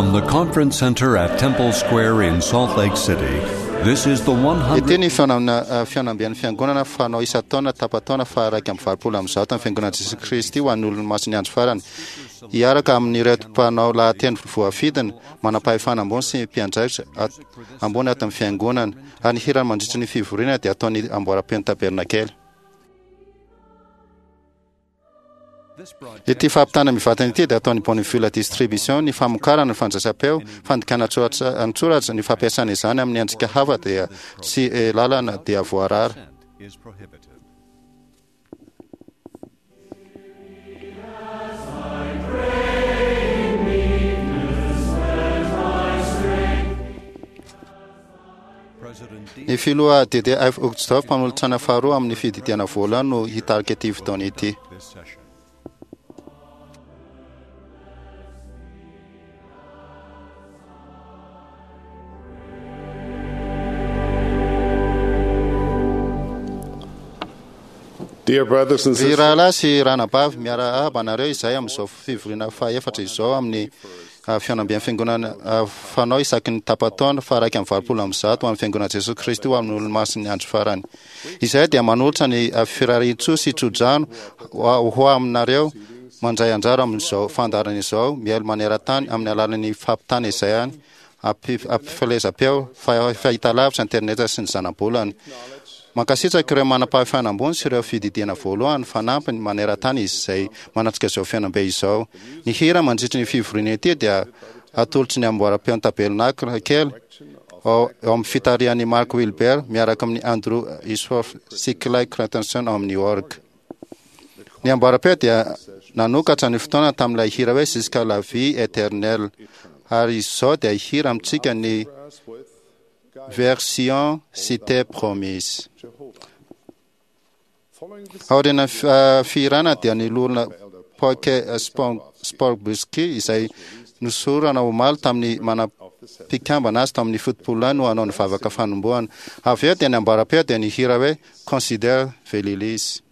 From the Conference Center at Temple Square in Salt Lake City, this is the 100. Ity ny fihaonana fihaonamben'ny Fiangonana fanao isan-taona tapa-taona faha-181 amin'ny Fiangonan'i Jesoa Kristy ho an'ny Olomasin'ny Andro Farany. Hiaraka amin'ireto mpanao lahateny voafidina, manam-pahefana ambony sy mpiandraikitra ambony ato amin'ny Fiangonana, ary ny hirany mandritra ny fivoriana dia ataon'ny amboaram-peon'ny Tabernakely. Ity fampitana mivantana ity dia ataon'ny Bonneville Distribution, ny famokarana, ny fandraisam-peo, fandikana an-tsoratra, ny fampiasana izany amin'ny endrika hafa dia tsy lalana dia voarara. Ny filoha DDF Uchtdorf, mpanolotsaina faharoa amin'ny fididiana voalohany no hitarika ity fotoana ity. Ry rahalahy sy ranabavy, miarahaba anareo izahay amin'izao fivoriana fahaefatra izao amin'ny Fihaonamben'ny Fiangonana fanao isaky ny tapa-taona, faha-181 ho an'ny Fiangonan'i Jesoa Kristy ho amin'ny Olomasin'ny Andro Farany. Izahay dia manolotra ny firarian-tsoa sy tso-drano ho aminareo mandray anjara amin'izao fandaharana izao mihailo maneran-tany amin'ny alalan'ny fampitana izay any ampifelezam-peo, fahitalavitra, internet sy ny zanabolana. Mankasitraka ireo manam-pahefana ambony sy ireo fididiana voalohany fanampiny maneran-tany izay manatrika izao fihaonambe izao. Ny hira mandritry ny fivoriana ity dia atolotry ny amboaram-peon'ny Tabernakla kely ao amin'ny fitarihan'i Mark Wilber miaraka amin'i Andrew Ishoff sy Clay Cratenson ao amin'ny orgue. Ny amboaram-peo dia nanokatra ny fotoana tamin'ilay hira hoe Jusqu'à la vie éternelle ary izao dia hihira amintsika ny Version Cité Promise. Aorian'ny fihirana dia ny loholona Poike Sporbuski izay nosorana omaly tamin'ny mana-mpikambana azy tamin'ny fitopolo no hanao ny vavaka fanombohana. Avy eo dia ny amboaram-peo dia nihira hoe Consider the Lilies.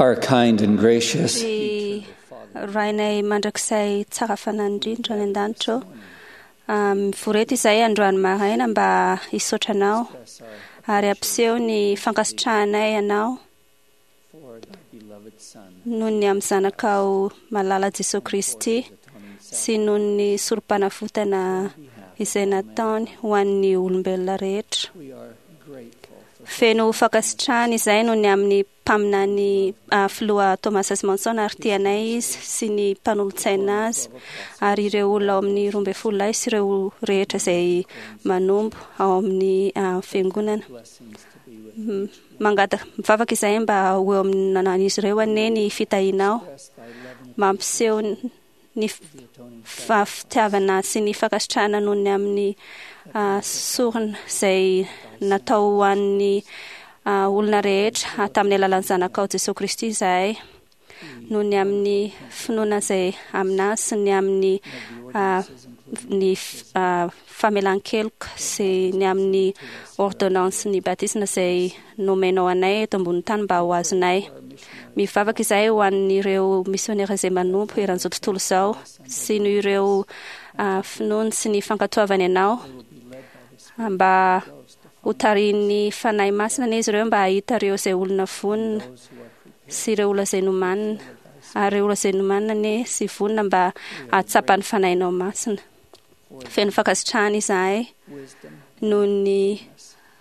Our kind and gracious Ry Rainay mandrakizay tsara fanahy indrindra any an-danitra ô. Ah, Mivory eto izahay androany maraina mba hisaotra anao ary hampiseho ny fankasitrahanay anao for thy beloved Son, noho ny amin'ny zanakao malala Jesoa Kristy sy noho ny sorom-panavotana izay nataony ho an'ny olombelona rehetra. we are grateful for Feno fankasitrahana izay noho ny amin'ny mpaminany ah, filoha Thomas S. Monson ary tianay izy sy ny mpanolotsaina azy ary ireo olona ao amin'ny 12 lahy sy ireo rehetra izay manompo ao amin'ny ah, fiangonana. blessings to be with Mangataka mivavaka izahay mba ho eo amin'izy ireo anie ny fitahianao us, thy love and mampiseho ny the atoning fitiavana sy ny fankasitrahana noho ny amin'ny ah, sorona izay natao ho an'ny ah, olona rehetra ah, tamin'ny alalan'ny zanakao Jesoa Kristy izahay noho ny amin'ny finoana izay aminazy sy ny amin'ny ah, ny ah, famelan-keloka sy ny amin'ny ordonnance ny batisma izay nomenao anay eto ambonin'ny tany mba ho azonay. Mivavaka izahay ho an'ireo misionera izay manompo eran'izao tontolo izao sy noho ireo ah, finoany sy ny fankatoavany anao mba ho tarihin'ny Fanahy Masina anie izy ireo mba hahita ireo izay olona vonona sy ireo olona izay nomanina ary ireo olona izay nomanina anie sy vonona mba hahatsapa ny Fanahinao Masina. Feno fankasitrahana izahay wisdom noho ny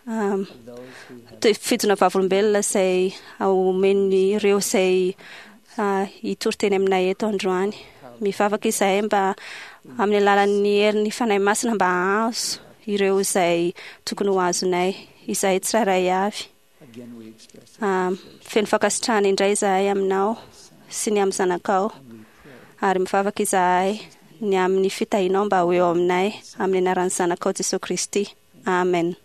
um, of those who have fijona vavolombelona izay omen'ireo izay ah, hitory teny aminay eto androany. Mivavaka izahay mba amin'ny alalan'ny herin'ny Fanahy Masina mba hahazo ireo izay tokony ho azonay, izahay tsirairay avy. again we express Ah, feno fankasitrahana indray izahay aminao sy ny amin'ny zanakao ary mivavaka izahay ny amin'ny fitahianao mba ho eo aminay amin'ny anaran'ny zanakao Jesoa Kristy. Amen.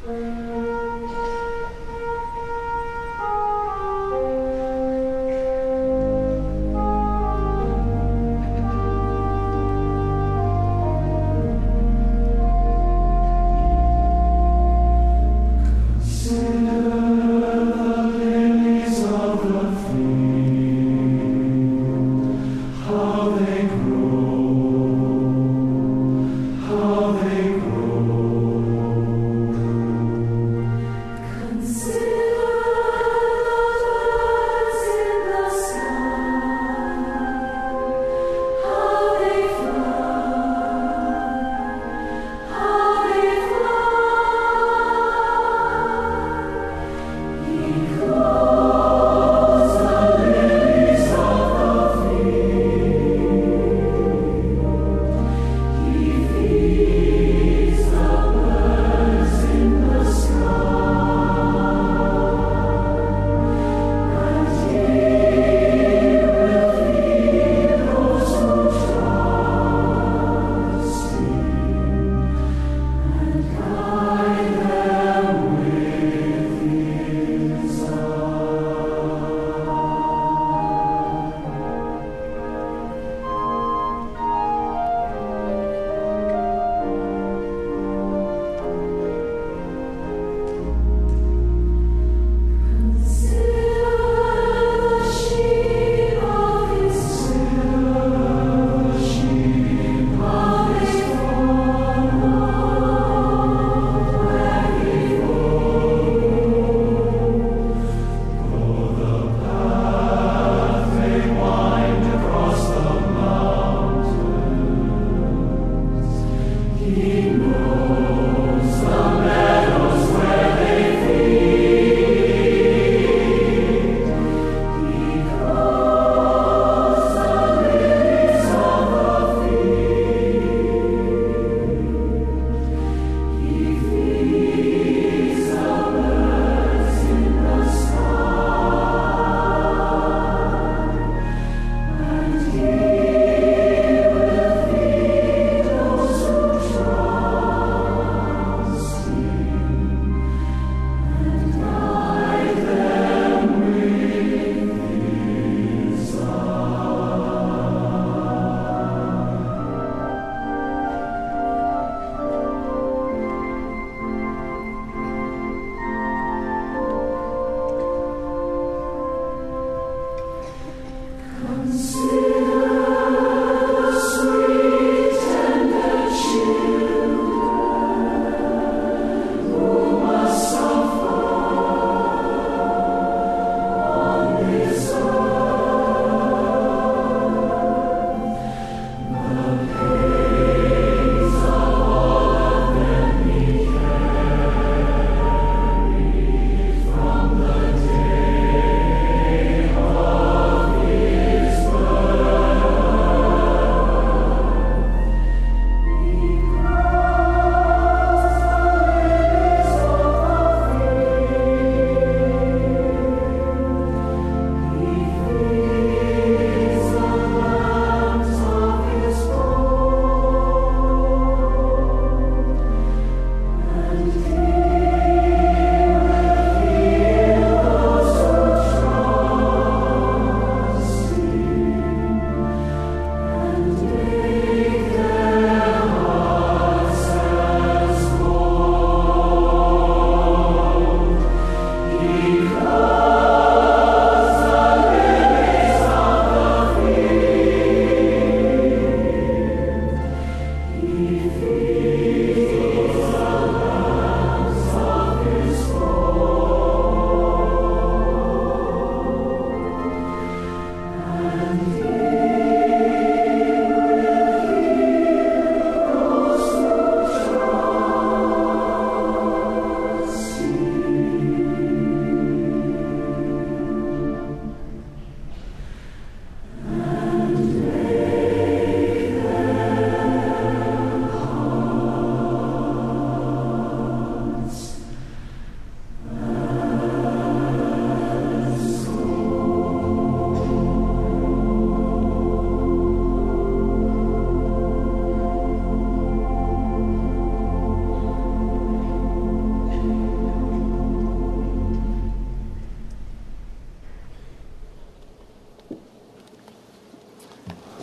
Thank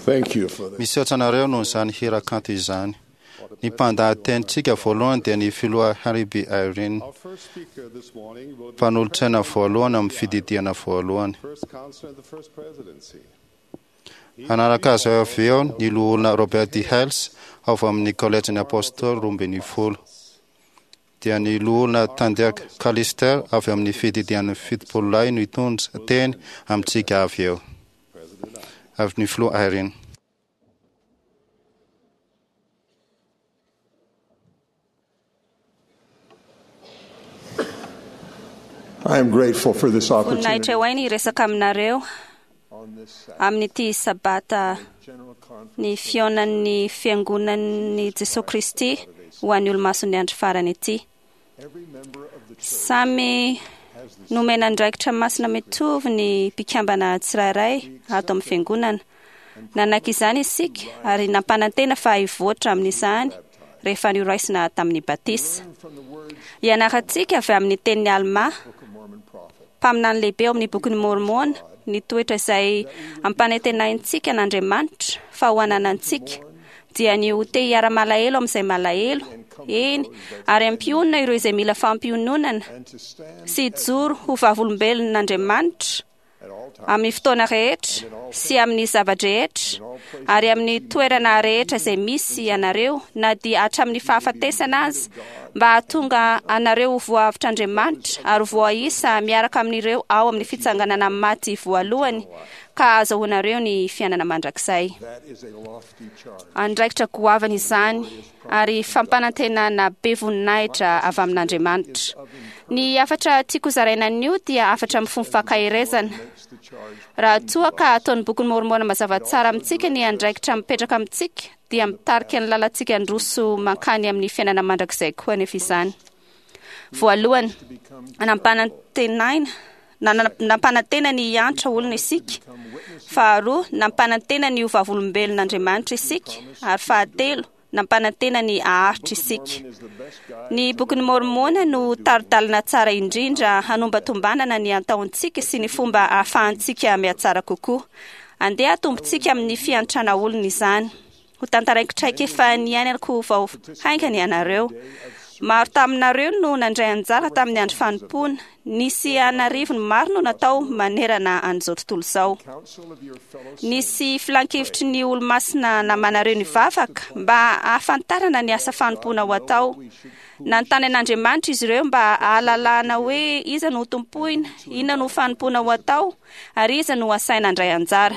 Thank you for that. Misaotra anareo noho izany hira kanto izany. Ny mpandahatenintsika voalohany dia ny filoha Harry B. Irene, Our first speaker this morning will be mpanolotsaina voalohany amin'ny fididiana voalohany. First Counselor of the First Presidency. Hanaraka azy avy eo ny loholona Robert D. Hales avy amin'ny kolejin'ny Apôstôly 12. Dia ny loholona Tandiak Callister avy amin'ny fididian'ny 70 lahy no hitondra teny amintsika avy eo. Avy ny filoha Irene. I am grateful for this opportunity Voninahitra ho ahy ny hiresaka aminareo on this Sabbath amin'ity sabata general conference ny fihaonan'ny fiangonan'ny Jesoa Kristy ho an'ny olomason'ny andro farany ity. Every member of the church Samy has the nomena andraikitra masina mitovy ny mpikambana tsirairay ato amin'ny fiangonana. Nanaiky izany isika ary nampanantena fa hivoatra amin'izany rehefa noraisina tamin'ny batisa. from the words Ianarantsika avy amin'ny tenin'ny Almà, Book of Mormon prophet. mpaminany lehibe ao amin'ny bokin'ny Môrmôna, ny toetra izay ampanantenaintsika an'Andriamanitra fa ho ananantsika dia ny ho te hiara-malahelo amin'izay malahelo, eny, ary ampionona ireo izay mila fampiononana And to stand sy hijoro ho vavolombelon'Andriamanitra at all times amin'ny fotoana rehetra sy amin'ny zava-drehetra ary amin'ny toerana rehetra izay misy ianareo na dia hatramin'ny fahafatesana aza mba hahatonga anareo ho voaavotr'Andriamanitra ary ho voaisa miaraka amin'ireo ao amin'ny fitsanganana maty voalohany ka ahazoanareo ny fiainana mandrakizay. That is a lofty charge. Andraikitra goavana izany ary fampanantenana be voninahitra avy amin'Andriamanitra. Ny hafatra tiako zaraina anio dia hafatra mifono fankaherezana. Makes the charge Raha toa ka ataon'ny bokin'ny Môrmôna mazava tsara amintsika ny andraikitra mipetraka amintsika dia mitarika ny lalantsika handroso mankany amin'ny fiainana mandrakizay koa anefa izany. Voalohany, nampanantenaina na- nampanantena ny hiantra olona isika. Faharoa, nampanantena ny ho vavolombelon'Andriamanitra isika. Ary fahatelo, nampanantena ny haharitra isika. is the best guide Ny bokin'ny Môrmôna no tari-dalana tsara indrindra hanombatombanana ny antaontsika sy ny fomba ahafahantsika mihatsara kokoa. Andeha atombontsika amin'ny fiantrana olona izany. Ho tantaraiko traikefa niainako vao haingana ianareo. Maro taminareo no nandray anjara tamin'ny andro fanompoana. Nisy an'arivony maro no natao manerana an'izao tontolo izao. Nisy filankevitry ny olomasina namanareo nivavaka mba hahafantarana ny asa fanompoana ho atao. Nanontany an'Andriamanitra izy ireo mba hahalalana hoe iza no hotompoina, inona no fanompoana ho atao, ary iza no asaina handray anjara.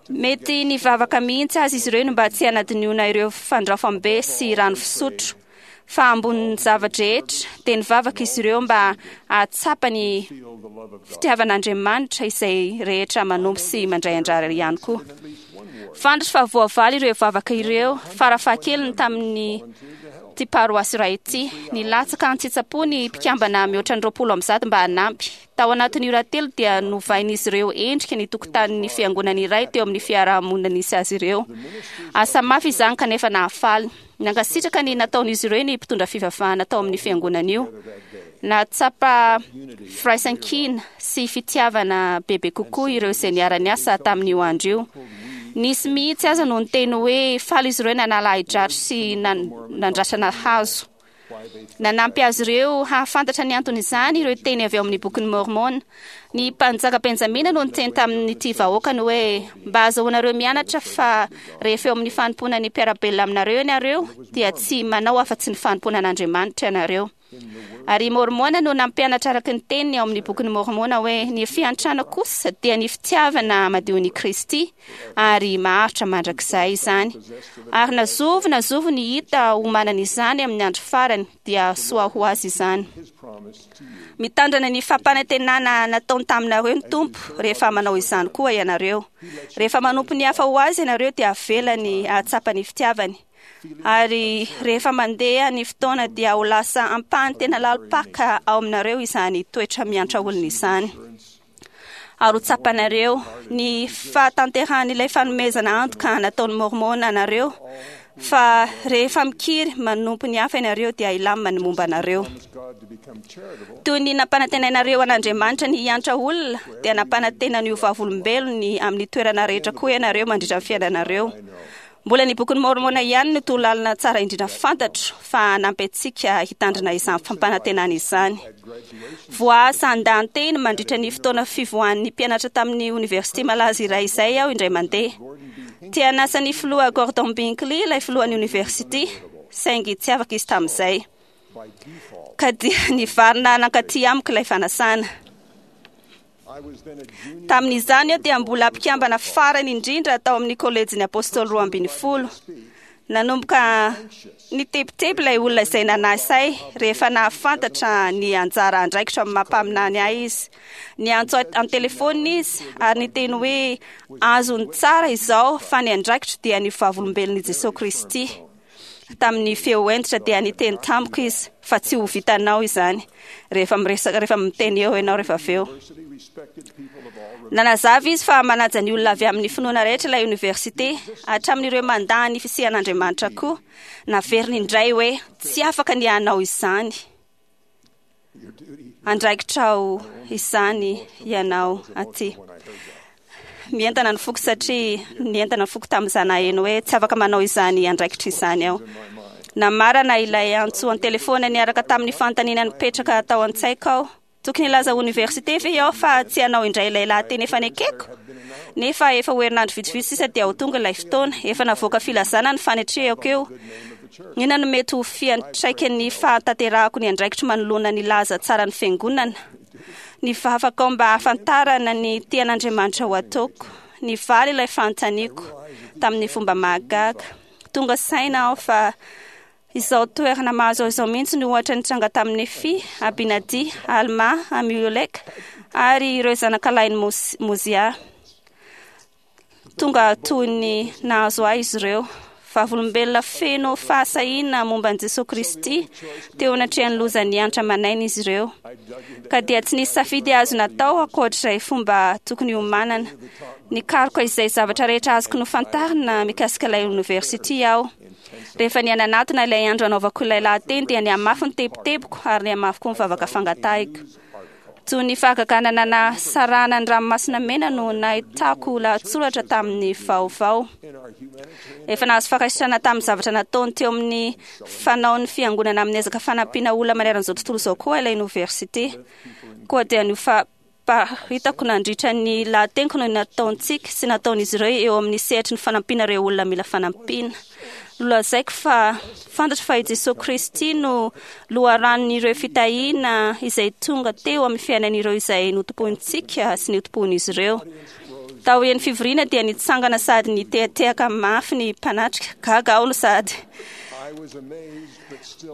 Mety nivavaka mihitsy aza izy ireo mba tsy hanadinoana ireo fandraofam-be sy rano fisotro. Fa ambonin'ny zava-drehetra dia nivavaka izy ireo mba hahatsapa ny fitiavan'Andriamanitra izay rehetra manompo sy mandray anjara ihany koa. Fantatro fa voavaly ireo vavaka ireo farafahakeliny tamin'ny ity paroasy iray ity. Nilatsaka an-tsitsapo ny mpikambana mihoatra ny 320 mba hanampy. Tao anatin'ny ora 3 dia novain'izy ireo endrika ny tokotanin'ny fiangonana iray teo amin'ny fiarahamonina nisy azy ireo. Asa mafy izany kanefa nahafaly. Nankasitraka ny nataon'izy ireo ny mpitondra fivavahana tao amin'ny fiangonana io. Nahatsapa firaisankina sy fitiavana bebe kokoa ireo izay niara-niasa tamin'io andro io. Nisy mihitsy aza no niteny hoe faly izy ireo nanala ahi-dratsy sy nandrasana hazo. Nanampy azy ireo hahafantatra ny anton'izany ireo teny avy ao amin'ny bokin'i Mormon. Ny mpanjaka Benjamina no niteny tamin'ity vahoakany hoe mba azahoanareo mianatra fa rehefa eo amin'ny fanompoana ny mpiara-belona aminareo ianareo dia tsy manao afa-tsy ny fanompoana an'Andriamanitra ianareo. Ary Mormona no nampianatra araka ny teniny ao amin'ny bokin'i Mormona hoe ny fiantrana kosa dia ny fitiavana madion'i Kristy ary maharitra mandrakizay izany. Ary na zovy na zovy ny hita ho manana izany amin'ny andro farany dia soa ho azy izany. Mitandrana ny fampanantenana nataony taminareo ny Tompo rehefa manao izany koa ianareo. Rehefa manompo ny hafa ho azy ianareo dia avelany hahatsapa ny fitiavany. Ary rehefa mandeha ny fotoana dia ho lasa ampahany tena lalim-paka ao aminareo izany toetra miantra olona izany. Ary ho tsapanareo ny fahatanterahan'ilay fanomezana antoka nataon'ny Mormona anareo fa rehefa mikiry manompo ny hafa ianareo dia hilamina ny momba anareo. Toy ny nampanantenainareo an'Andriamanitra ny hiantra olona dia nampanantena ny ho vavolombelony amin'ny toerana rehetra koa ianareo mandritra ny fiainanareo. Mbola ny bokin'i Mormona ihany no torolalana tsara indrindra fantatro fa hanampy antsika hitandrina izany fampanantenana izany. Voaasa handahan-teny mandritra ny fotoana fivoahan'ny mpianatra tamin'ny oniversite malaza iray izay aho indray mandeha. Te hanasa ny filoha Gordon Binkley ilay filohan'ny oniversite, saingy tsy afaka izy tamin'izay. Ka dia nivarina nankaty amiko ilay fanasana. Tamin'izany aho dia mbola mpikambana farany indrindra tao amin'ny kolejin'ny Apôstôly 12. Nanomboka nitebiteby ilay olona izay nanasa ahy rehefa nahafantatra ny anjara andraikitro amin'ny maha mpaminany ahy izy. Niantso ahy an-telefaonina izy ary niteny hoe azony tsara izao fa ny andraikitro dia ny vavolombelon'i Jesosy Kristy. Tamin'ny feo hentitra dia niteny tamiko izy fa tsy ho vitanao izany rehefa miresaka, rehefa miteny eo ianao rehefa avy eo. Nanazava izy fa manaja ny olona avy amin'ny finoana rehetra ilay oniversite, hatramin'ireo mandà ny fisian'Andriamanitra koa. Naveriny indray hoe tsy afaka ny hanao izany. Andraikitrao izany ianao aty. Mientana ny foko satria nientana ny foko tamin'izany naheno hoe tsy afaka manao izany andraikitra izany aho. Namarana ilay antso an-telefaona niaraka tamin'ny fanontaniana nipetraka tao an-tsaiko aho. Tokony hilaza oniversite ve aho fa tsy hanao indray ilay lahateny efa nekeko? Nefa efa ho herinandro vitsivitsy sisa dia ho tonga ilay fotoana. Efa navoaka filazana ny fanetrehako eo. Inona no mety ho fiantraikan'ny fahatanterahako ny andraikitro manoloana ny laza tsaran'ny fiangonana? Nivavaka aho mba hahafantarana ny tian'Andriamanitra ho ataoko. Nivaly ilay fanontaniako tamin'ny fomba mahagaga. Tonga saina aho fa izao toerana mahazo ahy izao mihitsy no ohatra nitranga tamin'i Nefy, Abinadi, Alma, Amioleka ary ireo zanakalahin'i Mozia. Tonga toy ny nahazo ahy izy ireo. Vavolombelona feno fahasahiana momba an'i Jesosy Kristy teo anatrehan'ny loza niantra aman'aina izy ireo. Ka dia tsy nisy safidy azo natao ankoatr'izay fomba tokony hiomanana. Nikaroka izay zavatra rehetra azoko nofantarina mikasika ilay oniversite aho. Rehefa nihananatona ilay andro hanaovako ilay lahateny dia nihamafy ny tebitebiko ary nihamafy koa ny vavaka fangatahiko. Toy ny fahagagana nanasarahana ny ranomasina mena no nahitako lahatsoratra tamin'ny vaovao. Efa nahazo fankasitrahana tamin'ny zavatra nataony teo amin'ny fanaon'ny fiangonana amin'ny ezaka fanampiana olona manerana izao tontolo izao koa ilay oniversite. Koa dia ny famparitako nandritra ny lahateniko no nataontsika sy nataon'izy ireo eo amin'ny sehatry ny fanampiana ireo olona mila fanampiana. Nolazaiko fa fantatro fa i Jesoa Kristy no loharanon'ireo fitahiana izay tonga teo amin'ny fiainan'ireo izay notompointsika sy notompoin'izy ireo. Taorian'ny fivoriana dia nitsangana sady nitehatehaka mafy ny mpanatrika. Gaga aho no sady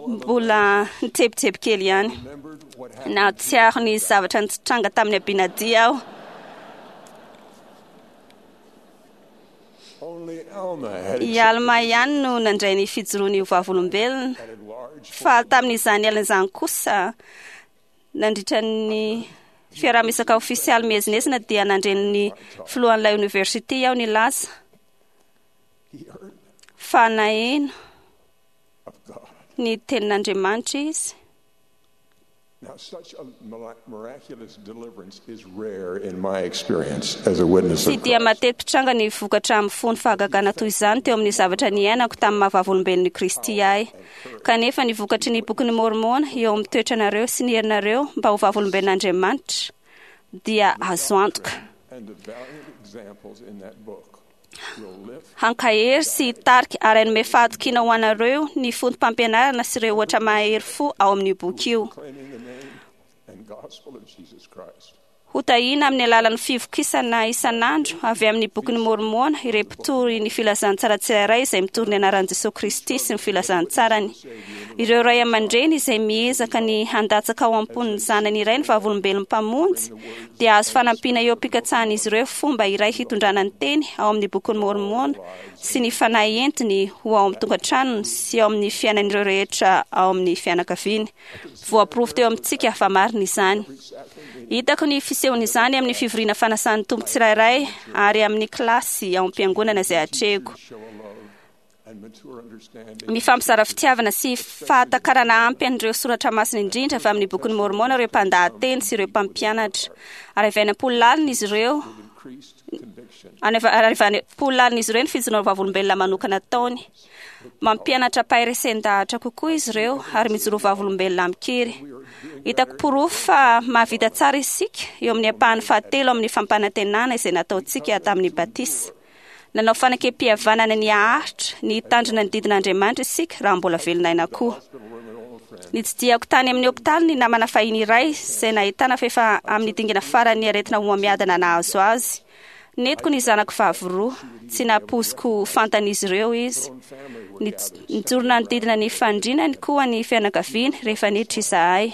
mbola nitebiteby kely ihany. Nahatsiaro ny zavatra nitranga tamin'ny Abinadia aho. I Alma ihany no nandray ny fijoroany ho vavolombelona, fa tamin'izany alina izany kosa, nandritra ny fiaraha-miresaka ofisialy miezinezina dia nandre ny filohan'ilay oniversite aho nilaza fa naheno ny tenin'Andriamanitra izy. Now, such a miraculous deliverance is rare in my experience as a witness Tsy of dia Christ. mateti-pitranga ny vokatra amin'ny fony fahagagana toy izany teo amin'ny zavatra niainako tamin'ny maha-vavolombelon'i Kristy ahy. Kanefa ny vokatry ny bokin'i Môrmôna eo amin'ny toetranareo sy ny herinareo mba ho vavolombelon'Andriamanitra dia azo antoka. And the valiant examples in that book will lift Hankahery sy hitarika ary hanome fahatokiana ho anareo ny fotom-pampianarana sy ireo ohatra mahery fo ao amin'io boky io. claiming the name and gospel of Jesus Christ. Hotahiana amin'ny alalan'ny fivokisana isan'andro avy amin'ny bokin'i Môrmôna ireo mpitory ny filazantsara tsirairay izay mitory ny anaran'i Jesoa Kristy sy ny filazantsarany. Ireo ray aman-dreny izay miezaka ny handatsaka ao am-pon'ny zanany iray ny vavolombelon'ny mpamonjy dia azo fanampiana eo am-pikatsahan'izy ireo fomba iray hitondrana ny teny ao amin'ny bokin'i Môrmôna sy ny fanahy entiny ho ao amin'ny tokantranony sy ao amin'ny fiainan'ireo rehetra ao amin'ny fianakaviany. Voaporofo teo amintsika fa marina izany. Hitako ny fisehon'izany amin'ny fivoriana fanasan'ny Tompo tsirairay ary amin'ny kilasy ao am-piangonana izay atrehiko. Show a love and mature understanding Mifampizara fitiavana sy fahatakarana ampy an'ireo soratra masina indrindra avy amin'ny bokin'i Môrmôna ireo mpandahateny sy ireo mpampianatra. Ary avy any am-po lalina izy ireo increased conviction ary avy any am-po lalina izy ireo ny fijoroana vavolombelona manokana ataony. Mampianatra am-paharesen-dahatra kokoa izy ireo ary mijoro vavolombelona amin-kery. Hitako porofo fa mahavita tsara isika eo amin'ny ampahany fahatelo amin'ny fampanantenana izay nataontsika tamin'ny batisa. Nanao fanekempihavanana ny haharitra ny hitandrina ny didin'Andriamanitra isika raha mbola velona aina koa. Nitsidihako tany amin'ny hopitaly ny namana fahiny iray izay nahitana fa efa amin'ny dingana faran'ny aretina homamiadana nahazo azy. Nentiko ny zanako vavy roa, tsy nampoiziko ho fantan'izy ireo izy. Nijoro nanodidina ny fandrinany koa ny fianakaviany rehefa niditra izahay.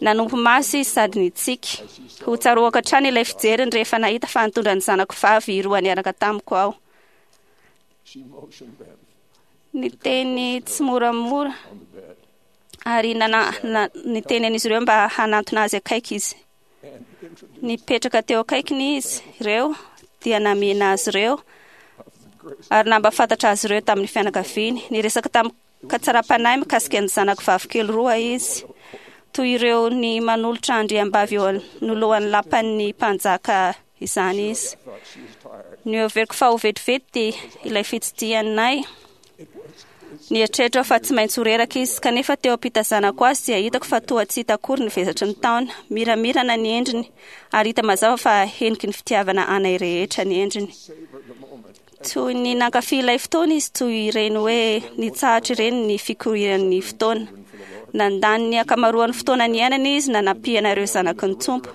Nanompo maso izy sady nitsiky. Ho tsaroako hatrany ilay fijeriny rehefa nahita fa nitondra ny zanako vavy roa niaraka tamiko aho. She motioned them Niteny tsy moramora on the bed ary niteny an'izy ireo mba hanantona azy akaiky izy. and introduced Nipetraka teo akaikiny izy ireo dia namihina azy ireo of the grace ary nampahafantatra azy ireo tamin'ny fianakaviany. Niresaka tamin'ny katsaram-panahy mikasika ny zanako vavikely roa izy, toy ireo ny manolotra andriambavy eo anoloan'ny lapan'ny mpanjaka izany izy. I thought she was tired. Noheveriko fa ho vetivety ilay fitsidihanay. It was it's Nieritreritra aho fa tsy maintsy ho reraka izy, kanefa teo am-pitazanako azy dia hitako fa toa tsy hita akory ny vesatry ny taona. Miramirana ny endriny ary hita mazava fa heniky ny fitiavana anay rehetra ny endriny. savor the moment. Toy ny nankafy ilay fotoana izy, toy ireny hoe nitsahatra ireny ny fikorian'ny fotoana. Nandany ny ankamaroan'ny fotoana niainana izy nanampiana ireo zanaky ny Tompo.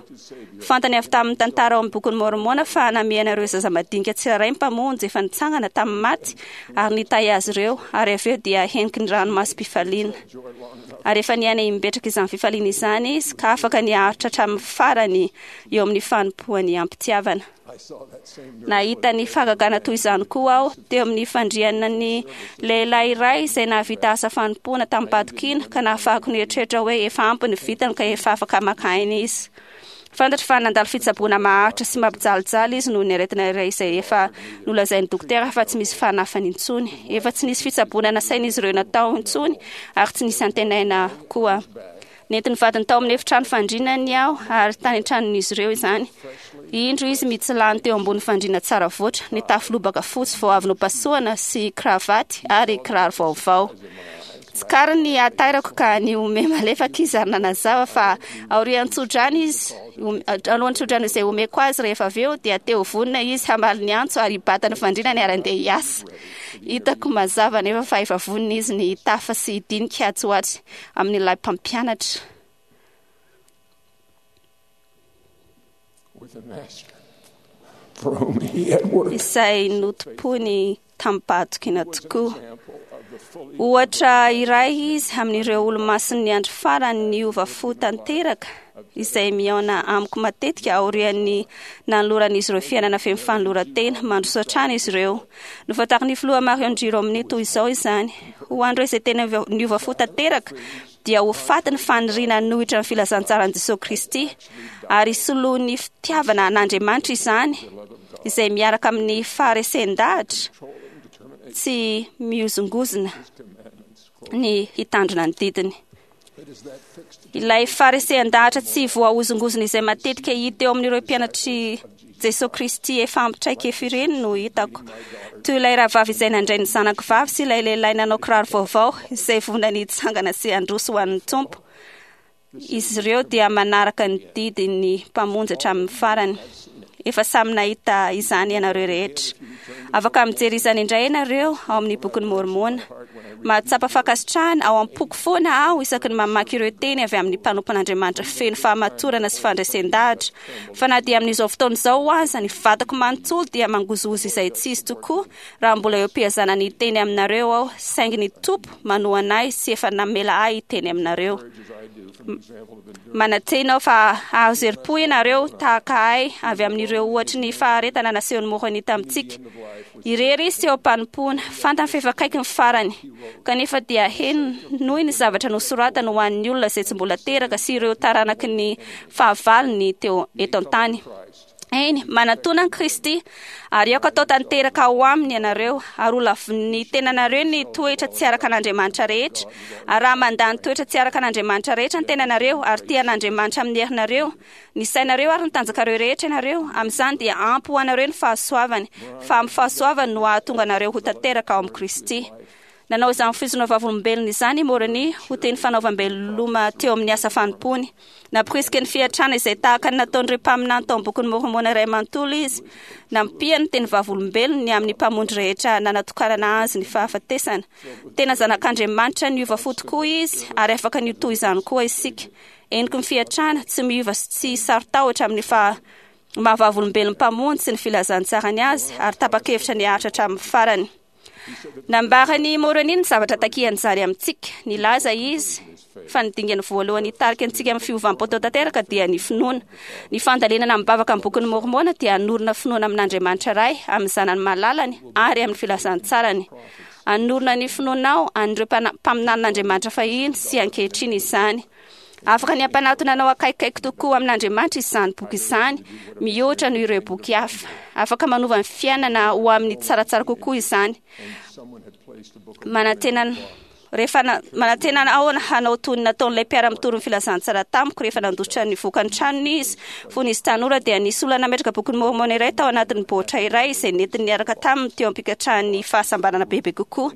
Fantany avy tamin'ny tantara ao amin'ny bokin'i Môrmôna fa namihana ireo zaza madinika tsirairay ny mpamonjy efa nitsangana tamin'ny maty ary nitahy azy ireo, ary avy eo dia heniky ny ranomasom-pifaliana. Ary efa niaina imbetraka izany fifaliana izany izy ka afaka niharitra hatramin'ny farany eo amin'ny fanompoany am-pitiavana. I saw that same Nahita ny fahagagana toy izany koa aho teo amin'ny fandrianan'ny lehilahy iray izay nahavita asa fanompoana tamim-pahatokiana ka nahafahako nieritreritra hoe efa ampy ny vitany ka efa afaka maka aina izy. Fantatro fa nandalo fitsaboana maharitra sy mampijalijaly izy noho ny aretina iray izay efa nolazain'ny dokotera fa tsy misy fanafany intsony. Efa tsy nisy fitsaboana nasain'izy ireo natao intsony ary tsy nisy antenaina koa. Nentin'ny vadiny tao amin'ny efitrano fandrinany aho ary tany an-tranon'izy ireo izany. Indro izy mitsilany teo ambony fandriana tsara voatra, nitafy lobaka fotsy vao avy nopasohana sy kravaty ary kiraro vaovao. Tsikariny ny hatairako ka nihomehy malefaka izy ary nanazava fa aorian'ny tsodrano izy, alohan'ny tsodrano izay omeko azy rehefa avy eo dia te ho vonona izy hamaly ny antso ary hibata ny fandrinany ary handeha hiasa. Hitako mazava anefa fa efa vonona izy ny hitafa sy hidinika atsy ho atsy amin'ilay mpampianatra. With the master for whom he had worked. Izay notompoiny tamim-pahatokiana tokoa. Example of the fully Ohatra iray izy amin'ireo olo-masin'ny andro farany niova fo tanteraka izay mihaona amiko matetika aorian'ny nanoloran'izy ireo fiainana feno fanoloran-tena mandroso hatrany izy ireo. Nofantarin'ny filoha Marion G. Romney toy izao izany. Ho an'ireo izay tena niova fo tanteraka dia ho faty ny faniriana hanohitra ny filazantsaran'i Jesosy Kristy ary soloin'ny fitiavana an'Andriamanitra izany izay miaraka amin'ny faharesen-dahatra tsy mihozongozona ny hitandrina ny didiny. Ilay faharesen-dahatra tsy voahozongozona izay matetika hita eo amin'ireo mpianatr'i Jesosy Kristy efa ampy traikefa ireny no hitako. Toy ilay rahavavy izay nandray ny zanako vavy sy ilay lehilahy nanao kiraro vaovao izay vonona ny hitsangana sy handroso ho an'ny Tompo. Izy ireo dia manaraka ny didin'ny Mpamonjy hatramin'ny farany. Efa samy nahita izany ianareo rehetra. Afaka mijery izany indray ianareo ao amin'ny bokin'i Môrmôna. Mahatsapa fankasitrahana ao am-poko foana aho isaky ny mamaky ireo teny avy amin'ny mpanompon'Andriamanitra feno fahamatorana sy fandresen-dahatra. Fa na dia amin'izao fotoana izao aza, ny vatako manontolo dia mangozohozo izay tsy izy tokoa raha mbola eo am-piazana ny hiteny aminareo aho, saingy ny Tompo manohana ahy sy efa namela ahy hiteny aminareo. Manantena aho fa hahazo herim-po ianareo tahaka ahy avy amin'ireo ohatry ny faharetana nasehon'i Môrônia tamintsika. Irery izy teo am-panompoana, fantany fa efa akaiky ny farany. Kanefa dia henoy ny zavatra nosoratany ho an'ny olona izay tsy mbola teraka sy ireo taranaky ny fahavalony teo eto an-tany. Eny, manatona an'i Kristy, ary aoka atao tanteraka ao aminy ianareo, ary ho lavin'ny tenanareo ny toetra tsy araka an'Andriamanitra rehetra. Ary raha mandà ny toetra tsy araka an'Andriamanitra rehetra ny tenanareo, ary tia an'Andriamanitra amin'ny herinareo, ny sainareo ary ny tanjakareo rehetra ianareo, amin'izany dia ampy ho anareo ny fahasoavany, fa amin'ny fahasoavany no hahatonga anareo ho tanteraka ao amin'i Kristy. Nanao izany fizona vavolombelona izany i Môrônia ho teny fanaovam-beloma teo amin'ny asa fanompoany. Namporisika ny fiantrana izay tahaka ny nataon'ireo mpaminany tao amin'ny bokin'i Môrmôna iray manontolo izy. Nampiany ny teny vavolombelony ny amin'ny mpamonjy rehetra nanatokanana azy ny fahafatesana. Tena zanak'Andriamanitra niova fo tokoa izy ary afaka ny ho toy izany koa isika. Heniky ny fiantrana, tsy miova sy tsy saro-tahotra amin'ny faha maha vavolombelon'ny mpamonjy sy ny filazantsarany azy ary tapa-kevitra ny haharitra hatramin'ny farany. Nambaran'i Môrônia ny zavatra takian'izany amintsika. Nilaza izy fa ny dingana voalohany hitarika antsika amin'ny fiovam-po tanteraka dia ny finoana. Ny fandalinana amim-bavaka amin'ny bokin'i Môrmôna dia hanorina finoana amin'Andriamanitra Ray, amin'ny Zanany malalany ary amin'ny filazantsarany. Hanorina ny finoanao an'ireo mpaminanin'Andriamanitra fahiny sy ankehitriny izany. Afaka ny hampanatona anao akaikikaiky tokoa amin'Andriamanitra izany boky izany, mihoatra noho ireo boky hafa. Afaka manova ny fiainana ho amin'ny tsaratsara kokoa izany. Manantena rehefa manantena aho hanao toy ny nataon'ilay mpiara-mitory ny filazantsara tamiko rehefa nandositra ny vokan'ny tranony izy. Fony izy tanora dia nisy olona nametraka bokin'i Môrmôna iray tao anatin'ny baoritra iray izay nentiny niaraka taminy teo am-pikatrahany fahasambarana bebe kokoa.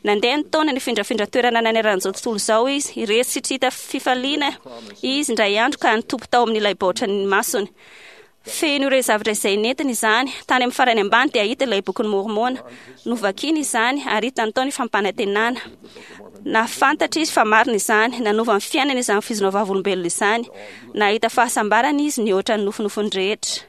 Nandeha ny taona, nifindrafindra toerana nanerana izao tontolo izao izy. Irery sy tsy hita fifaliana izy indray andro ka nitopy tao amin'ilay baoritra ny masony. Feno ireo zavatra izay nentiny izany. Tany amin'ny farany ambany dia hita ilay bokin'i Môrmôna. Novakiny izany ary hitany tao ny fampanantenana. Nahafantatra izy fa marina izany. Nanova ny fiainany izany fizina vavolombelona izany. Nahita fahasambarana izy nihoatra ny nofinofiny rehetra.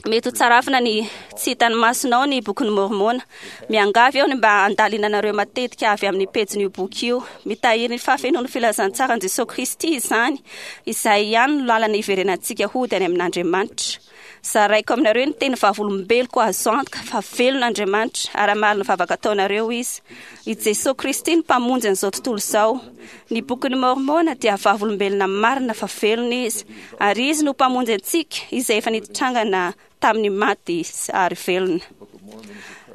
Mety ho tsarafina ny tsy hitan'ny masonao ny bokin'i Môrmôna. Miangavy aho ny mba handalinanareo matetika avy amin'ny pejin'io boky io. Mitahiry ny fahafenoan'ny filazantsaran'i Jesoa Kristy izany, izay ihany no lalana hiverenantsika hody any amin'Andriamanitra. Zaraiko aminareo ny teny vavolombeloko azo antoka fa velona Andriamanitra ary hamaly ny vavaka ataonareo Izy. I Jesoa Kristy no Mpamonjy an'izao tontolo izao. Ny bokin'i Môrmôna dia vavolombelona marina fa velona Izy, ary Izy no Mpamonjy antsika izay efa nitrangana tamin'ny maty ary velona.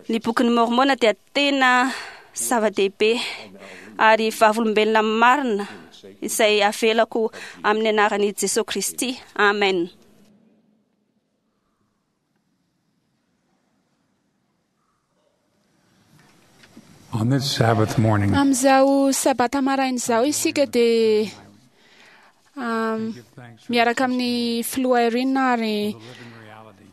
Ny bokin'i Môrmôna dia tena zava-dehibe ary vavolombelona marina. izay avelako amin'ny anaran'i Jesosy Kristy. Amen. On this Sabbath morning, Amin'izao sabata maraina izao isika dia give thanks for miaraka amin'ny filoha Irene ary the living reality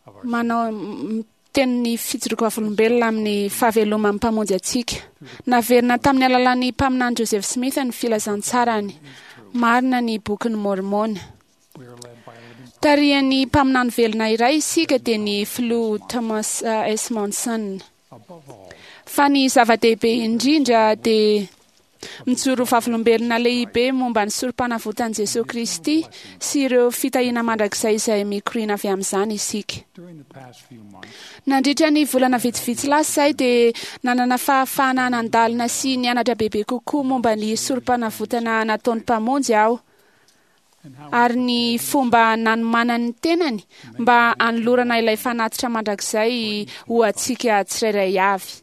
of our manao miteny ny fijoroako vavolombelona amin'ny fahaveloman'ny mpamonjy antsika. Naverina tamin'ny alalan'ny mpaminany Joseph Smith ny filazantsarany. Marina ny bokin'ny Mormona. We are led by a living Tarihan'ny mpaminany velona iray isika dia ny filoha Thomas S. Monson. above all Fa ny zava-dehibe indrindra dia mijoro vavolombelona lehibe momba ny sorom-panavotan'i Jesosy Kristy sy ireo fitahiana mandrakizay izay mikoriana avy amin'izany isika. during the past few months. Nandritra ny volana vitsivitsy lasa izay dia nanana fahafahana nandalina sy nianatra bebe kokoa momba ny sorom-panavotana nataon'ny mpamonjy aho And how ary ny fomba nanomanany ny tenany mba hanolorana ilay fanatitra mandrakizay ho antsika tsirairay avy.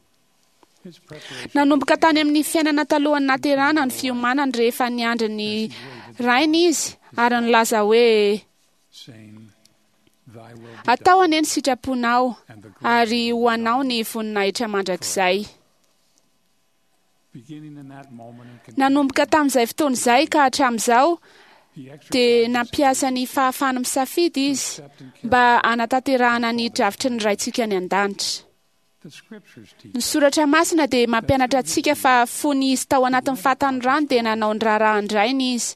his preparation Nanomboka tany amin'ny fiainana talohan'ny naterana ny fiomanany rehefa niandry ny rainy izy ary nilaza hoe saying, Thy will be atao done, anie ny sitraponao and the glory ary ho anao ny voninahitra mandrakizay. Beginning in that moment and continuing, Nanomboka tamin'izay fotoana izay ka hatramin'izao he dia exercised his nampiasa ny fahafahany misafidy izy accept and carry mba hanatanterahana ny drafitry ny raintsika any an-danitra. the scriptures teach Ny soratra masina dia mampianatra antsika fa fony izy tao anatin'ny fahatanorany dia nanao ny raharahan-drainy izy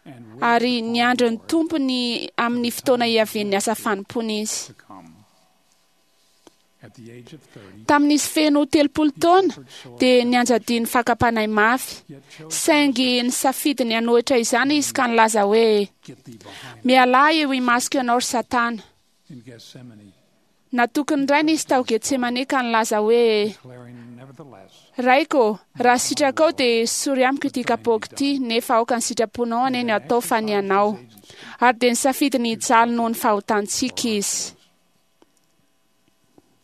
and waited ary upon niandry the ny Lord tompony amin'ny fotoana hiavian'ny asa fanompoana izy. to come. At the age of 30, Tamin'izy feno 30 taona dia nianjadian'ny fakam-panahy mafy, yet chose saingy nisafidy ny hanohitra izany izy ka nilaza hoe get thee behind mialà eo imasoko ianao ry Satana. in Gethsemane, Natoky ny rainy izy tao Getsemane ka nilaza hoe declaring nevertheless, Raiko, raha sitrakao dia sory amiko ity kapoaka ity, nefa aoka ny sitraponao anie no atao fa ny anao. Ary dia nisafidy ny hijaly noho ny fahotantsika izy.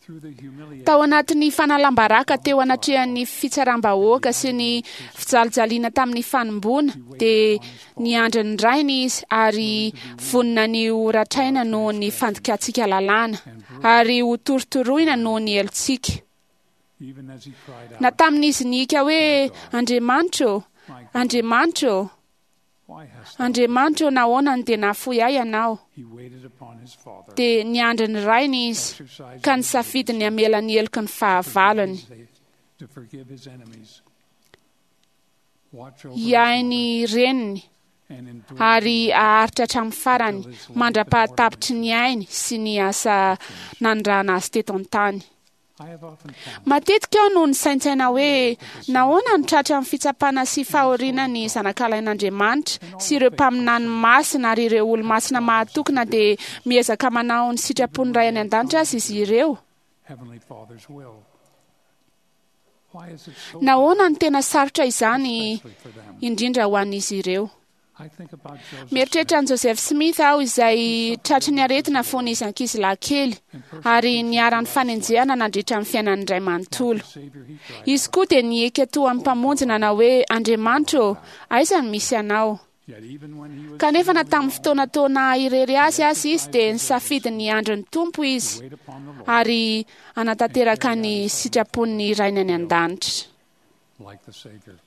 through the humiliation Tao anatin'ny fanalam-baraka teo anatrehan'ny fitsaram-bahoaka sy ny fijalijaliana tamin'ny fanomboana dia niandry ny rainy izy ary vonona ny ho ratraina noho ny fandikantsika lalàna ary ho torotoroina noho ny helotsika. even as he cried Na out, tamin'izy nihiaka hoe Andriamanitra ô, Andriamanitra ô, Why hast thou? Andriamanitra ô, nahoana no dia nahafoy ahy ianao? He waited upon his father, Dia niandry ny rainy izy exercising ka his nisafidy ny hamela ny heloky ny fahavalony. to forgive his enemies. Watch over his Hiahy mother ny reniny and endure ary haharitra hatramin'ny farany mandra-pahatapitry ny ainy sy ny asa nanirahana azy teto an-tany. I have often pondered Matetika aho no nisaintsaina hoe nahoana no tratra amin'ny fitsapana sy fahoriana ny zanakalain'Andriamanitra sy ireo mpaminany masina ary ireo olo-masina mahatoky na dia miezaka manao ny sitrapon'ny Ray any an-danitra azy izy ireo. Heavenly Father's will. Why is it so Nahoana no tena sarotra izany especially for them? indrindra ho an'izy ireo? I think about Joseph Mieritreritra an'i Joseph Smith aho izay tratry ny aretina fony izy ankizilahy kely ary niharan'ny fanenjehana nandritra ny fiainany iray manontolo. Savior, he cried Izy koa dia nihiaka toa amin'ny mpamonjy nanao hoe Andriamanitra ô, aiza no misy anao? Yet even when he was Kanefa na tamin'ny fotoana toa irery azy azy izy dia nisafidy ny andry ny Tompo izy wait upon the Lord ary hanatanteraka ny sitrapon'ny Rainy any an-danitra. like the Savior.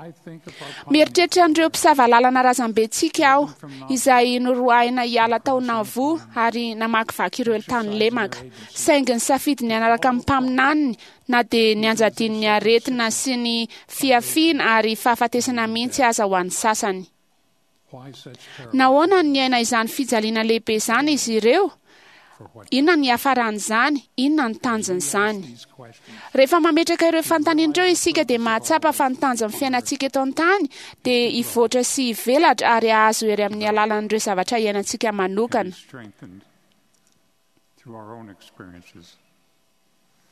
I think of our Mieritreritra an'ireo mpisava lalana razambentsika aho izay noroahina hiala tao Nauvoo ary namakivaky ireo tany lemaka. Saingy nisafidy ny hanaraka amin'ny mpaminaniny na dia nianjadian'ny aretina sy ny fiafiana ary fahafatesana mihitsy aza ho an'ny sasany. why such peril Nahoana no niaina izany fijaliana lehibe izany izy ireo? for what Inona ny hiafaran'izany? Inona ny tanjon'izany? these questions Rehefa mametraka ireo fanontaniana ireo isika dia mahatsapa fa ny tanjon'ny fiainantsika eto an-tany dia hivoatra sy hivelatra ary hahazo hery amin'ny alalan'ireo zavatra iainantsika can manokana. be strengthened through our own experiences.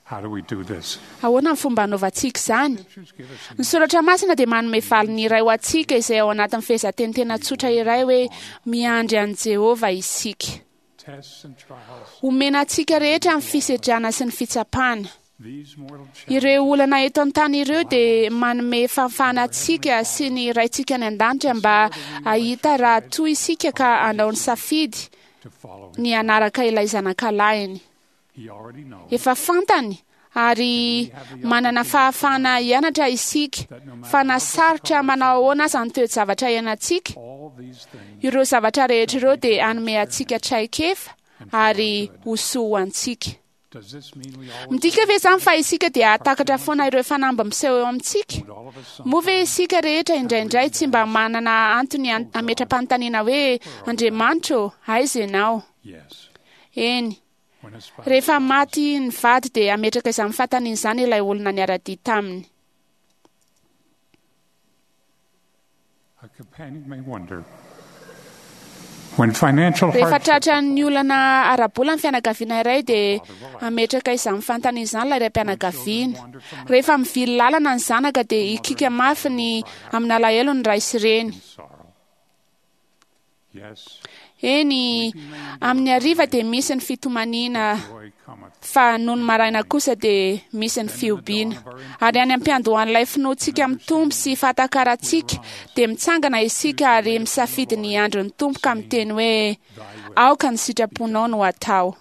How do we do this? Ahoana ny fomba anaovantsika izany? Scriptures give us Ny soratra masina dia manome valiny iray ho antsika izay ao anatin'ny fehezanteny tena tsotra iray hoe miandry an'i Jehovah isika. tests and trials Omena antsika rehetra ny fisedrana sy ny fitsapana. Ireo olana eto an-tany ireo dia manome fahafahana antsika sy ny Raintsika any an-danitra mba hahita raha toa isika ka hanao ny safidy ny hanaraka ilay Zanakalahiny. Efa fantany ary manana fahafahana hianatra isika fa na sarotra manao ahoana aza ny toe-javatra iainantsika, ireo zavatra rehetra ireo dia hanome antsika traikefa ary ho soa ho antsika. Midika ve izany fa isika dia hahatakatra foana ireo fanamby miseho eo amintsika? Moa ve isika rehetra indraindray tsy mba manana antony hametra-panontaniana hoe, Andriamanitra ô, aiza ianao? Eny. Rehefa maty ny vady dia hametraka izany fanontaniana izany ilay olona niara-dia taminy. Rehefa tratran'ny olana ara-bola ny fianakaviana iray dia hametraka izany fanontaniana izany ilay raim-pianakaviana. Rehefa mivily lalana ny zanaka dia hikiaka mafy ny amin'alahelo ny ray sy reny. Eny, amin'ny hariva dia misy ny fitomaniana, fa nony maraina kosa dia misy ny fihobiana. Ary any am-piandohan'ilay finoantsika mitombo sy fahatakarantsika, dia mitsangana isika ary misafidy ny andron'ny Tompo ka miteny hoe, Aoka ny sitraponao no hatao.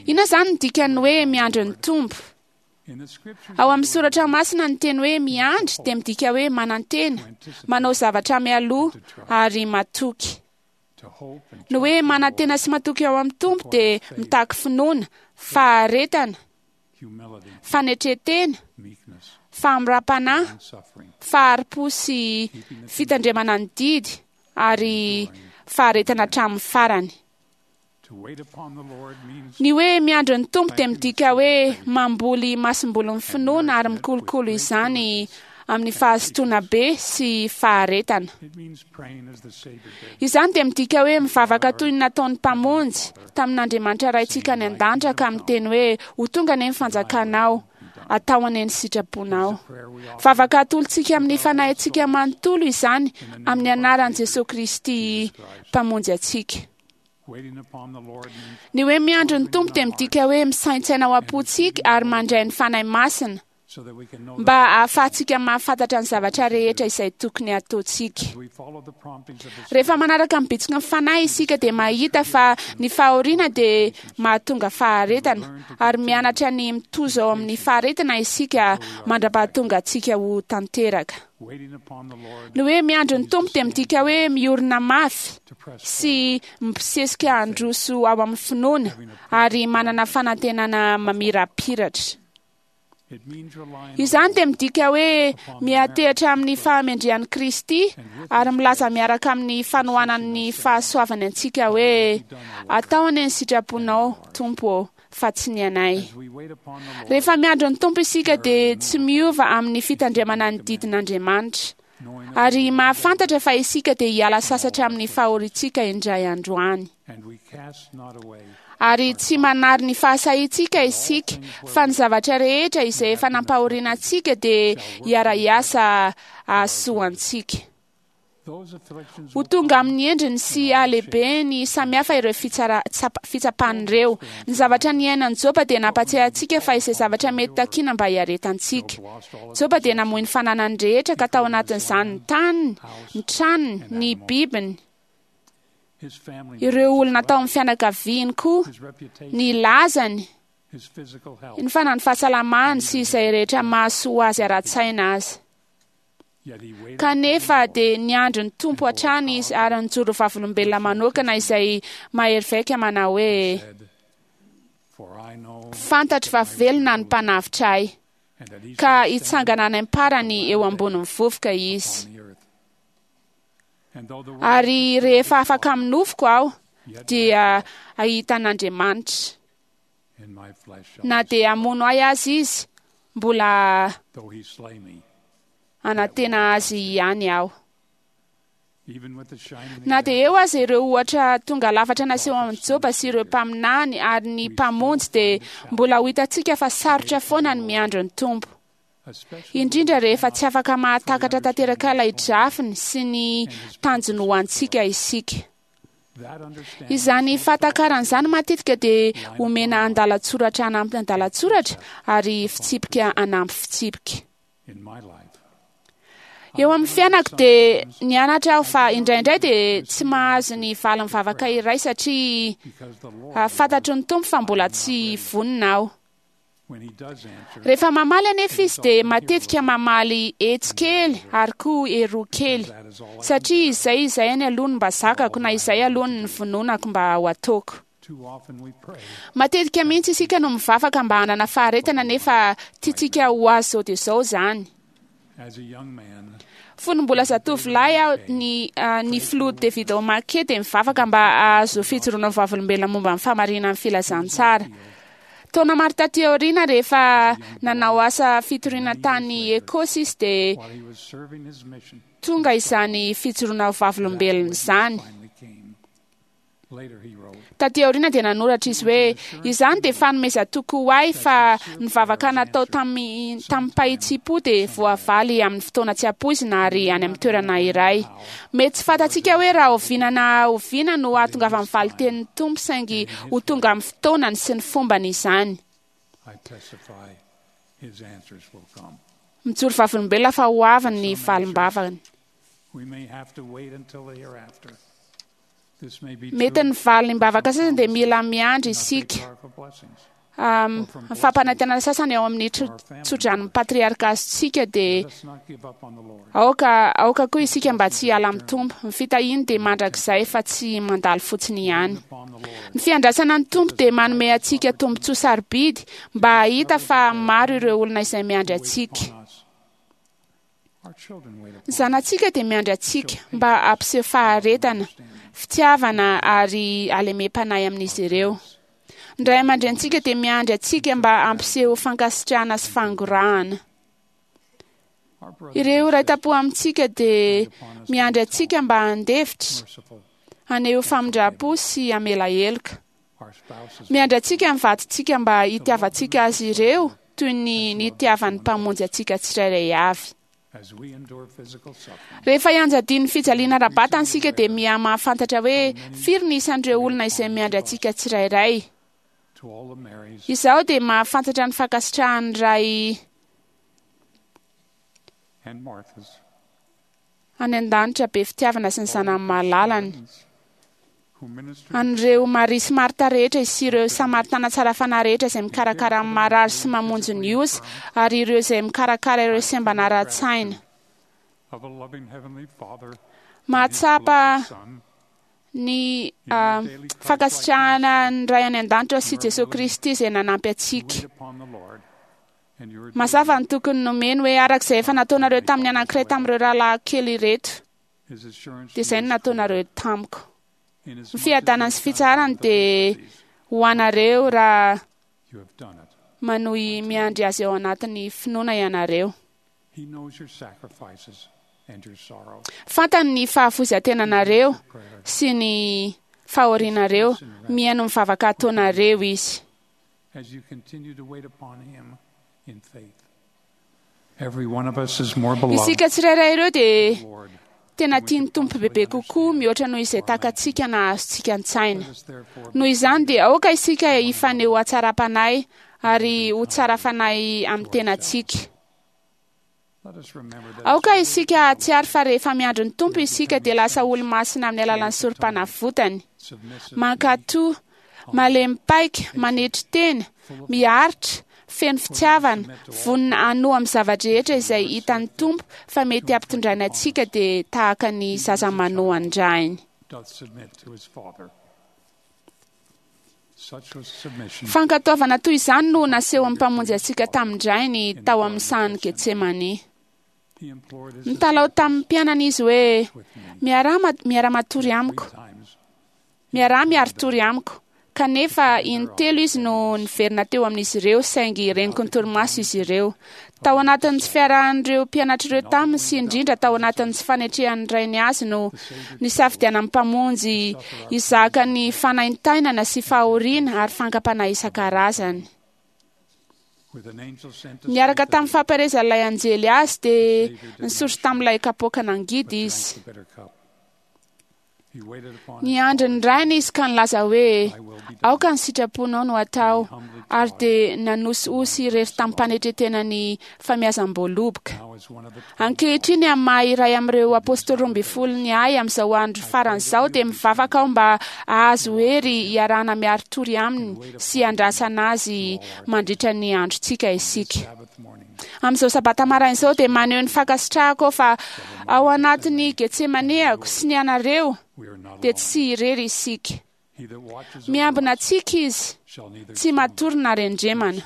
Inona izany no dikan'ny hoe miandry ny Tompo? Ao amin'ny soratra masina ny teny hoe miandry dia midika hoe manantena, manao zavatra mialoha ary matoky. Ny hoe manantena sy matoky ao amin'ny Tompo dia mitaky finoana, faharetana, fanetren-tena, fahamoram-panahy, fahari-po sy fitandremana ny didy ary faharetana hatramin'ny farany. Ny hoe miandry ny Tompo dia midika hoe mamboly masombolin'ny finoana ary mikolokolo izany amin'ny fahazotoana be sy faharetana. Izany dia midika hoe mivavaka toy ny nataon'ny Mpamonjy tamin'Andriamanitra Raintsika any an-danitra ka miteny hoe, Ho tonga anie ny fanjakanao, atao anie ny sitraponao. Vavaka atolotsika amin'ny fanahintsika manontolo izany amin'ny anaran'i Jesoa Kristy Mpamonjy antsika. Ny hoe miandry ny Tompo dia midika hoe misaintsaina ao am-pontsika ary mandray ny Fanahy Masina mba hahafahantsika mahafantatra ny zavatra rehetra izay tokony hataontsika. Rehefa manaraka ny bitsiky ny Fanahy isika dia mahita fa ny fahoriana dia mahatonga faharetana ary mianatra ny mitozo ao amin'ny faharetana isika mandra-pahatonga antsika ho tanteraka. Ny hoe miandry ny Tompo dia midika hoe miorina mafy sy mibosesika handroso ao amin'ny finoana ary manana fanantenana mamirapiratra. Izany dia midika hoe miantehitra amin'ny fahamendrehan'i Kristy ary milaza miaraka amin'ny fanohanan'ny fahasoavany antsika hoe, Atao anie ny sitraponao, Tompo ô, fa tsy ny anay. Rehefa miandry ny Tompo isika dia tsy miova amin'ny fitandremana ny didin'Andriamanitra, ary mahafantatra fa isika dia hiala sasatra amin'ny fahoriantsika indray andro any. Ary tsy manary ny fahasahiantsika isika, fa ny zavatra rehetra izay efa nampahoriana antsika dia hiara-hiasa hahasoa antsika. Ho tonga amin'ny endriny sy halehibeny samihafa ireo fitsapana ireo. Ny zavatra niainan'i Joba dia nampatsiahy antsika fa izay zavatra mety takiana mba hiaretantsika. Joba dia namoy ny fananany rehetra ka tao anatin'izany ny taniny, ny tranony, ny bibiny, ireo olona tao amin'ny fianakaviany koa, ny lazany, ny fanany fahasalamany sy izay rehetra mahasoa azy ara-tsaina aza. Kanefa dia niandry ny Tompo hatrany izy ary nijoro vavolombelona manokana izay mahery vaika manao hoe, Fantatro fa velona ny Mpanavotra ahy, ka hitsangana any am-parany eo ambonin'ny vovoka izy. Ary rehefa afaka amin'ny nofoko aho, dia hahita an'Andriamanitra. Na dia hamono ahy aza izy, mbola hanantena azy ihany aho. Na dia eo aza ireo ohatra tonga lafatra naseho amin'i Joba sy ireo mpaminany ary ny Mpamonjy dia mbola ho hitantsika fa sarotra foana ny miandry ny Tompo. Indrindra rehefa tsy afaka mahatakatra tanteraka ilay drafiny sy ny tanjony ho antsika isika. Izany fahatakarana izany matetika dia omena andalan-tsoratra anampy andalan-tsoratra ary fitsipika anampy fitsipika. Eo amin'ny fiainako dia nianatra aho fa indraindray dia tsy mahazo ny valin'ny vavaka iray satria fantatry ny Tompo fa mbola tsy vonona aho. Rehefa mamaly anefa izy dia matetika mamaly etsy kely ary koa eroa kely, satria izay izay any aloha no mba zakako na izay aloha no vononako mba ho ataoko. Matetika mihitsy isika no mivavaka mba hanana faharetana nefa tiantsika ho azo izao dia izao izany. Fony mbola zatovolahy aho, ny filoha David O. McKay dia mivavaka mba hahazo fijoroana vavolombelona momba ny fahamarinan'ny filazantsara. Taona maro taty aoriana, rehefa nanao asa fitoriana tany Ekosy izy dia tonga izany fijoroana vavolombelona izany. Taty aoriana dia nanoratra izy hoe, izany dia fanomezan-toky ho ahy fa ny vavaka natao tamim-pahitsim-po dia voavaly amin'ny fotoana tsy ampoizina ary any amin'ny toerana iray. Mety tsy fantatsika hoe raha oviana na oviana no hahatongavan'ny valin-tenin'ny Tompo, saingy ho tonga amin'ny fotoanany sy ny fombany izany. Mijoro vavolombelona fa ho avy ny valim-bavany. Mety ny valim-bavaka sasany dia mila miandry isika. Ny fampanantenana sasany ao amin'ny tsodranon'ny patriarka azontsika dia aoka koa isika mba tsy hiala amin'ny Tompo. Ny fitahiany dia mandrakizay fa tsy mandalo fotsiny ihany. Ny fiandrasana ny Tompo dia manome antsika tombontsoa sarobidy mba hahita fa maro ireo olona izay miandry antsika. Ny zanatsika dia miandry antsika mba hampiseho faharetana, fitiavana ary halemem-panahy amin'izy ireo. Ny ray aman-drenintsika dia miandry antsika mba hampiseho fankasitrahana sy fangorahana. Ireo ray tam-po amintsika dia miandry antsika mba handefitra, haneho famindram-po sy hamela heloka. Miandry antsika ny vadintsika mba hitiavantsika azy ireo toy ny nitiavan'ny Mpamonjy antsika tsirairay avy. Rehefa ianjadian'ny fijaliana ara-batana isika dia miha-mahafantatra hoe firy ny isan'ireo olona izay miandry antsika tsirairay. Izaho dia mahafantatra ny fankasitrahan'ny Ray any an-danitra be fitiavana sy ny zanany malalany. An'ireo Maria sy Marta rehetra sy ireo Samaritana tsara fanahy rehetra izay mikarakara ny marary sy mamonjy ny osa, ary ireo izay mikarakara ireo sembana ara-tsaina. Mahatsapa ny fankasitrahana ny Ray any an-danitra sy Jesoa Kristy izay nanampy antsika. Mazava ny tokony nomeny hoe araka izay efa nataonareo tamin'ny anankiray tamin'ireo rahalahy kely ireto, dia izay no nataonareo tamiko. Ny fiadanana sy fitsaharany dia ho anareo raha manohy miandry azy ao anatin'ny finoana ianareo. Fantany ny fahafoizan-tenanareo sy ny fahorianareo, mihaino ny vavaka ataonareo izy. Isika tsirairay ireo dia tena tian'ny Tompo bebe kokoa mihoatra noho izay takatsika na azontsika an-tsaina. Noho izany dia aoka isika hifaneho hatsaram-panahy ary ho tsara fanahy amin'ny tenantsika. Aoka isika hahatsiaro fa rehefa miandry ny Tompo isika dia lasa olo-masina amin'ny alalan'ny sorom-panavotany. Mankatò, malemy paika, manetry tena, miaritra, feno fitiavana, vonona hanoa amin'ny zava-drehetra izay hitan'ny Tompo fa mety hampitondraina antsika dia tahaka ny zaza manoa an-drainy. Fankatoavana toy izany no nasehon'ny Mpamonjy antsika tamin-drainy tao amin'ny sahan'i Getsemane. Nitalaho tamin'ny mpianany izy hoe, miara-matory amiko, miara-miaritory amiko. Kanefa intelo izy no niverina teo amin'izy ireo, saingy reniko ny torimaso izy ireo. Tao anatin'ny tsy fiarahan'ireo mpianatr'ireo taminy sy indrindra tao anatin'ny tsy fanetrehan'ny rainy azy no nisafidianan'ny Mpamonjy hizaka ny fanaintainana sy fahoriana ary fankam-panahy isan-karazany. Niaraka tamin'ny fampaherezan'ilay anjely azy dia nisotro tamin'ilay kapoaka nangidy izy. Niandry ny Rainy izy ka nilaza hoe, "Aoka ny sitraponao no atao," ary dia nanosihosy irery tamim-panetren-tena ny famiazam-boaloboka. Ankehitriny, amin'ny maha iray amin'ireo apôstôly 12 ny ahy amin'izao andro farany izao, dia mivavaka aho mba hahazo hery hiarahana miari-tory aminy sy handrasana azy mandritra ny androntsika isika. Amin'izao sabata maraina izao dia maneho ny fankasitrahako aho fa ao anatin'ny Getsemaneako sy ny anareo dia tsy irery isika. Miambina antsika izy, tsy matory na rendremana.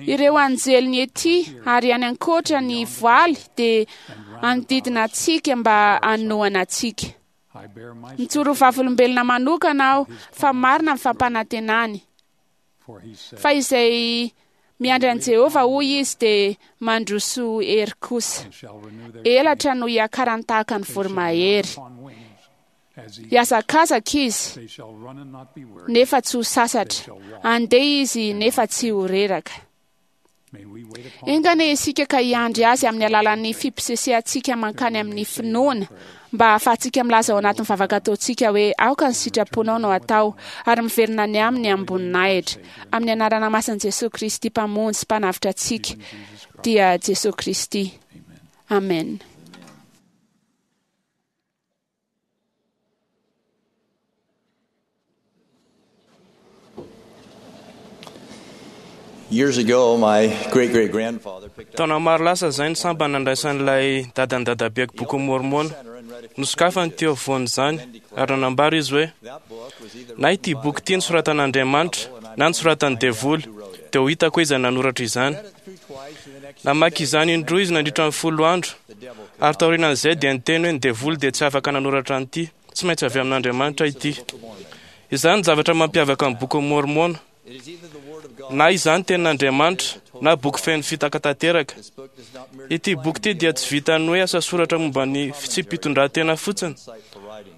Ireo anjeliny ety ary any ankoatra ny voaly dia hanodidina antsika mba hanohana antsika. Mijoro ho vavolombelona manokana aho fa marina ny fampanantenany. Fa izay miandry an'i Jehovah, hoy izy, dia mandroso hery kosa. Elatra no hiakarany tahaka ny voromahery. Hihazakazaka izy, nefa tsy ho sasatra. Handeha izy, nefa tsy ho reraka. Enga anie isika ka hiandry azy amin'ny alalan'ny fiposesehantsika mankany amin'ny finoana, mba hahafahantsika milaza ao anatin'ny vavaka ataontsika hoe, "Aoka ny sitraponao no atao," ary miverina any aminy amim-boninahitra. Amin'ny anarana masin'i Jesoa Kristy Mpamonjy sy Mpanavotra antsika, dia Jesoa Kristy. Amen. Years ago, my great-great-grandfather picked up Taona maro lasa izay ny sambany nandraisan'ilay dadan'ny dadabeako boky Mormona. Nosokafany teo afovoan'izany ary nanambara izy hoe, "Na ity boky ity nosoratan'Andriamanitra na nosoratan'ny devoly, dia ho hitako hoe iza nanoratra izany." Namaky izany indroa izy nandritra ny 10 andro, ary taorianan'izay dia niteny hoe ny devoly dia tsy afaka nanoratra an'ity, tsy maintsy avy amin'Andriamanitra ity. Izany ny zavatra mampiavaka ny boky Mormona. Na izany tenin'Andriamanitra na boky feno fitaka tanteraka. Ity boky ity dia tsy vitan'ny hoe asa soratra momba ny fitsipi-pitondran-tena fotsiny,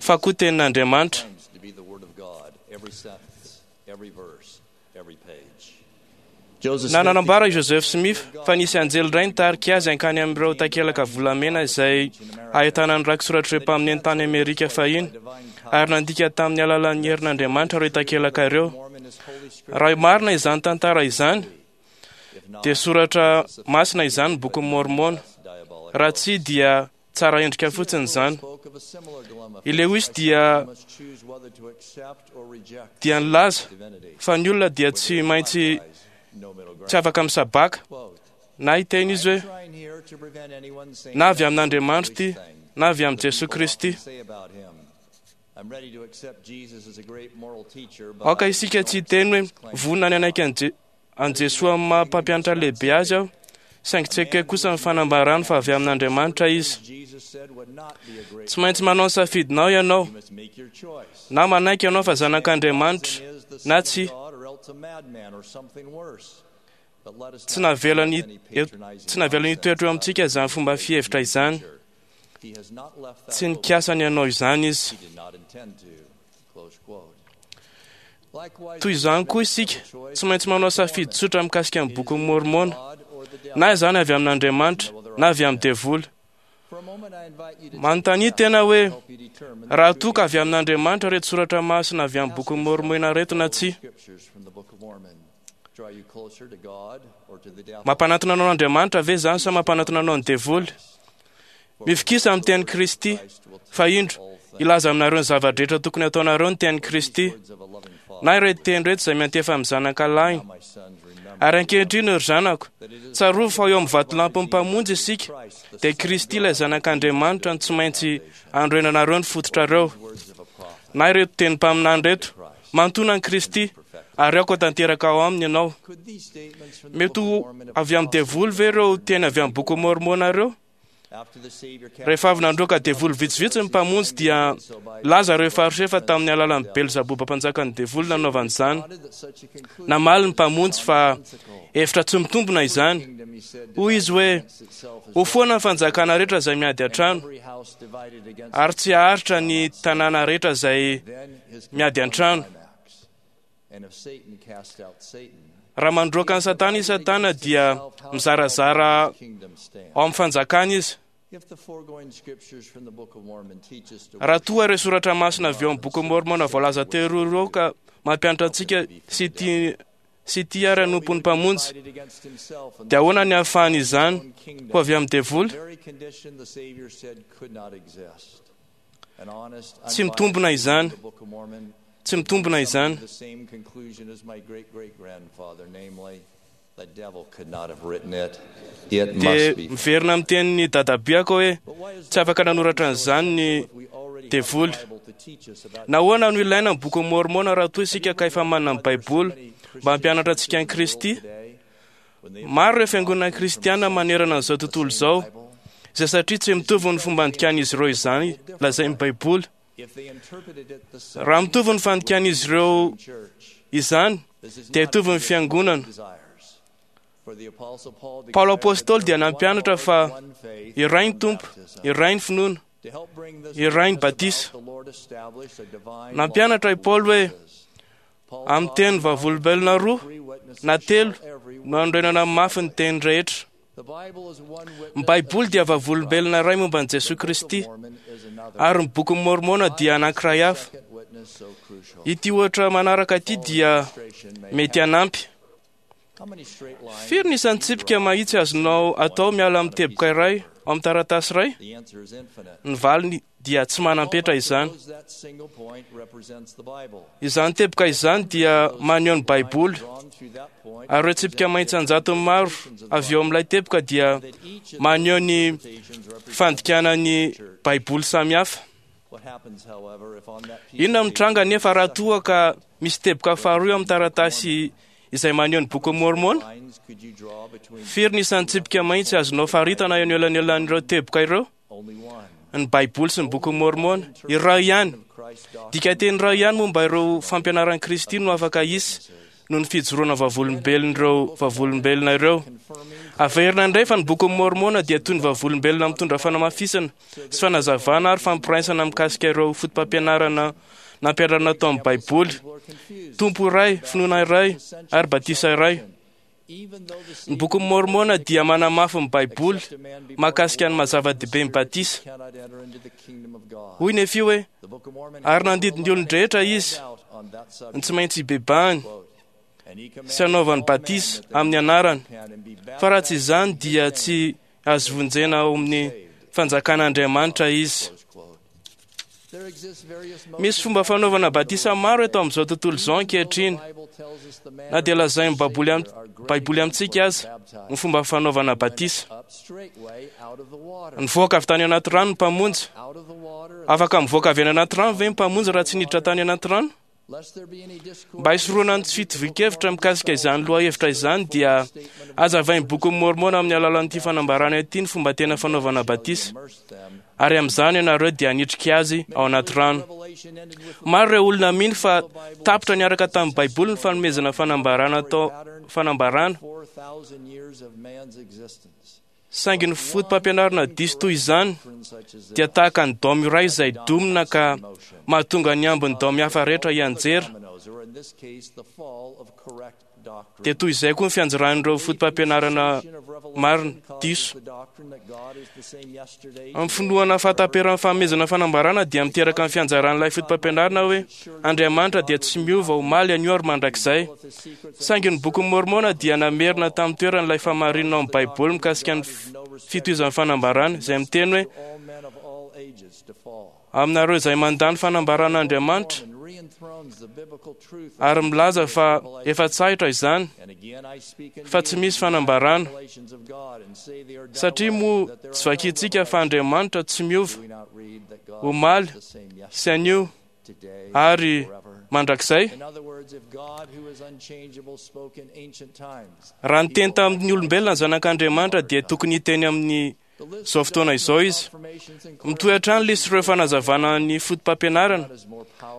fa koa tenin'Andriamanitra. to be the Word of God, every sentence, every verse, every page. Na nanambara i Joseph Smith fa nisy anjely iray nitarika azy hankany amin'ireo takelaka volamena izay ahitana ny rakitsoratr'ireo mpaminany tany Amerika fahiny, ary nandika tamin'ny alalan'ny herin'Andriamanitra ireo takelaka ireo. Raha marina izany tantara izany, dia soratra masina izany ny bokin'i Mormona. Raha tsia dia tsara endrika fotsiny izany. I Lewis dia dia nilaza fa ny olona dia tsy maintsy tsy afaka misabaka na hiteny izy hoe na avy amin'Andriamanitra ity na avy amin'i Jesoa Kristy. Aoka isika tsy hiteny hoe vonona ny hanaiky an'i Jesoa amin'ny maha mpampianatra lehibe azy aho, saingy tsy ekeko kosa ny fanambarany fa avy amin'Andriamanitra izy. Tsy maintsy manao ny safidinao ianao, na manaiky ianao fa zanak'Andriamanitra na tsia. Tsy navelany hitoetra eo amintsika izany fomba fihevitra izany. Tsy nikasa ny hanao izany izy. Toy izany koa isika, tsy maintsy manao safidy tsotra mikasika ny bokin'i Mormona, na izany avy amin'Andriamanitra na avy amin'ny devoly. Manontania tena hoe, raha toa ka avy amin'Andriamanitra ireto soratra masina avy amin'ny bokin'i Mormona ireto na tsia. Mampanantona anao an'Andriamanitra ve izany sa mampanantona anao ny devoly? Mifikisa amin'ny tenin'i Kristy, fa indro, hilaza aminareo ny zava-drehetra tokony hataonareo ny tenin'i Kristy, na ireto teny ireto izay miantefa amin'ny zanaka lahiny. Ary ankehitriny, ry zanako, tsarovy fa eo amin'ny vatolampin'ny Mpamonjy isika, dia Kristy ilay zanak'Andriamanitra no tsy maintsy anorenanareo ny fototrareo. Na ireto teny mpaminany ireto, manontona an'i Kristy, ary aoka ho tanteraka ao aminy ianao. Mety ho avy amin'ny devoly ve ireo teny avy amin'ny bokin'i Mormona ireo? Rehefa avy nandroaka devoly vitsivitsy ny Mpamonjy dia nilaza ireo Fariseo fa tamin'ny alalan'i Belzaboba mpanjakan'ny devoly nanaovany izany. Namaly ny Mpamonjy fa hevitra tsy mitombina izany. Hoy izy hoe, Ho foana ny fanjakana rehetra izay miady an-trano, ary tsy haharitra ny tanàna rehetra izay miady an-trano. Raha mandroaka an'i Satana i Satana dia mizarazara ao amin'ny fanjakana izy. Raha toa ireo soratra masina avy eo amin'ny Boky Môrmôna voalaza teo ireo ka mampianatra antsika sy tia sy tia ary hanompo ny Mpamonjy, dia ahoana ny ahafahany izany ho avy amin'ny devoly? Tsy mitombina izany. Tsy mitombina izany. Dia miverina amin'ny tenin'ny dadabeako hoe tsy afaka nanoratra an'izany ny devoly. Nahoana no ilaina ny Bokin'i Môrmôna raha toa isika ka efa manana ny Baiboly mba hampianatra antsika an'i Kristy? Maro ireo fiangonana kristiana manerana an'izao tontolo izao, izay satria tsy mitovy ny fomba andikan'izy ireo izany lazain'ny Baiboly. Raha mitovy ny fandikan'izy ireo izany, dia hitovy ny fiangonana. Paoly Apostoly dia nampianatra fa iray ny Tompo, iray ny finoana, iray ny batisa. Nampianatra i Paoly hoe amin'ny teny vavolombelona roa na telo no anorenana mafy ny teny rehetra. Ny Baiboly dia vavolombelona iray momba an'i Jesoa Kristy, ary ny Bokin'i Môrmôna dia anankiray hafa. Ity ohatra manaraka ity dia mety hanampy. Firy ny isan'ny tsipika mahitsy azonao atao miala amin'ny teboka iray ao amin'ny taratasy iray? Ny valiny dia tsy manam-petra izany. Izany teboka izany dia maneho ny Baiboly, ary ireo tsipika mahitsy an-jatony maro avy eo amin'ilay teboka dia maneho ny fandikana ny Baiboly samihafa. Inona no mitranga anefa raha toa ka misy teboka faharoa eo amin'ny taratasy izay maneho ny Bokin'i Môrmôna? Firy ny isan'ny tsipika mahitsy azonao faritana eo anelanelan'ireo teboka ireo? Ny Baiboly sy ny Bokin'i Môrmôna. Iray ihany. Dikanteny iray ihany momba ireo fampianaran'i Kristy no afaka hisy noho ny fijoroana vavolombelon'ireo vavolombelona ireo. Averina indray fa ny Bokin'i Môrmôna dia toy ny vavolombelona mitondra fanamafisana sy fanazavana ary fampiraisana mikasika ireo fotopampianarana nampianarina tao amin'ny Baiboly. Tompo iray, finoana iray ary batisa iray. Ny Bokin'i Môrmôna dia manamafy ny Baiboly mahakasika ny maha-zava-dehibe ny batisa. Hoy Nefia hoe, Ary nandidy ny olon-drehetra izy ny tsy maintsy hibebahany sy hanaovany batisa amin'ny anarany, fa raha tsy izany dia tsy azo vonjena ao amin'ny fanjakan'Andriamanitra izy. Misy fomba fanaovana batisa maro eto amin'izao tontolo izao ankehitriny, na dia lazain'ny Baiboly amintsika aza ny fomba fanaovana batisa. Nivoaka avy tany anaty rano ny Mpamonjy. Afaka mivoaka avy any anaty rano ve ny Mpamonjy raha tsy niditra tany anaty rano? Mba hisorohana ny tsy fitovian-kevitra mikasika izany lohahevitra izany dia hazavain'ny Bokin'i Môrmôna amin'ny alalan'ity fanambarana ity ny fomba tena fanaovana batisa, ary amin'izany ianareo dia hanitrika azy ao anaty rano. Maro ireo olona mino fa tapitra niaraka tamin'ny Baiboly ny fanomezana fanambarana atao fanambarana, saingy ny fotopampianarana diso toy izany dia tahaka ny daomy iray izay domina ka mahatonga ny ambin'ny daomy hafa rehetra hianjera. Dia toy izay koa ny fianjeran'ireo fotopampianarana marina diso. Amin'ny finoana fahataperan'ny fanomezana fanambarana dia miteraka ny fianjaran'ilay fotopampianarana hoe Andriamanitra dia tsy miova omaly, anio ary mandrakizay. Saingy ny Bokin'i Môrmôna dia namerina tamin'ny toerany ilay fahamarinana ao amin'ny Baiboly mikasika ny fitohizan'ny fanambarana, izay miteny hoe, Aminareo izay mandà ny fanambaran'Andriamanitra ary milaza fa efa tsahitra izany, fa tsy misy fanambarana, satria moa tsy vakintsika fa Andriamanitra tsy miova omaly sy anio ary mandrakizay? Raha niteny tamin'ny olombelona ny Zanak'Andriamanitra dia tokony hiteny amin'ny izao fotoana izao izy. Mitohy hatrany lisy ireo fanazavana ny fotopampianarana,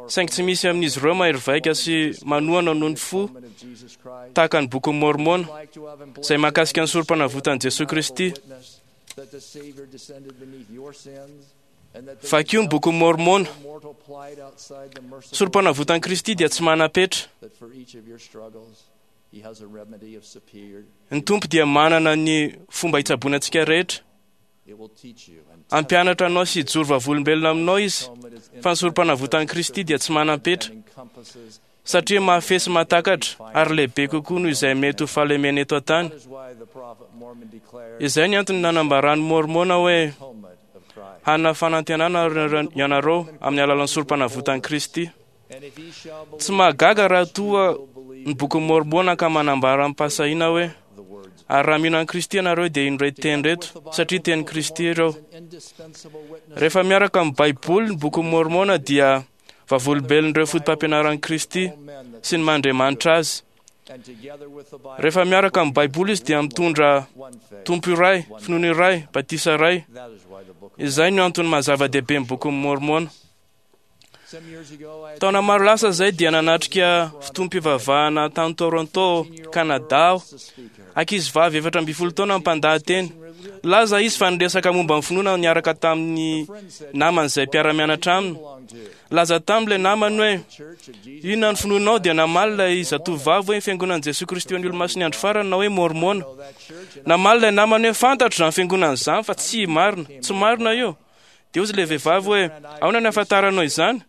saingy tsy misy amin'izy ireo mahery vaika sy manohana noho ny fo tahaka ny Bokin'i Môrmôna, izay mahakasika ny Sorompanavotan'i Jesoa Kristy. Vakio ny Bokin'i Môrmôna. Sorompanavotan'i Kristy dia tsy manam-petra. Ny Tompo dia manana ny fomba hitsaboana antsika rehetra. Hampianatra anao sy hijoro vavolombelona aminao izy fa ny sorom-panavotan'i Kristy dia tsy manam-petra, satria mahafehy sy mahatakatra ary lehibe kokoa noho izay mety ho fahalemena eto an-tany. Izay ny antony nanambaran'ny Môrmôna hoe hanana fanantenana ianareo amin'ny alalan'ny sorom-panavotan'i Kristy. Tsy mahagaga raha toa ny bokin'i Môrmôna ka manambara amim-pahasahiana hoe ary raha mino an'i Kristy ianareo dia ino ireto teny ireto, satria tenin'i Kristy ireo. Rehefa miaraka amin'ny Baiboly ny bokin'i Môrmôna dia vavolombelon'ireo fotopampianaran'i Kristy sy ny maha Andriamanitra azy. Rehefa miaraka amin'ny Baiboly izy dia mitondra Tompo iray, finoana iray, batisa iray. Izay no antony maha zava-dehibe ny bokin'i Môrmôna. Taona maro lasa izay dia nanatrika fotoam-pivavahana tany Toronto, Canada aho. Ankizivavy 14 taona mpandahateny. Nilaza izy fa niresaka momba ny finoana niaraka tamin'ny namany izay mpiara-mianatra aminy. Nilaza tamin'ilay namany hoe, Inona ny finoanao? Dia namaly ilay zatovovavy hoe, Ny Fiangonan'i Jesoa Kristy ho an'ny Olomasin'ny Andro Farany na hoe Môrmôna. Namaly ilay namany hoe, Fantatro izany fiangonana izany fa tsy marina. Tsy marina io. Dia hoy ilay vehivavy hoe, Ahoana no ahafantaranao izany?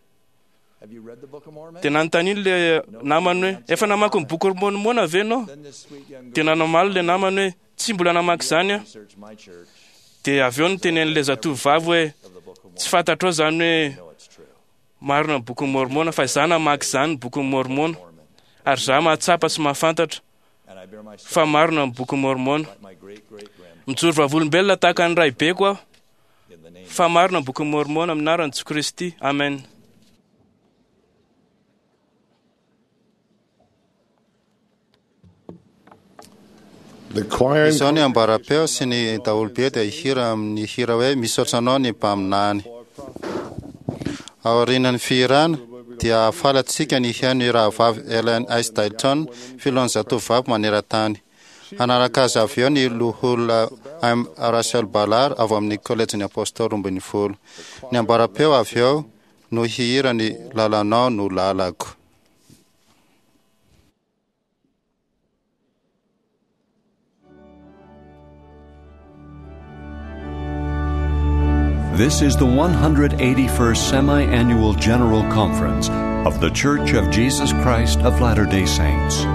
Dia nanontaniany ilay namany hoe, Efa namaky ny boky Môrmôna ve ianao? Dia namaly ilay namany hoe, Tsy mbola namaky izany aho. Dia avy eo nitenen'ilay zatovovavy hoe, Tsy fantatrao izany hoe marina ny bokin'i Môrmôna, fa izaho namaky izany ny bokin'i Môrmôna, ary izaho mahatsapa sy mahafantatra fa marina ny bokin'i Môrmôna. Mijoro vavolombelona tahaka ny raibeko aho fa marina ny bokin'i Môrmôna amin'ny anaran'i Jesoa Kristy. Amen. Izao ny ambaram-peo sy ny daholobe dia hihira amin'ny hira hoe Misaotra Anao ny Mpaminany. Aorian'ny fihirana dia hahafaly antsika ny hihaino ny rahavavy Ellen S. Dalton, filohan'ny Zatovovavy maneran-tany. Hanaraka azy avy eo ny Loholona M. Russell Ballard avy amin'ny Kolejin'ny Apôstôly 12. Ny ambaram-peo avy eo no hihira ny Lalanao no lalako. This is the 181st Semi Annual General Conference of The Church of Jesus Christ of Latter day Saints.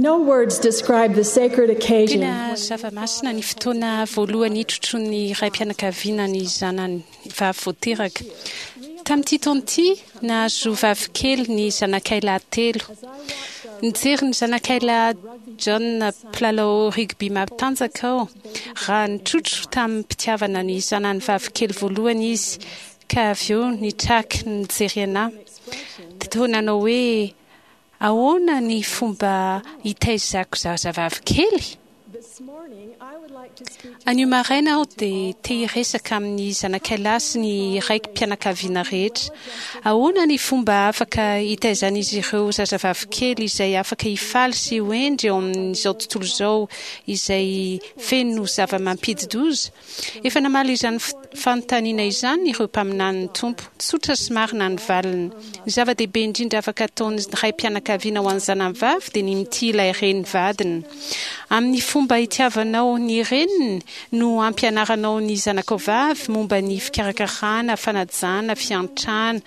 No words describe the sacred occasion. Tena zava-masina ny fotoana voalohany hitrotroan'ny raim-pianakaviana ny zanany vavy vao teraka. Tamin'ity taona ity, nahazo vavikely ny zanakay lahy telo. Nijery ny zanakay lahy John mpilalao rugby matanjaka aho raha nitrotro tamim-pitiavana ny zanany vavikely voalohany izy ka avy eo nitraky nijery anà. Toa nanao hoe, Ahoana ny fomba hitaizako zazavavy kely? Anio maraina aho dia te hiresaka amin'ny zanakay lahy sy ny raiki-pianakaviana rehetra. Ahoana ny fomba afaka hitaizan'izy ireo zazavavy kely izay afaka hifaly sy ho hendry eo amin'izao tontolo izao izay feno zava-mampidi-doza? Efa namaly izany fanontaniana izany ireo mpaminanin'ny Tompo. Tsotra sy marina ny valiny. Ny zava-dehibe indrindra afaka ataon'ny raim-pianakaviana ho an'ny zanany vavy dia ny mitia ilay reny vadiny. Amin'ny fomba itiavanao ny reniny no ampianaranao ny zanakao vavy momba ny fikarakarana, fanajana, fiantrana.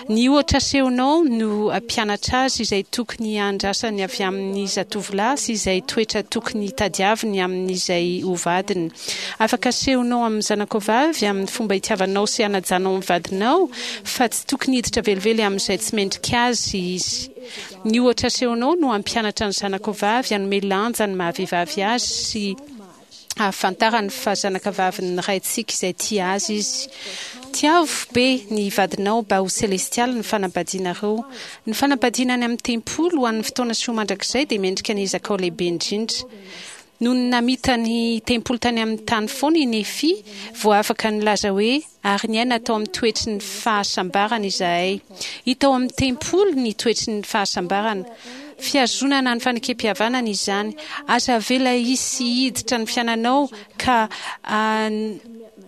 Ny ohatra asehonao no hampianatra azy izay tokony handrasany avy amin'ny zatovolahy sy izay toetra tokony tadiaviny amin'izay ho vadiny. Afaka asehonao amin'ny zanakao vavy amin'ny fomba itiavanao sy hanajanao ny vadinao fa tsy tokony hiditra velively amin'izay tsy mendrika azy izy. Ny ohatra asehonao no hampianatra ny zanakao vavy hanome lanja ny maha-vehivavy azy sy hahafantarany fa zanakavavin'ny Raintsika izay tia azy izy. Tiavo be ny vadinao mba ho selestialy ny fanambadianareo. Ny fanambadiana any amin'ny tempoly ho an'ny fotoana sy ho mandrakizay dia mendrika ny ezakao lehibe indrindra. Nony namita ny tempoly tany amin'ny tany foana i Nefia vao afaka nilaza hoe, Ary niaina tao amin'ny toetry ny fahasambarana izahay. Hita ao amin'ny tempoly ny toetry ny fahasambarana. Fihazonana ny fanekempihavanana izany. Aza avela hisy hiditra ny fiainanao ka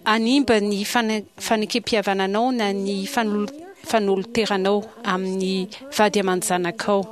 hanimba ny fanekempihavananao na ny fanoloteranao amin'ny vady aman-janakao.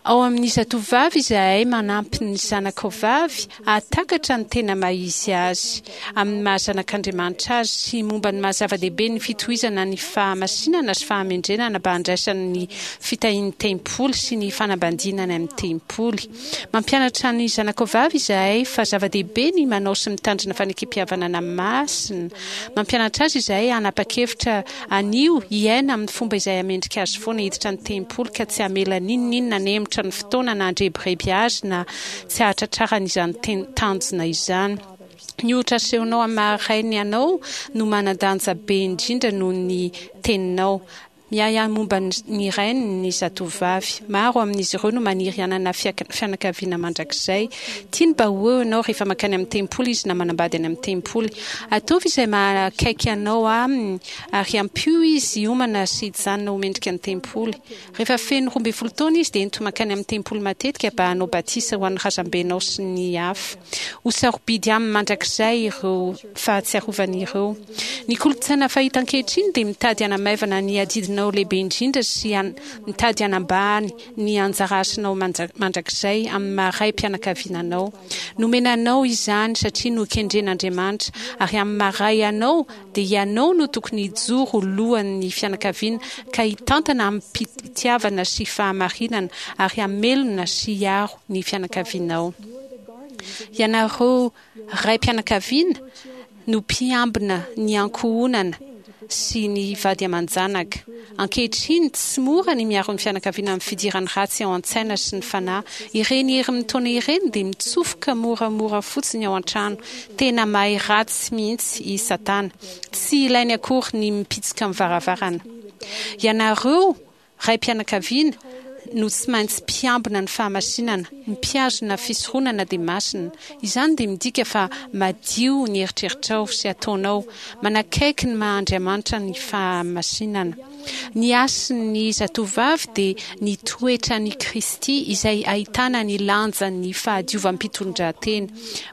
Ao amin'ny Zatovovavy izahay manampy ny zanakao vavy hahatakatra ny tena maha izy azy amin'ny maha zanak'Andriamanitra azy sy momba ny maha zava-dehibe ny fitohizana ny fahamasinana sy fahamendrenana mba handraisany ny fitahian'ny tempoly sy ny fanambadiana any amin'ny tempoly. Mampianatra ny zanakao vavy izahay fa zava-dehibe ny manao sy mitandrina fanekempihavanana masina. Mampianatra azy izahay hanapa-kevitra Anio, hiaina amin'ny fomba izay hamendrika azy foana hiditra ny tempoly ka tsy hamela n'inon'inona hanemotra ny fotoana na handrebireby azy na tsy hahatratrarany izany tanjona izany. Ny ohatra asehonao amin'ny maha-rainy anao no manan-danja be indrindra noho ny teninao. Miahiahy momba ny rainy ny zatovovavy. Maro amin'izy ireo no maniry hanana fianakaviana mandrakizay. Tiany mba ho eo ianao rehefa mankany amin'ny tempoly izy na manambady any amin'ny tempoly. Ataovy izay maha akaiky anao aminy ary ampio izy hiomana sy hijanona ho mendrika ny tempoly. Rehefa feno 12 taona izy dia ento mankany amin'ny tempoly matetika mba hanao batisa ho an'ny razambenao sy ny hafa. Ho sarobidy aminy mandrakizay ireo fahatsiarovana ireo. Ny kolontsaina fahita ankehitriny dia mitady hanamaivana ny adidinao lehibe indrindra sy mitady hanambany ny anjara asanao mandrakizay amin'ny maha raim-pianakaviana anao. Nomena anao izany satria nokendren'Andriamanitra, ary amin'ny maha ray anao dia ianao no tokony hijoro ho lohan'ny fianakaviana ka hitantana amim-pitiavana sy fahamarinana ary hamelona sy hiaro ny fianakavianao. Ianareo raim-pianakaviana no mpiambina ny ankohonana sy ny vady aman-janaka. Ankehitriny, tsy mora ny miaro ny fianakaviana amin'ny fidiran'ny ratsy ao an-tsaina sy ny fanahy. Ireny hery mitaona ireny dia mitsofoka moramora fotsiny ao an-trano. Tena mahay ratsy mihitsy i Satana. Tsy ilainy akory ny mipitsika amin'ny varavarana. Ianareo Raim-pianakaviana no tsy maintsy mpiambina ny fahamasinana, ny mpihazona fisoronana dia masina. Izany dia midika fa madio ny eritreritrao sy ataonao, manakaiky ny maha Andriamanitra ny fahamasinana. Ny hasin'ny zatovovavy dia ny toetran'i Kristy izay ahitana ny lanjan'ny fahadiovam-pitondran-tena.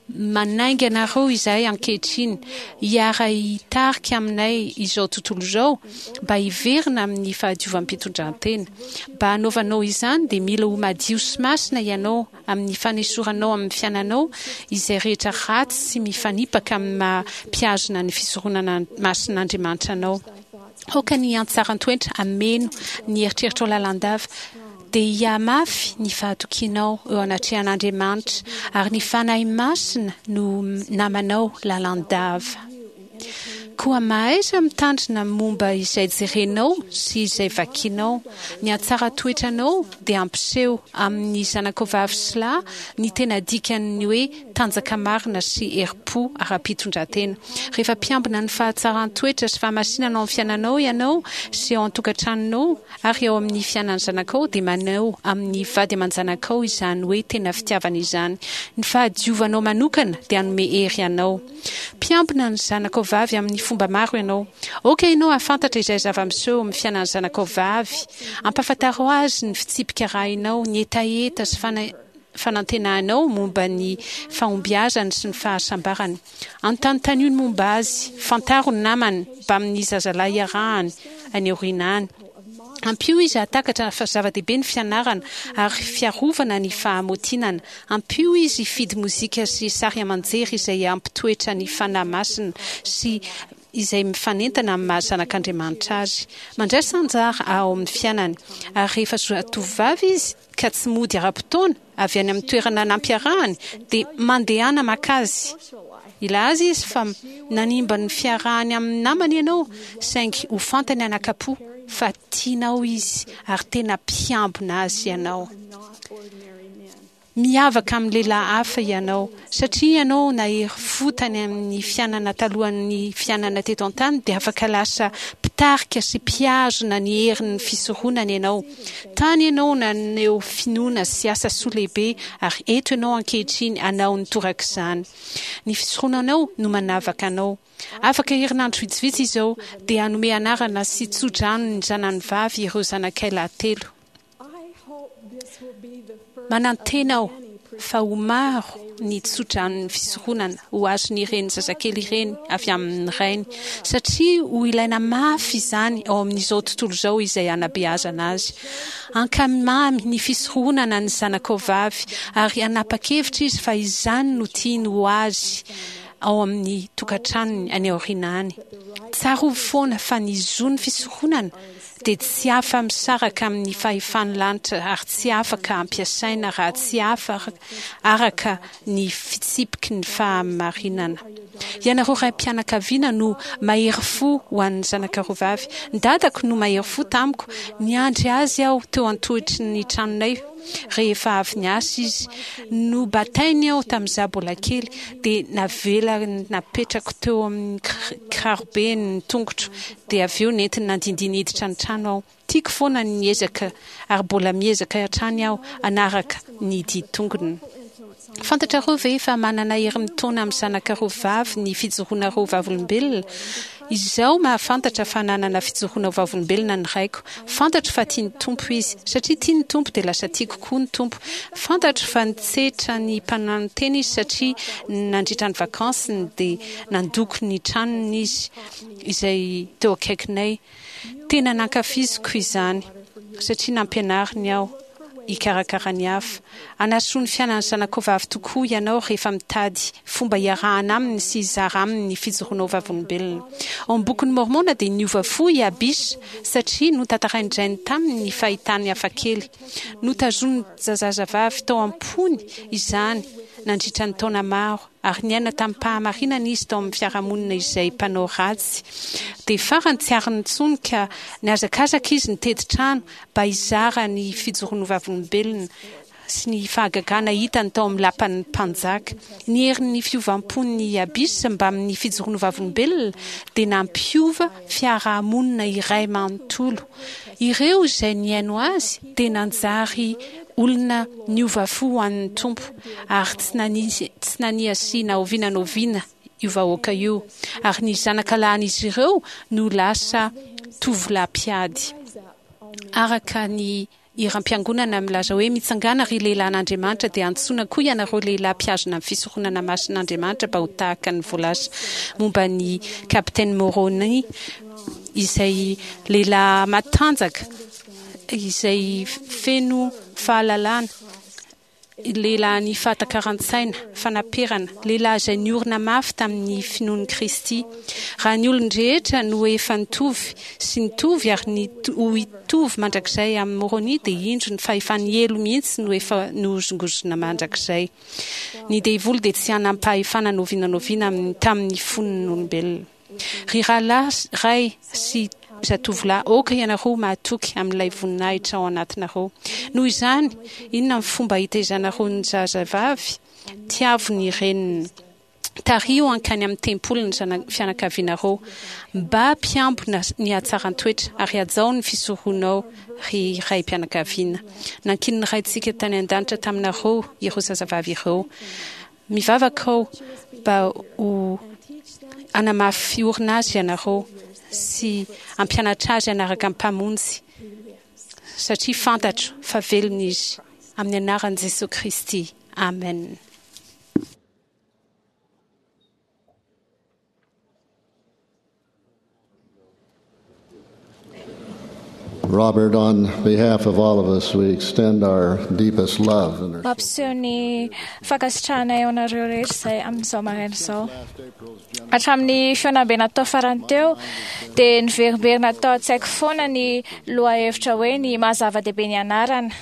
Manainga anareo izahay ankehitriny hiara-hitarika aminay izao tontolo izao mba hiverina amin'ny fahadiovam-pitondran-tena. Mba hanaovanao izany dia mila ho madio sy masina ianao amin'ny fanesoranao amin'ny fiainanao izay rehetra ratsy sy mifanipaka amin'ny maha mpihazona ny fisoronana masin'Andriamanitra anao. Aoka ny hatsaran-toetra hameno ny eritreritrao lalandava. Dia hihamafy ny fahatokianao eo anatrehan'Andriamanitra, ary ny Fanahy Masina no namanao lalandava. Koa mahaiza mitandrina momba izay jerenao sy izay vakinao. Ny hatsaran-toetranao dia hampiseho amin'ny zanakao vavy sy lahy ny tena dikan'ny hoe tanjaka marina sy herim-po ara-pitondran-tena. Rehefa mpiambina ny fahatsaran-toetra sy fahamasinana ao amin'ny fiainanao ianao sy ao an-tokantranonao ary ao amin'ny fiainan'ny zanakao dia maneho amin'ny vady aman-janakao izany hoe tena fitiavana izany. Ny fahadiovanao manokana dia hanome hery anao. Mpiambina ny zanakao vavy amin'ny fomba maro ianao. Aoka ianao hahafantatra izay zava-miseho eo amin'ny fiainan'ny zanakao vavy. Ampahafantaro azy ny fitsipika arahinao, ny hetaheta sy fanantenanao momba ny fahombiazany sy ny fahasambarany. Anontanontanio ny momba azy, fantaro ny namany mbamin'ny zazalahy iarahany any aoriana any. Ampio izy hahatakatra fa zava-dehibe ny fianarana ary fiarovana ny fahamotinana. Ampio izy hifidy mozika sy sary aman-jery izay hampitoetra ny Fanahy Masina sy izay mifanentana amin'ny maha zanak'Andriamanitra azy. Mandraisa anjara ao amin'ny fiainany. Ary rehefa zatovovavy izy ka tsy mody ara-potoana avy any amin'ny toerana nampiarahany dia mandehana maka azy. Hilaza izy fa nanimba ny fiarahany amin'ny namany ianao saingy ho fantany anakam-po fa tianao izy ary tena mpiambina azy ianao. Miavaka amin'ny lehilahy hafa ianao. Satria ianao nahery fo tany amin'ny fiainana talohan'ny fiainana teto an-tany dia afaka lasa mpitarika sy mpihazona ny herin'ny fisoronana ianao. Tany ianao naneho finoana sy asa soa lehibe ary eto ianao ankehitriny hanao ny torak'izany. Ny fisoronanao no manavaka anao. Afaka herinandro vitsivitsy izao dia hanome anarana sy tso-drano ny zanany vavy ireo zanakay lahy telo. Manantena aho fa ho maro ny tsodranon'ny fisoronana ho azon'ireny zazakely ireny avy amin'ny rainy, satria ho ilaina mafy izany ao amin'izao tontolo izao izay hanabeazana azy. Hankamamy ny fisoronana ny zanakao vavy ary hanapa-kevitra izy fa izany no tiany ho azy ao amin'ny tokantranony any aoriana any. Tsarovy foana fa ny zon'ny fisoronana dia tsy afa-misaraka amin'ny fahefan'ny lanitra ary tsy afaka ampiasaina raha tsy araka ny fitsipiky ny fahamarinana. Ianareo raim-pianakaviana no mahery fo ho an'ny zanakareo vavy. Ny dadako no mahery fo tamiko. Niandry azy aho teo an-tohitry ny tranonay rehefa avy niasa izy. Nobatainy aho tamin'izaho mbola kely, dia navelany napetrako teo amin'ny kirarobe ny tongotro, dia avy eo nentiny nandindihy niditra ny trano aho. Tiako foana ny niezaka ary mbola miezaka hatrany aho hanaraka ny dian-tongony. Fantatrareo ve fa manana hery mitaona amin'ny zanakareo vavy ny fijoroanareo vavolombelona? Izaho mahafantatra fa nanana fijoroana ho vavolombelona ny raiko. Fantatro fa tia ny Tompo izy. Satria tia ny Tompo dia lasa tiako koa ny Tompo. Fantatro fa nitsetra ny mpananotena izy satria nandritra ny vakansiny dia nandoko ny tranony izy izay teo akaikinay. Tena nankafiziko izany satria nampianariny aho hikarakara ny hafa. Hanasoa ny fiainan'ny zanakao vavy tokoa ianao rehefa mitady fomba hiarahana aminy sy hizara aminy ny fijoroanao vavolombelona. Ao amin'ny Bokin'i Môrmôna dia niova fo i Abisha satria notantarain-drainy taminy ny fahitany hafakely. Notazonin'ny zazavavy tao am-pony izany nandritra ny taona maro ary niaina tamim-pahamarinana izy tao amin'ny fiarahamonina izay mpanao ratsy. Dia farany tsy ariny intsony ka nihazakazaka izy nitety trano mba hizara ny fijoroany ho vavolombelona sy ny fahagagana hitany tao amin'ny lapan'ny mpanjaka. Ny herin'ny fiovam-pon'ny Abyss mbamin'ny fijoroany ho vavolombelona dia nampiova fiarahamonina iray manontolo. Ireo izay nihaino azy dia nanjary olona niova fo ho an'ny Tompo, ary tsy nania tsy naniasia na oviana na oviana io vahoaka io, ary ny zanaka lahin'izy ireo no lasa tovolahy mpiady. Araka ny hiram-piangonana milaza hoe Mitsangàna ry lehilahin'Andriamanitra dia antsoina koa ianareo lehilahy mpihazona ny fisoronana masin'Andriamanitra mba ho tahaka ny voalaza momba ny Kapiteny Môrônia izay lehilahy matanjaka izay feno fahalalana. Lehilahin'ny fahatakaran-tsaina, fanaperana, lehilahy izay niorina mafy tamin'ny finoan'i Kristy. Raha ny olon-drehetra no efa nitovy sy nitovy ary ny ho hitovy mandrakizay amin'i Môrônia dia indro ny fahefan'ny helo mihitsy no efa nohozongozona mandrakizay. Ny devoly dia tsy hanam-pahefana n'oviana n'oviana amin'ny tamin'ny fon'ny olombelona. Ry rahalahy, ray sy zatovolahy, aoka ianareo ho mahatoky amin'ilay voninahitra ao anatinareo. Noho izany, inona ny fomba hitaizanareo ny zazavavy? Tiavo ny reniny. Tariho hankany amin'ny tempoly ny zana fianakavianareo. Mba mpiambina ny hatsaran-toetra ary hajao ny fisoronao, ry raim-pianakaviana. Nankinin'ny Raintsika tany An-danitra taminareo ireo zazavavy ireo. Mivavaka aho mba ho hanamafy orina azy ianareo sy hampianatra azy hanaraka ny Mpamonjy, satria fantatro fa velona Izy. Amin'ny anaran'i Jesoa Kristy, amen. Robert, on behalf of all of us, we extend our deepest love and our Mampiseho ny fankasitrahanay ao anareo rehetra izay amin'izao maraina izao. Hatramin'ny fihaonambe natao farany teo dia niverimberina tao an-tsaiko foana ny lohahevitra hoe ny maha zava-dehibe ny anarana.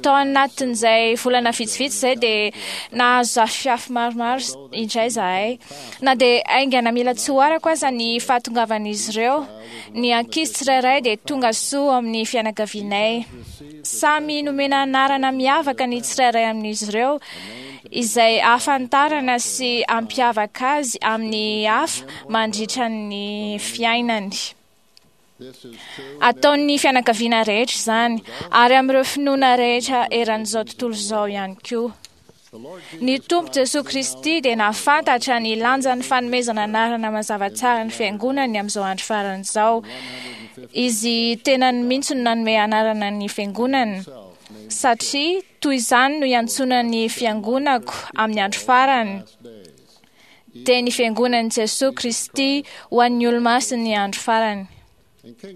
Tao anatin'izay volana vitsivitsy izay dia nahazo zafiafy maromaro indray izahay. Na dia haingana mila tsy ho arako aza ny fahatongavan'izy ireo, ny ankizy tsirairay dia tonga soa ao amin'ny fianakavianay. Samy nomena anarana miavaka ny tsirairay amin'izy ireo, izay ahafantarana sy hampiavaka azy amin'ny hafa mandritra ny fiainany. Ataon'ny fianakaviana rehetra izany, ary amin'ireo finoana rehetra eran'izao tontolo izao ihany koa. Ny Tompo Jesoa Kristy dia nahafantatra ny lanjan'ny fanomezana anarana mazava tsara ny Fiangonany amin'izao andro farany izao. Izy tenany mihitsy no nanome anarana ny Fiangonany, satria toy izany no iantsoana ny Fiangonako amin'ny andro farany, dia ny Fiangonan'i Jesoa Kristy ho an'ny olomasin'ny andro farany.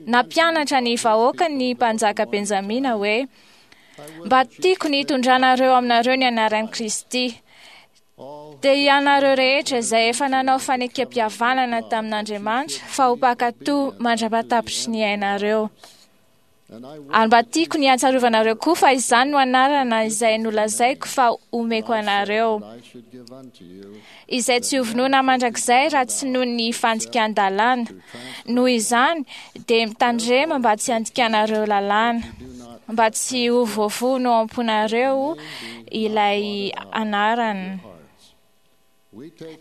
Nampianatra ny vahoakany ny mpanjaka Benjamina hoe, Mba tiako ny hitondranareo aminareo ny anaran'i Kristy. Dia ianareo rehetra izay efa nanao fanekempihavanana tamin'Andriamanitra fa ho mpankatò mandra-pahatapitry ny ainareo. Ary mba tiako ny hatsarovanareo koa fa izany no anarana izay nolazaiko fa omeko anareo, izay tsy hovonoina mandrakizay raha tsy noho ny fandikan-dalàna. Noho izany, dia mitandrema mba tsy handikanareo lalàna, mba tsy ho voavono ao am-ponareo ilay anarana.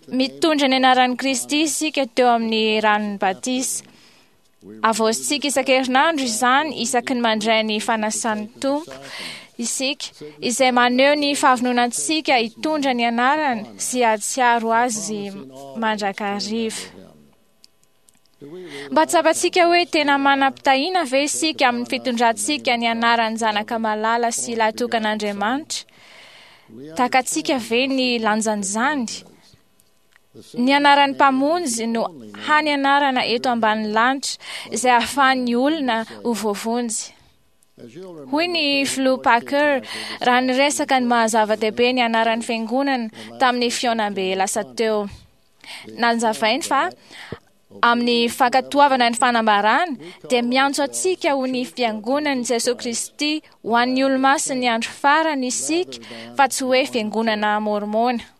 Mitondra ny anaran'i Kristy isika teo amin'ny ranon'ny batisa. Avaozintsika isan-kerinandro izany isaky ny mandray ny fanasan'ny Tompo isika, izay maneho ny fahavononantsika hitondra ny anarany sy hahatsiaro azy mandrakariva. Mba tsapantsika hoe tena manam-pitahiana ve isika amin'ny fitondrantsika ny anaran'ny Zanaka Malala sy Lahitokan'Andriamanitra? Takatsika ve ny lanjan'izany? Ny anaran'ny Mpamonjy no hany anarana eto ambanin'ny lanitra izay ahafahan'ny olona ho voavonjy. Hoy ny Filoha Packer raha niresaka ny maha-zava-dehibe ny anaran'ny Fiangonana tamin'ny fihaonambe lasa teo. Nanzavainy fa amin'ny fankatoavana ny fanambarana dia miantso antsika ho ny Fiangonan'i Jesoa Kristy ho an'ny olomasin'ny andro farany isika fa tsy hoe Fiangonana Môrmôna.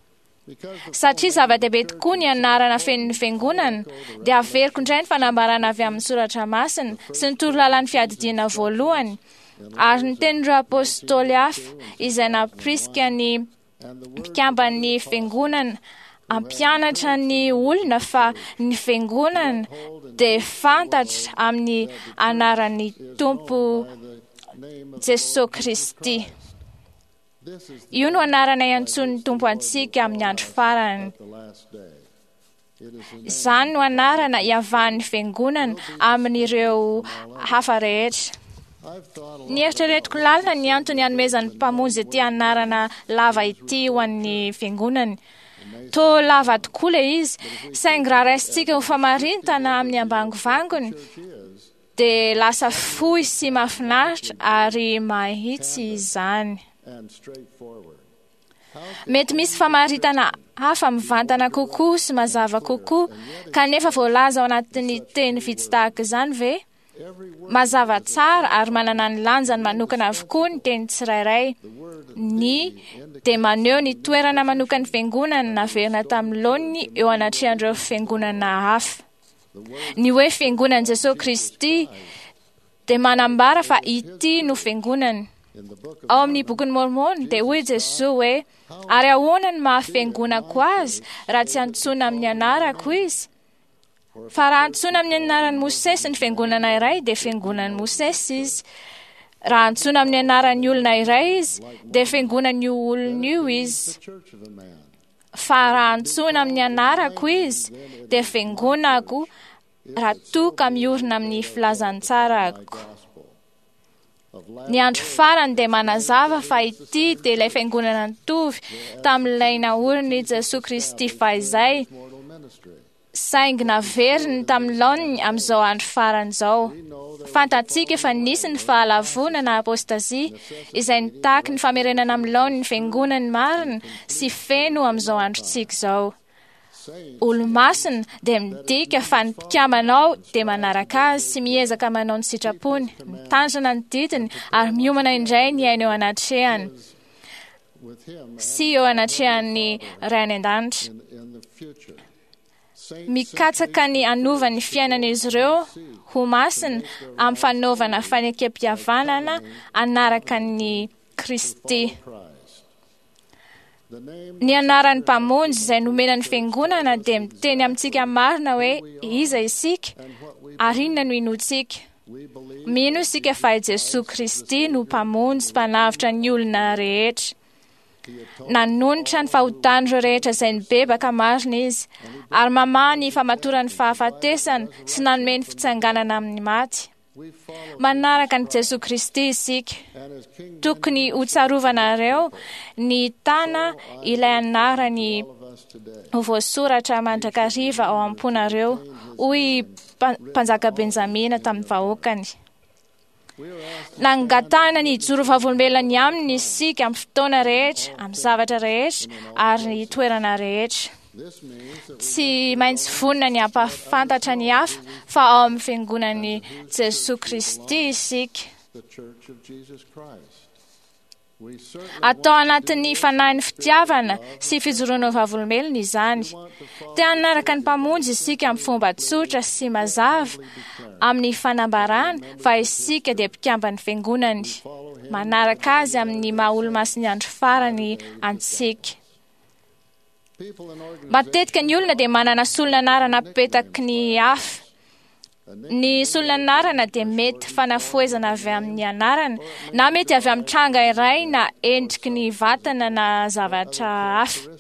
Satria zava-dehibe tokoa ny anarana fenon'ny Fiangonana, dia averiko indray ny fanambarana avy amin'ny Soratra Masina sy ny torolalan'ny Fiadidiana Voalohany ary ny tenin'ireo Apôstôly hafa izay nampirisika ny mpikamban'ny Fiangonana hampianatra ny olona fa ny Fiangonana dia fantatra amin'ny anaran'ny Tompo Jesoa Kristy. Io no anarana iantsoan'ny Tompo antsika amin'ny andro farany. Izany no anarana iavahan'ny Fiangonana amin'ireo hafa rehetra. Nieritreretiko lalina ny antony hanomezan'ny Mpamonjy ity anarana lava ity ho an'ny Fiangonany. Toa lava tokoa ilay izy, saingy raha raisintsika ho famarintana amin'ny ambangovangony, dia lasa fohy sy mahafinaritra ary mahitsy izany. Mety misy famaritana hafa mivantana kokoa sy mazava kokoa, kanefa voalaza ao anatin'ny teny vitsy tahaka izany ve? Mazava tsara ary manana ny lanjany manokana avokoa ny teny tsirairay. Ny dia maneho ny toerana manokan'ny fiangonana naverina tamin'ny laoniny eo anatrehan'ireo fiangonana hafa. Ny hoe fiangonan'i Jesosy Kristy dia manambara fa ity no fiangonany. Ao amin'ny bokin'i Môrmôna dia hoy Jesoa hoe ary ahoana no maha fiangonako azy raha tsy antsoina amin'ny anarako izy? Fa raha antsoina amin'ny anaran'i Mosesy ny fiangonana iray dia fiangonan'i Mosesy izy. Raha antsoina amin'ny anaran'ny olona iray izy dia fiangonan'io olona io izy. Fa raha antsoina amin'ny anarako izy dia fiangonako raha toa ka miorina amin'ny filazantsarako. Ny andro farany dia manazava fa ity dia ilay fiangonana nitovy tamin'ilay naorin'i Jesoa Kristy fahizay, saingy naveriny tamin'ny laoniny amin'izao andro farany izao. Fantatsika fa nisy ny fahalavoana na apôstazia izay nitaky ny famerenana amin'ny laoniny ny fiangonany marina sy feno amin'izao androntsika izao. Olomasina dia midika fa ny mpikambana ao dia manaraka azy sy miezaka manao ny sitrapony, mitandrina ny didiny ary miomana indray ny aina eo anatrehany sy eo anatrehan'ny Ray any an-danitra. Mikatsaka ny hanova ny fiainan'izy ireo ho masina amin'ny fanaovana fanekem-pihavanana hanaraka ny Kristy. Ny anaran'ny Mpamonjy izay nomena ny Fiangonana dia miteny amintsika marina hoe iza isika ary inona no inoantsika. Mino isika fa i Jesoa Kristy no Mpamonjy mpanavotra ny olona rehetra. Nanonitra ny fahotan'ireo rehetra izay nibebaka marina Izy, ary mamaha ny famatoran'ny fahafatesana sy nanome ny fitsanganana amin'ny maty. Manaraka an'i Jesoa Kristy isika. Tokony ho tsarovanareo ny tana ilay anarany ho voasoratra mandrakariva ao am-ponareo, hoy Mpanjaka Benjamina tamin'ny vahoakany. Nangatahana ny hijoro vavolombelona ny aminy isika amin'ny fotoana rehetra, amin'ny zavatra rehetra ary ny toerana rehetra. Tsy maintsy vonona ny hampahafantatra ny hafa fa ao amin'ny fiangonan'i Jesoa Kristy isika. Atao anatin'ny fanahin'ny fitiavana sy fijoroana ho vavolombelona izany. Te hanaraka ny Mpamonjy isika amin'ny fomba tsotra sy mazava amin'ny fanambarana fa isika dia mpikamban'ny Fiangonany. Manaraka Azy amin'ny maha Olomasin'ny andro farany antsika. Matetika ny olona dia manana solon'anarana apetaky ny hafa. Ny solon'anarana dia mety fanafohezana avy amin'ny anarana, na mety avy amin'ny tranga iray na endriky ny vatana na zavatra hafa.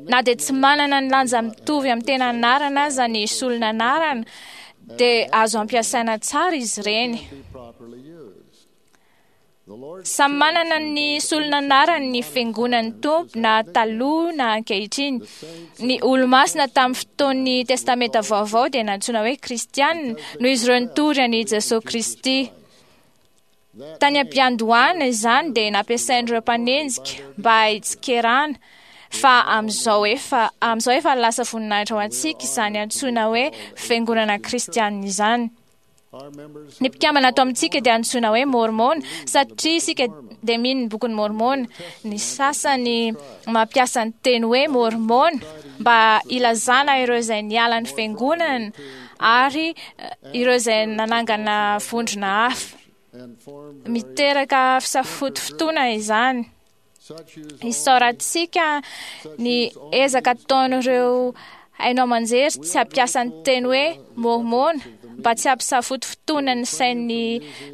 Na dia tsy manana ny lanja mitovy amin'ny tena anarana aza ny solon'anarana, dia azo ampiasaina tsara izy ireny. Samy manana ny solon'anarany ny Fiangonan'ny Tompo na taloha na ankehitriny. Ny Olomasina tamin'ny fotoan'ny Testamenta Vaovao dia nantsoina hoe Kristiana noho izy ireo nitory an'i Jesoa Kristy. Tany am-piandohana izany dia nampiasain'ireo mpanenjika mba hitsikerana fa amin'izao efa amin'izao efa lasa voninahitra ho antsika izany antsoina hoe Fiangonana Kristiana izany. Ny mpikambana ato amintsika dia antsoina hoe Môrmôna satria isika dia mino ny bokin'i Môrmôna. Ny sasany mampiasa ny teny hoe Môrmôna mba hilazana ireo izay niala ny fiangonana ary ireo izay nanangana vondrona hafa. Miteraka fisafotofotoana izany. Isaorantsika ny ezaka ataon'ireo haino aman-jery tsy hampiasa ny teny hoe Môrmôna mba tsy hampisafotofotoana ny sain'ny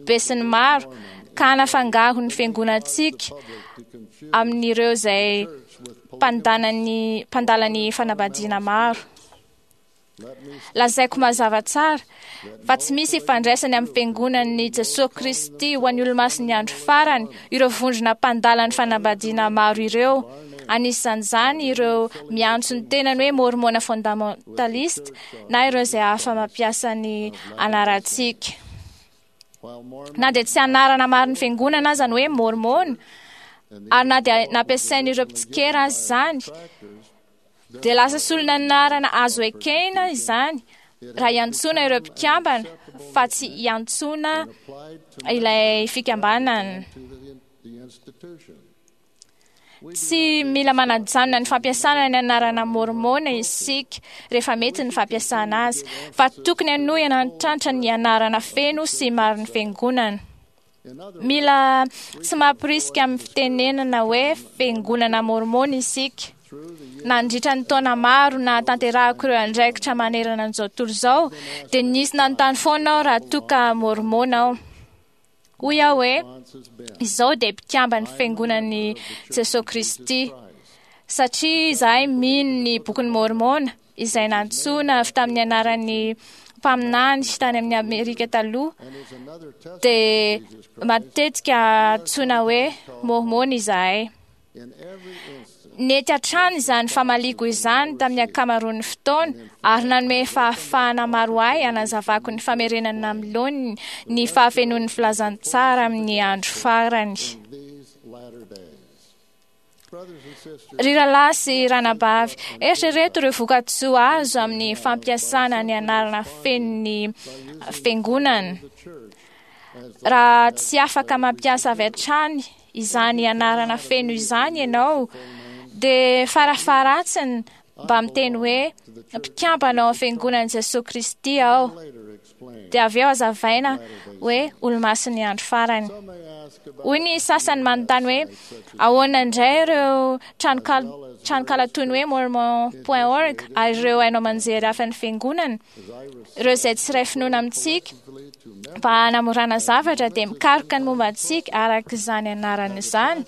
besinimaro ka hanafangaro ny fiangonantsika amin'ireo izay mpandala ny fanambadiana maro. Lazaiko mazava tsara fa tsy misy ifandraisany amin'ny Fiangonan'i Jesoa Kristy ho an'ny Olomasin'ny Andro Farany ireo vondrona mpandala ny fanambadiana maro ireo, anisan'izany ireo miantso ny tenany hoe Môrmôna fondamentalista na ireo izay hafa mampiasa ny anarantsika. Na dia tsy anarana marin'ny fiangonana aza ny hoe Môrmôna, ary na dia nampiasain'ireo mpitsikera aza izany, dia lasa solon'anarana azo ekena izany raha iantsoana ireo mpikambana fa tsy iantsoana ilay fikambanana. Tsy mila manajanona ny fampiasana ny anarana Môrmôna isika rehefa mety ny fampiasana azy, fa tokony hanohy hanantitrantitra ny anarana feno sy marin'ny fiangonana. Mila tsy mampirisika amin'ny fitenenana hoe fiangonana Môrmôna isika. Nandritra ny taona maro nahatanterahako ireo andraikitra manerana an'izao tontolo izao, dia nisy nanontany foana aho raha toa ka Môrmôna aho. Hoy aho hoe, Izao dia mpikamban'ny Fiangonan'i Jesoa Kristy, satria izahay mino ny Bokin'i Môrmôna, izay nantsoina avy tamin'ny anaran'ny mpaminany tany amin'ny Amerika taloha, dia matetika antsoina hoe Môrmôna izahay. Nety hatrany izany famaliako izany tamin'ny ankamaroan'ny fotoana ary nanome fahafahana maro ahy hanazavako ny famerenana amin'ny laoniny ny fahafenoan'ny filazantsara amin'ny andro farany. Ry rahalahy sy ranabavy, eritrereto ireo vokatsoa azo amin'ny fampiasana ny anarana fenon'ny fiangonana. Raha tsy afaka mampiasa avy hatrany izany anarana feno izany ianao, dia farafaharatsiny mba miteny hoe mpikambana ao amin'ny Fiangonan'i Jesoa Kristy aho, dia avy eo hazavaina hoe olomasin'ny andro farany. Hoy ny sasany manontany hoe ahoana indray ireo tranonkala toy ny hoe mormon point org ary ireo haino aman-jery hafa ny Fiangonana, ireo izay tsy iray finoana amintsika. Mba hanamorana zavatra dia mikaroka ny momba antsika araka izany anarana izany,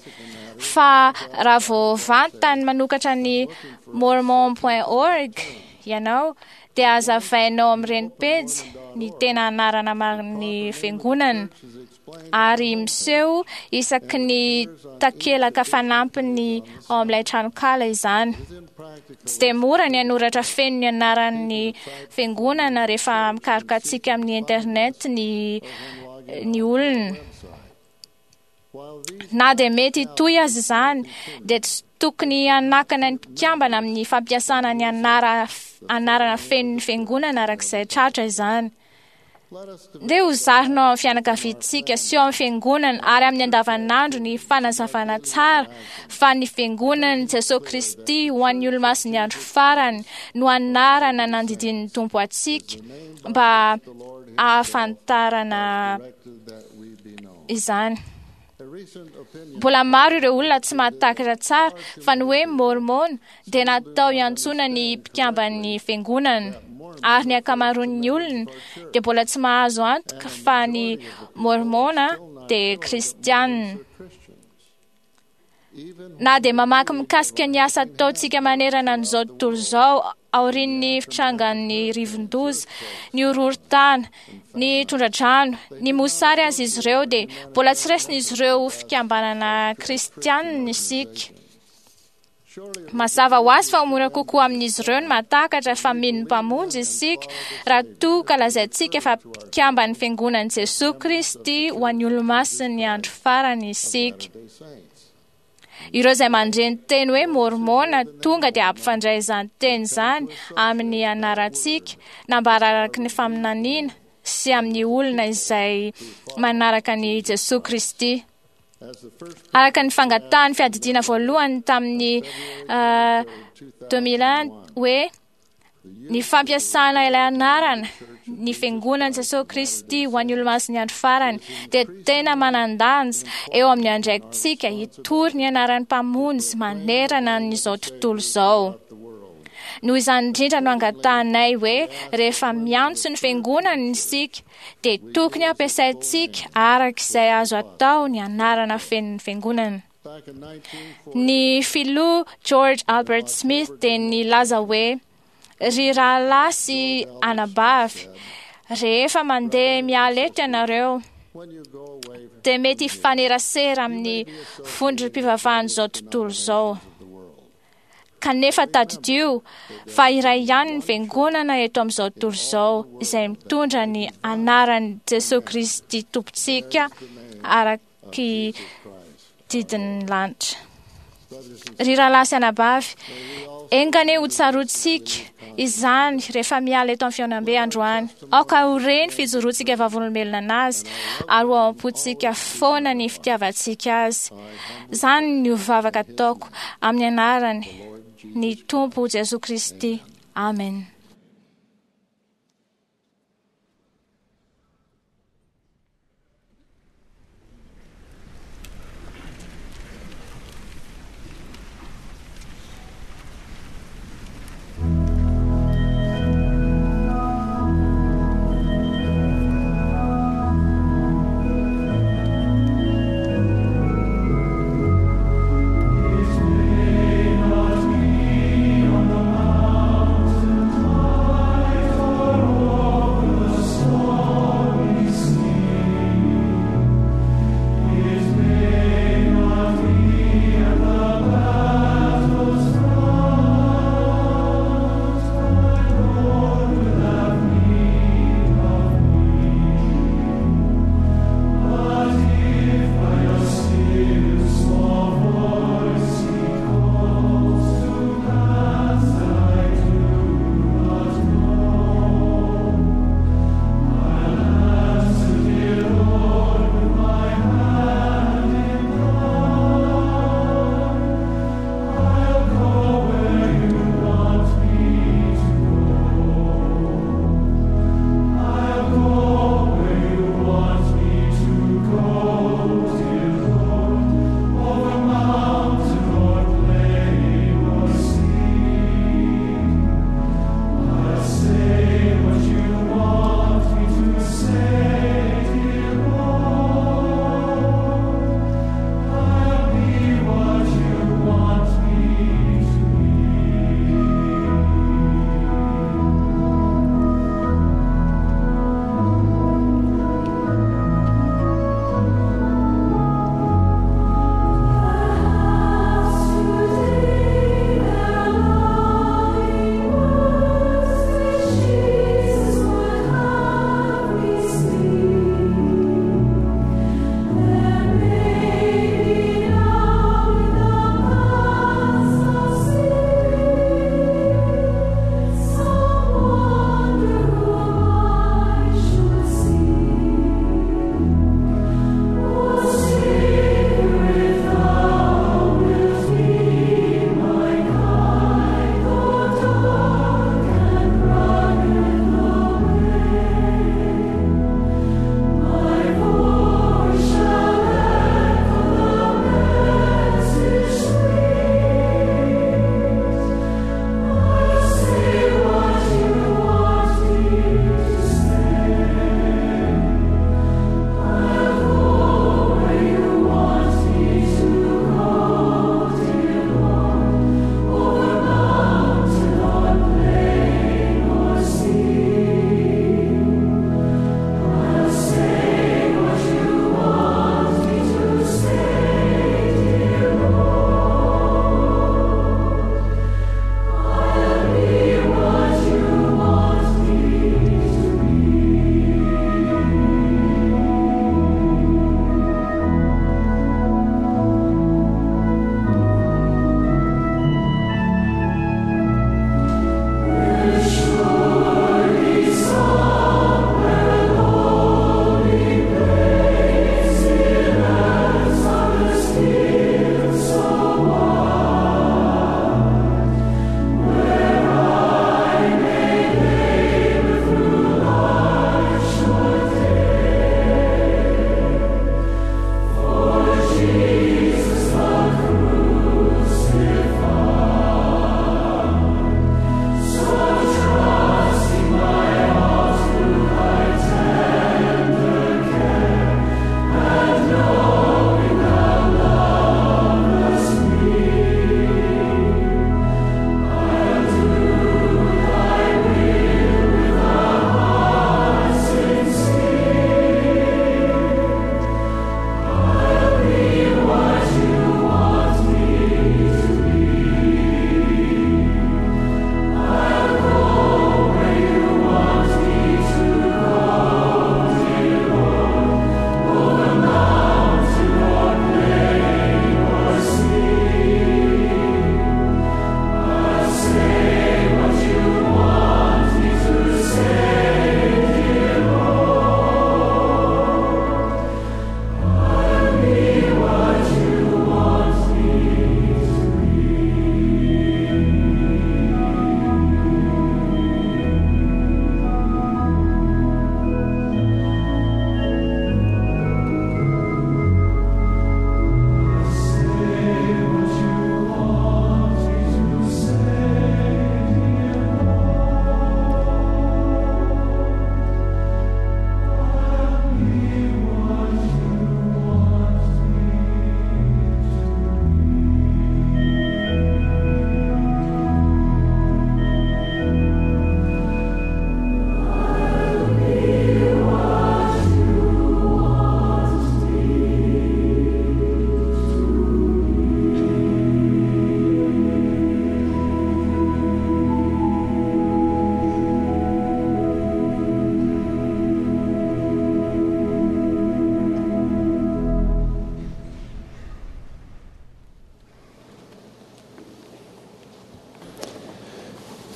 fa raha vao vantany manokatra ny mormon point org ianao dia hazavainao amin'ireny pejy ny tena anarana marin'ny fiangonana ary miseho isaky ny takelaka fanampiny ao amin'ilay tranonkala izany. Tsy dia mora ny hanoratra feno ny anaran'ny fiangonana rehefa mikaroka antsika amin'ny internet ny ny olona. Na dia mety hitohy aza izany, dia tsy tokony hanakana ny mpikambana amin'ny fampiasana ny anarana fenon'ny fiangonana araka izay tratra izany. Ndeha ho zarina ao amin'ny fianakaviantsika sy ao amin'ny fiangonana ary amin'ny andavanandro ny fanazavana tsara fa ny Fiangonan'i Jesoa Kristy ho an'ny olomasin'ny andro farany no anarana nandidian'ny Tompo antsika mba hahafantarana izany. Mbola maro ireo olona tsy mahatakatra tsara fa ny hoe Môrmôna dia natao hiantsoana ny mpikamban'ny fiangonana, ary ny ankamaroan'ny olona dia mbola tsy mahazo antoka fa ny Môrmôna dia Kristianina. Na dia mamaky mikasika ny asa ataontsika manerana an'izao tontolo izao aorian'ny fitrangan'ny rivo-doza, ny horohorontany, ny tondra-drano, ny mosary aza izy ireo, dia mbola tsy raisin'izy ireo ho fikambanana kristianina isika. Mazava ho azy fa ho mora kokoa amin'izy ireo ny mahatakatra fa mino ny Mpamonjy isika raha toa ka lazaintsika fa mpikamban'ny Fiangonan'i Jesoa Kristy ho an'ny olomasin'ny andro farany isika. Ireo izay mandre ny teny hoe Môrmôna tonga dia hampifandray izany teny izany amin'ny anarantsika nambara araka ny faminaniana sy amin'ny olona izay manaraka an'i Jesoa Kristy. Araka ny fangatahan'ny fiadidiana voalohany tamin'ny 2001 hoe ny fampiasana ilay anarana, ny Fiangonan'i Jesoa Kristy ho an'ny olomasin'ny andro farany, dia tena manan-danja eo amin'ny andraikitsika hitory ny anaran'ny Mpamonjy manerana an'izao tontolo izao. Noho izany indrindra no angatahanay hoe rehefa miantso ny Fiangonana isika, dia tokony hampiasaintsika araka izay azo atao ny anarana fenon'ny Fiangonana. Ny filoha George Albert Smith dia nilaza hoe, Ry rahalahy sy anabavy, rehefa mandeha miala eto ianareo, dia mety hifanerasera amin'ny vondrom-pivavahan'izao tontolo izao. Kanefa tadidio fa iray ihany ny fiangonana eto amin'izao tontolo izao izay mitondra ny anaran'i Jesosy Kristy Tompontsika araky didin'ny lanitra. Ry rahalahy sy anabavy, enga anie ho tsaroantsika izany rehefa miala eto amin'ny fihaonambe androany. Aoka ho re ny fijoroantsika vavolombelona anazy ary ho ao am-pontsika foana ny fitiavantsika azy. Izany no vavaka ataoko amin'ny anarany ny Tompo Jesoa Kristy. Amen. It may not be on the mountain top.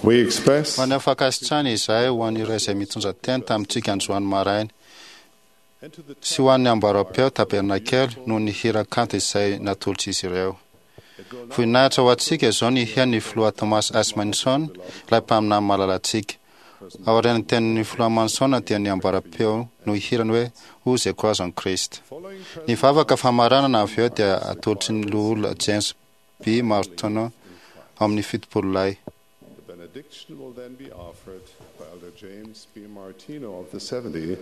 We express Maneho fankasitrahana izahay ho an'ireo izay mitondra teny tamintsika androany maraina sy ho an'ny amboaram-peo tabernakely noho ny hira kanto izay natolotr'izy ireo. Voninahitra ho antsika izao ny hihaino ny filoha Thomas S. Manson, ilay mpaminany malalantsika. Aorian'ny tenin'ny filoha Manson dia ny amboaram-peo no hihirany hoe Who the Cross on Christ. Ny vavaka famaranana avy eo dia atolotry ny loholona James B. Martino ao amin'ny 70 lahy. The benediction will then be offered by Elder James B. Martino of the 70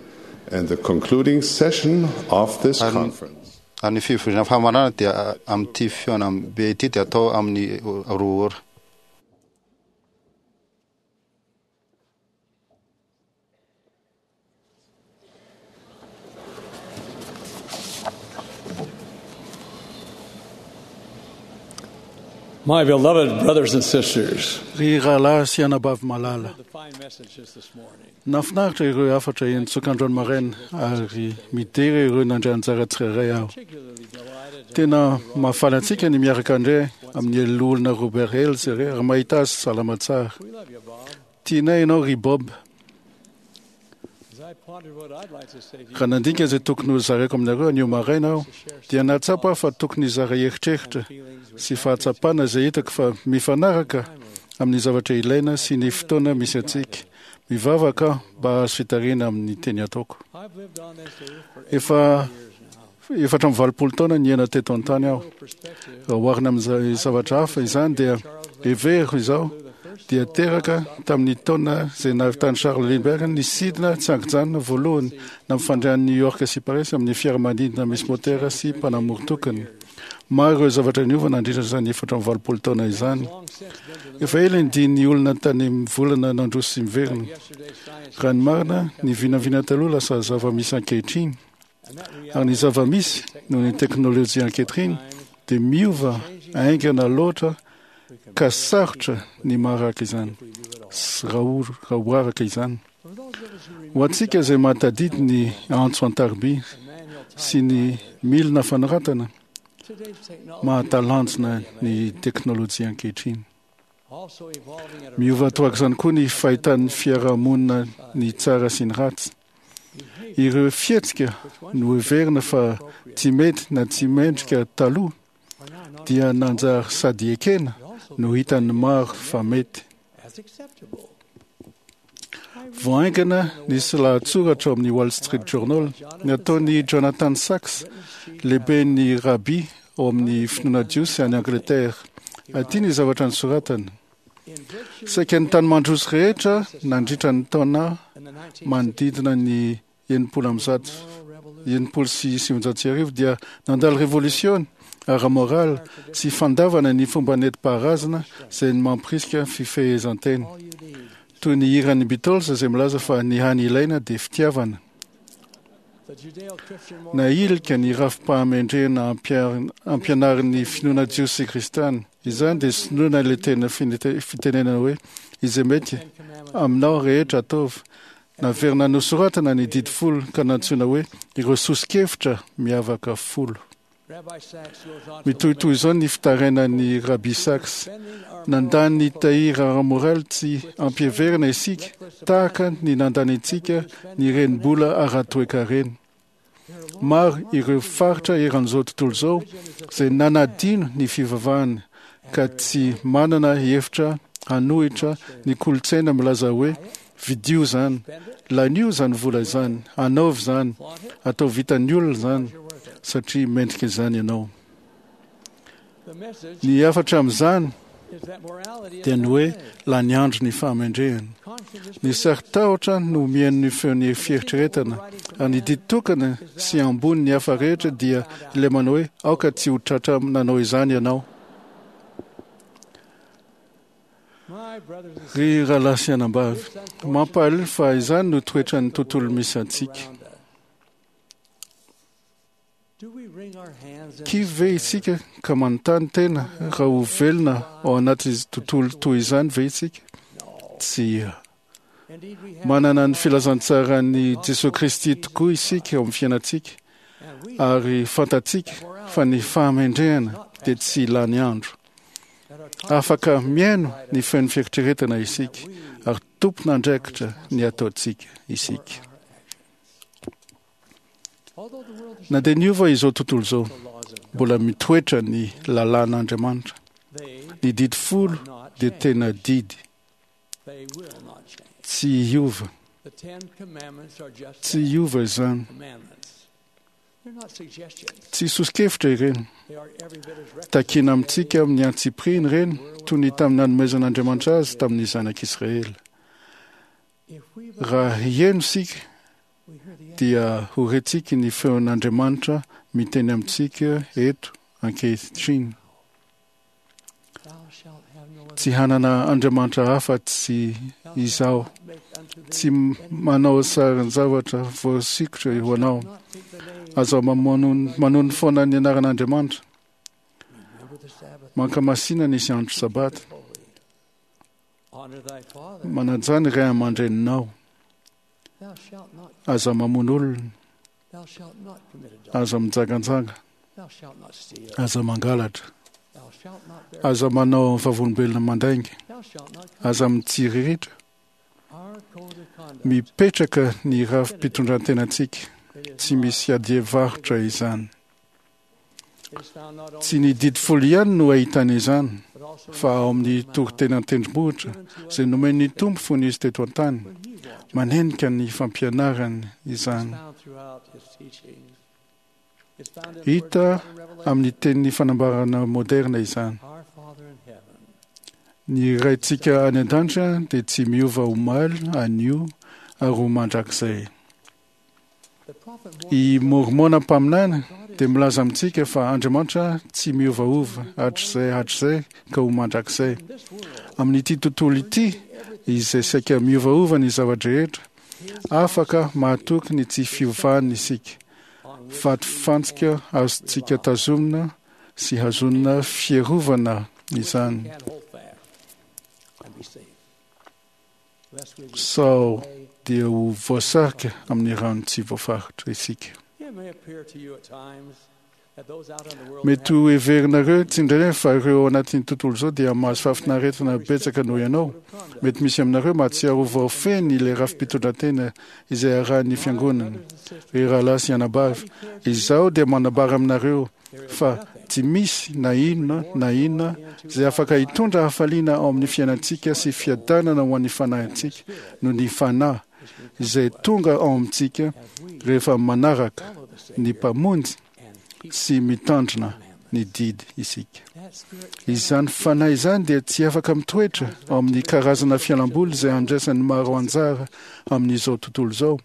and the concluding session of this conference. Ary ny fivoriana famaranana dia amin'ity fihaonambe ity dia atao amin'ny 2 ora. My beloved brothers and sisters, Ry rahalahy sy anabavy malala, the fine messages this morning. nahafinaritra ireo hafatra eny-tsokandroany maraina ary midera ireo nandray anjara tsirairay aho. Tena mahafaly antsika ny miaraka indray amin'ny loholona Robert Hales ary mahita azy salama tsara. Tianay ianao ry Bob. As I pondered what I'd like to say to you, Raha nandinika izay tokony ho zaraiko aminareo anio maraina aho, dia nahatsapa aho fa tokony hizara eritreritra sy fahatsapana izay hitako fa mifanaraka amin'ny zavatra ilaina sy ny fotoana misy antsika. Mivavaka aho mba hahazo fitarihana amin'ny teny ataoko. I've lived on this earth for Efa 84 taona niaina teto an-tany aho. Raha oharina amin'izay zavatra hafa izany dia heveriko izao dia teraka tamin'ny taona izay nahavitan'i Charles Lindbergh ny sidina tsy an-kijanona voalohany nampifandray an'i New York sy Paris amin'ny fiaramanidina misy motera sy mpanamory tokana. Maro ireo zavatra niova nandritra izany 84 taona izany. Efa ela ny dian'ny olona tany amin'ny volana nandroso sy miverina. Raha ny marina, ny vinavina taloha lasa zava-misy ankehitriny. Ary ny zava-misy noho ny teknôlôjia ankehitriny dia miova haingana loatra ka sarotra ny maharaka izany sy raha ho araka izany. Ho antsika izay mahatadidy ny antso an-tariby sy ny milina fanoratana, mahatalanjona ny teknôlôjia ankehitriny. also evolving at a Miova torak'izany koa ny fahitan'ny fiarahamonina ny tsara sy ny ratsy. Ireo fihetsika no heverina fa tsy mety na tsy mendrika taloha dia nanjary sady ekena no hitan'ny maro fa mety. as acceptable. Vao haingana nisy lahatsoratra ao amin'ny Wall Street Journal nataon'i Jonathan Sachs, lehiben'ny rabi ao amin'ny finoana jiosy any Angleterre. Aty ny zavatra nosoratany. Saika ny tany mandroso rehetra nandritra ny taona manodidina ny 1960 dia nandalo revolisiona ara-moraly sy fandavana ny fomba nentim-paharazana izay mampirisika fifehezan-tena. Toy ny hiran'ny Beatles izay milaza fa ny hany ilaina dia fitiavana. The Judeo-Christian Nahilika ny rafi-pahamendrehana ampianarin'ny finoana jiosy sy kristiana. Izany dia sinoana ilay tena fitenenana hoe izay mety aminao rehetra ataovy. Naverina nosoratana ny didy folo ka nantsoina hoe ireo soso-kevitra miavaka folo. Rabbi Sachs goes on to Mitohitohy izao ny fitarainan'ny Rabbi Sachs. Nandany ny tahiry ara-moraly tsy ampiheverana isika tahaka ny nandanintsika ny renibola ara-toekarena. Maro ireo faritra eran'izao tontolo izao izay nanadino ny fivavahana ka tsy manana hevitra hanohitra ny kolontsaina milaza hoe vidio izany, lanio izany vola izany, anaovy izany, atao vitan'ny olona izany satria mendrika izany ianao. the message Ny hafatra amin'izany is that morality is dia ny hoe lany andro ny fahamendrehana. Ny saro-tahotra no mihaino ny feon'ny fieritreretana ary ny didy tokana sy ambony ny hafa rehetra dia ilay manao hoe aoka tsy ho tratra nanao izany ianao. my brothers and Ry rahalahy sy anabavy, mampalahelo fa izany no toetran'ny tontolo misy antsika. do we wring our hands in Kivy ve isika ka manontany tena raha ho velona ao anaty tontolo toy izany ve isika? Tsia. Indeed, we have Manana ny filazantsaran'i Jesoa Kristy tokoa isika ao amin'ny fiainantsika ary fantatsika fa ny fahamendrehana dia tsy lany andro. Afaka mihaino ny feon'ny fieritreretana isika ary tompon'andraikitra ny ataontsika isika. Na dia niova izao tontolo izao, mbola mitoetra ny lalàn'Andriamanitra. Ny didy folo dia tena didy. Tsy hiova. Tsy hiova izany. Tsy soso-kevitra ireny. Takiana amintsika amin'ny antsipiriany ireny, toy ny tamin'ny nanomezan'Andriamanitra azy tamin'ny zanak'Israely. Raha hihaino isika, dia ho rentsika ny feon'Andriamanitra miteny amintsika eto ankehitriny. Tsy hanana Andriamanitra hafa tsy izaho. Tsy manao sarin-javatra voasikotra ho anao. Aza manono foana ny anaran'Andriamanitra. Mankamasina ny andro sabata. Manajà ny ray aman-dreninao. Aza mamono olona. Aza mijanganjanga. Aza mangalatra. Aza manao vavolombelona mandainga. Aza mitsiriritra. Mipetraka ny rafi-pitondran-tenantsika. Tsy misy adihevitra izany. Tsy ny didy folo ihany no ahitana izany, fa ao amin'ny toriteny an-tendrombohitra izay nomen'ny Tompo fony izy teto an-tany. Manenika ny fampianarany izany. Hita amin'ny tenin'ny fanambarana moderna izany. Ny Raintsika any an-danitra dia tsy miova omaly, anio ary ho mandrakizay. I Môrmôna mpaminany dia milaza amintsika fa Andriamanitra tsy miovaova hatrizay hatrizay ka ho mandrakizay. Amin'ity tontolo ity izay saika miovaova ny zava-drehetra, afaka mahatoky ny tsy fiovany isika. Vatofantsika azontsika tazomina sy hazonina fiarovana izany. Sao dia ho voasarika amin'ny rano tsy voafaritra isika. Mety ho heverinareo tsindraindray fa ireo ao anatin'ny tontolo izao dia mahazo fahafinaretana betsaka noho ianao. Mety misy aminareo mahatsiaro ho voafehy ilay rafi-pitondran-tena izay arahin'ny fiangonana. Ry rahalahy sy anabavy, izaho dia manambara aminareo fa tsy misy na inona na inona izay afaka hitondra hafaliana ao amin'ny fiainantsika sy fiadanana ho an'ny fanahintsika noho ny Fanahy izay tonga ao amintsika rehefa manaraka ny Mpamonjy sy mitandrina ny didy isika. Izany fanahy izany dia tsy afaka mitoetra ao amin'ny karazana fialamboly izay andraisan'ny maro anjara amin'izao tontolo izao.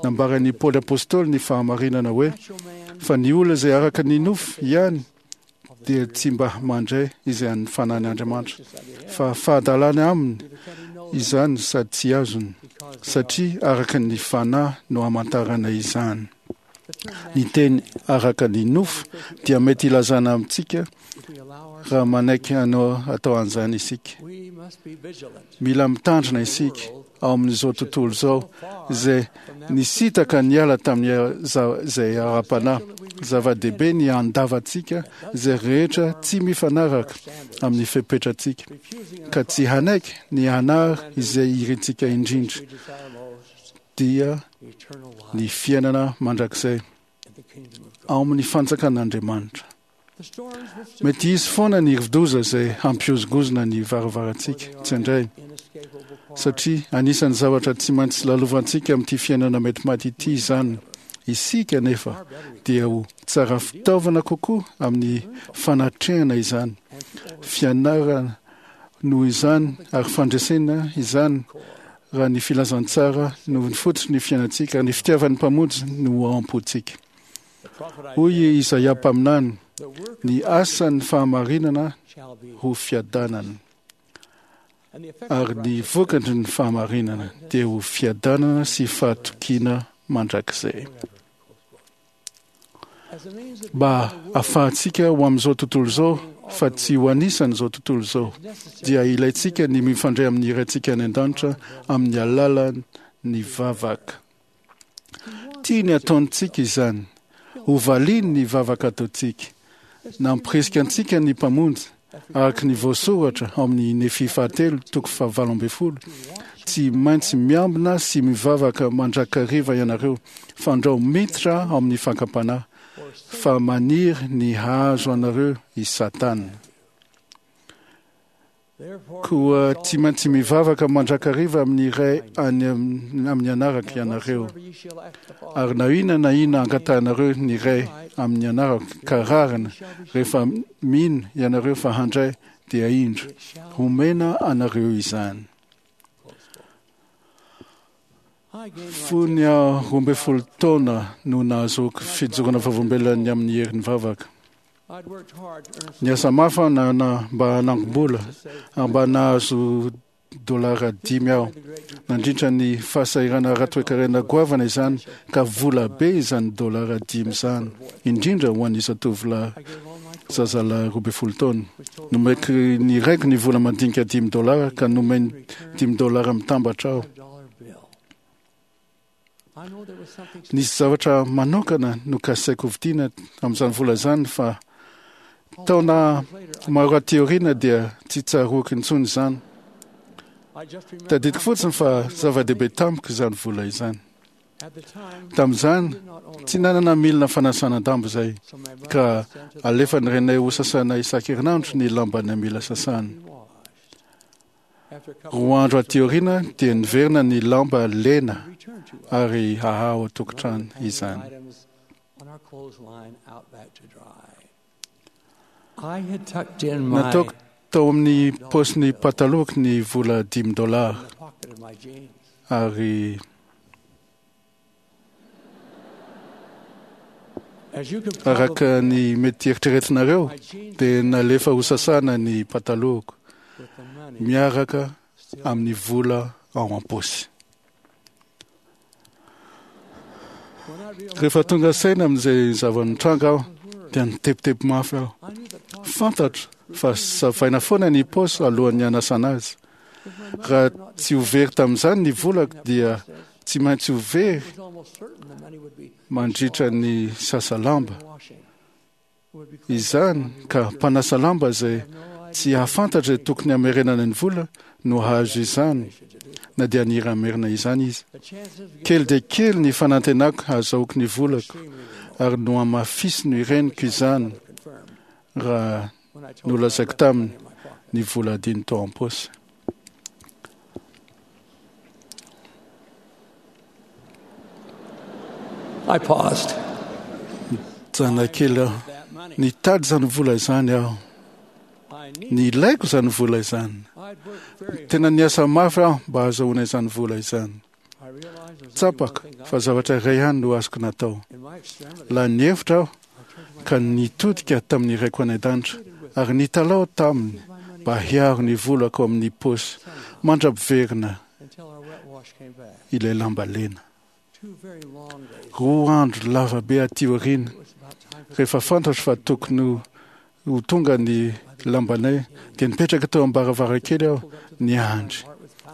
Nambaran'i Paoly Apostoly ny fahamarinana hoe fa ny olona izay araka ny nofo ihany dia tsy mba mandray izay an'ny fanahin'Andriamanitra, fa fahadalana aminy izany sady tsy azony, satria araka ny fanahy no hamantarana izany. Ny teny araka ny nofo dia mety hilazana amintsika raha manaiky hanao atao an'izany isika. Mila mitandrina isika ao amin'izao tontolo izao izay nisintaka niala tamin'izay ara-panahy. Zava-dehibe ny handavantsika izay rehetra tsy mifanaraka amin'ny fepetrantsika, ka tsy hanaiky ny hanary izay irintsika indrindra, dia ny fiainana mandrakizay ao amin'ny fanjakan'Andriamanitra. Mety hisy foana ny rivodoza izay hampihozongozona ny varavarantsika tsindraindray, satria anisan'ny zavatra tsy maintsy lalovantsika amin'ity fiainana mety maty ity izany. Isika anefa dia ho tsara fitaovana kokoa amin'ny fanatrehana izany, fianarana noho izany ary fandresena izany raha ny filazantsara no fototry ny fiainantsika ary ny fitiavan'ny Mpamonjy no ao am-pontsika. Hoy i Izaia mpaminany, ny asan'ny fahamarinana ho fiadanana, ary ny vokatry ny fahamarinana dia ho fiadanana sy fahatokiana mandrakizay. Mba ahafahantsika ho amin'izao tontolo izao fa tsy ho anisan'izao tontolo izao, dia ilaintsika ny mifandray amin'ny Raintsika any an-danitra amin'ny alalan'ny vavaka. Tiany hataontsika izany. Hovaliany ny vavaka ataontsika. Nampirisika antsika ny Mpamonjy. Araka ny voasoratra ao amin'ny Nefia fahatelo toko faha-18, tsy maintsy miambina sy mivavaka mandrakariva ianareo, fandrao miditra ao amin'ny fakam-panahy, fa maniry ny hahazo anareo i Satana. Koa tsy maintsy mivavaka mandrakariva amin'ny Ray any amin'ny anarako ianareo. Ary na inona na inona angatahanareo ny Ray amin'ny anarako ka rariny, rehefa mino ianareo fa handray, dia indro, homena anareo izany. Fony aho 12 taona no nahazoako fijoroana vavolombelona ny amin'ny herin'ny vavaka. Niasa mafy aho na mba hanangom-bola ary mba nahazo dolara 5 aho. Nandritra ny fahasahiranana ara-toekarena goavana izany ka vola be izany dolara 5 izany, indrindra ho an'ny zatovolahy zazalahy 12 taona. Nomeko ny raiko ny vola madinika 5 dolara ka nomeny 5 dolara mitambatra aho. Nisy zavatra manokana nokasaiko hovidiana amin'izany vola izany fa taona maro aty aoriana dia tsy tsaroako intsony izany. Tadidiko fotsiny fa zava-dehibe tamiko izany vola izany. Tamin'izany, tsy nanana milina fanasana lamba izay, ka alefan'ny renay ho sasana isan-kerinandro ny lambanay mila sasana. 2 andro aty aoriana dia niverina ny lamba lena ary haha ao an-tokantrano izany. Nataoko tao amin'ny paosin'ny patalohako ny vola 5 dolara ary araka ny mety eritreretinareo dia nalefa ho sasana ny patalohako miaraka amin'ny vola ao am-paosy. Rehefa tonga saina amin'izay zava-nitranga aho dia nitebiteby mafy aho. Fantatro fa savaina foana ny paosy alohan'ny hanasana azy. Raha tsy ho very tamin'izany ny volako dia tsy maintsy ho very mandritra ny sasa lamba. Izany ka mpanasa lamba izay tsy hahafantatra izay tokony hamerenana ny vola no hahazo izany, na dia nira hamerina izany izy. Kely dia kely ny fanantenako hahazahoako ny volako, ary nohamafisiny reniko izany raha nolazaiko taminy ny vola adino tao am-paosy. I paused. Nijanona kely aho. Nitady izany vola izany aho. Nilaiko izany vola izany. Tena niasa mafy aho mba hahazoana izany vola izany. Tsapako fa zavatra iray ihany no azoko natao. Lany hevitra aho ka nitodika tamin'ny raiko any an-danitra ary nitalaho taminy mba hiaro ny volako amin'ny paosy mandra-piverina ilay lamba lena. 2 andro lava be aty aoriana, rehefa fantatro fa tokony ho tonga ny lambanay, dia nipetraka teo am-baravarankely aho niandry.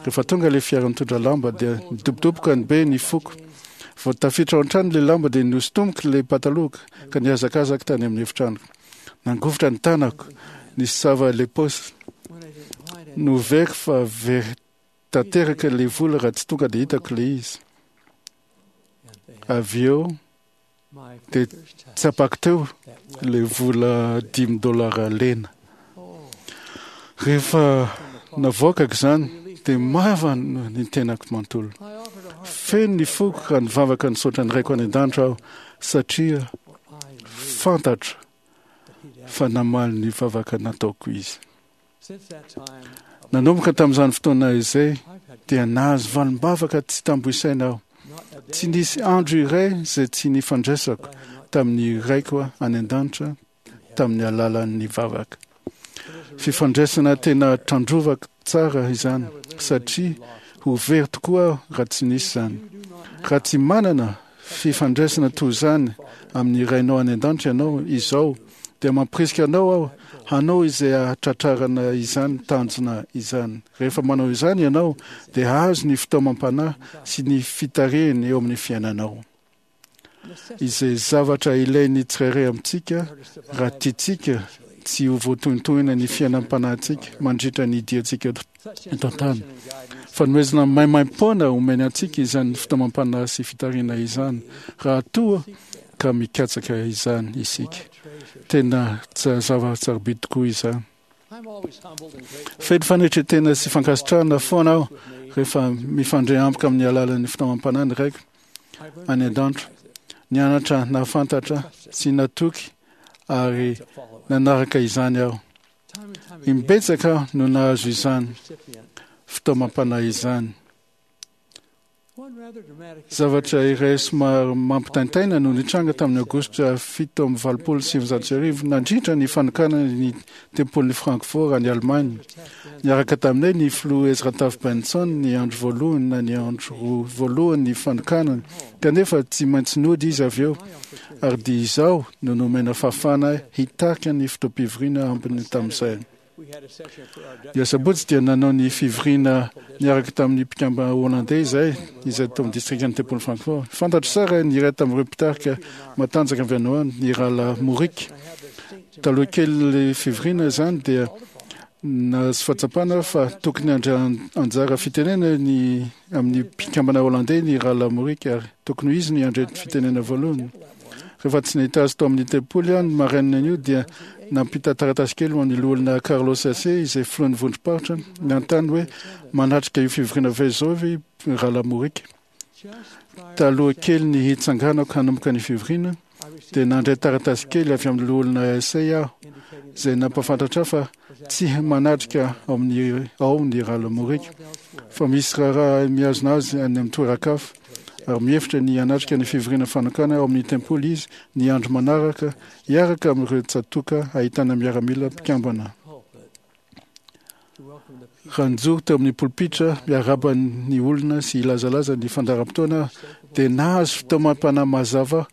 Rehefa tonga ilay fiara nitondra lamba dia nidobodoboka ny be ny foko. Vao tafiditra ao an-trano ilay lamba dia nosintomiko ilay patalohako ka nihazakazaka tany amin'ny efitranoko. Nangovitra ny tanako, nisava ilay paosy. Noveriko fa very tanteraka ilay vola raha tsy tonga dia hitako ilay izy. Avy eo dia tsapako teo ilay vola 5 dolara lena. Rehefa navoakako izany dia mavana ny tenako manontolo. Feno ny foko raha nivavaka nisaotra ny raiko any an-danitra aho satria fantatro fa namaly ny vavaka nataoko izy. Nanomboka tamin'izany fotoana izay dia nahazo valim-bavaka tsy tambo isaina aho. Tsy nisy andro iray izay tsy nifandraisako tamin'ny raiko any an-danitra tamin'ny alalan'ny vavaka. Fifandraisana tena tandrovako tsara izany satria ho very tokoa aho raha tsy nisy izany. Raha tsy manana fifandraisana toy izany amin'ny rainao any an-danitra ianao izao dia mampirisika anao aho hanao izay hahatratrarana izany tanjona izany. Rehefa manao izany ianao dia hahazo ny fitaomam-panahy sy ny fitarihiny eo amin'ny fiainanao. Izay zavatra ilain'ny tsirairay amintsika raha tiantsika tsy ho voatohintohina ny fiainam-panahintsika mandritra ny diantsika eto an-tany. Fanomezana maimaim-poana omeny antsika izany fitaomam-panahy sy fitarihana izany, raha toa ka mikatsaka izany isika. Tena zava-tsarobidy tokoa izany. Feno fanetren-tena sy fankasitrahana foana aho rehefa mifandray amiko amin'ny alalan'ny fitaomam-panahy ny Raiko any an-danitra. Nianatra nahafantatra sy natoky ary nanaraka izany aho. Imbetsaka aho no nahazo izany fitaomam-panahy izany. Zavatra iray somary mampitaintaina no nitranga tamin'ny Aogositra 1987 nandritra ny fanokanana ny tempolin'i Francfort any Allemagne. Niaraka taminay ny filoha Ezra Taft Benson ny andro voalohany na ny andro roa voalohany ny fanokanana, kanefa tsy maintsy nody izy avy eo, ary dia izaho no nomena fahafahana hitarika ny fotoam-pivoriana ambiny tamin'izay. Ny asabotsy dia nanao ny fivoriana niaraka tamin'ny mpikambana holandais izahay, izay tao amin'ny distrikan'ny tempolin'i Francfort. Fantatro tsara ny iray tamin'ireo mpitarika matanjaka avy any ho any, ny rahalahy Mourik. Taloha kelin'ilay fivoriana izany dia nahazo fahatsapana aho fa tokony handray anjara fitenenana ny amin'ny mpikambana holandais ny rahalahy Mourik ary tokony ho izy no handray fitenenana voalohany. Rehefa tsy nahita azy tao amin'ny tempoly aho ny marainan'io dia nampita taratasy kely ho an'ny loholona Carlos Ace izay filohan'ny vondrom-paritra nanontany hoe manatrika io fivoriana ve izao ve i Rahalahy Mourik. Taloha kely ny hitsanganako hanomboka ny fivoriana dia nandray taratasy kely avy amin'ny loholona Ace aho izay nampahafantatra ahy fa tsy manatrika ao amin'ny ao ny Rahalahy Mourik fa misy raharaha mihazona azy any amin'ny toeran-kafa ary mihevitra ny hanatrika ny fivoriana fanokana ao amin'ny tempoly izy ny andro manaraka hiaraka amin'ireo tsatòka ahitana miaramila mpikambana. Raha nijoro teo amin'ny polipitra miarahaba ny olona sy hilazalaza ny fandaharam-potoana aho, dia nahazo fitaomam-panahy mazava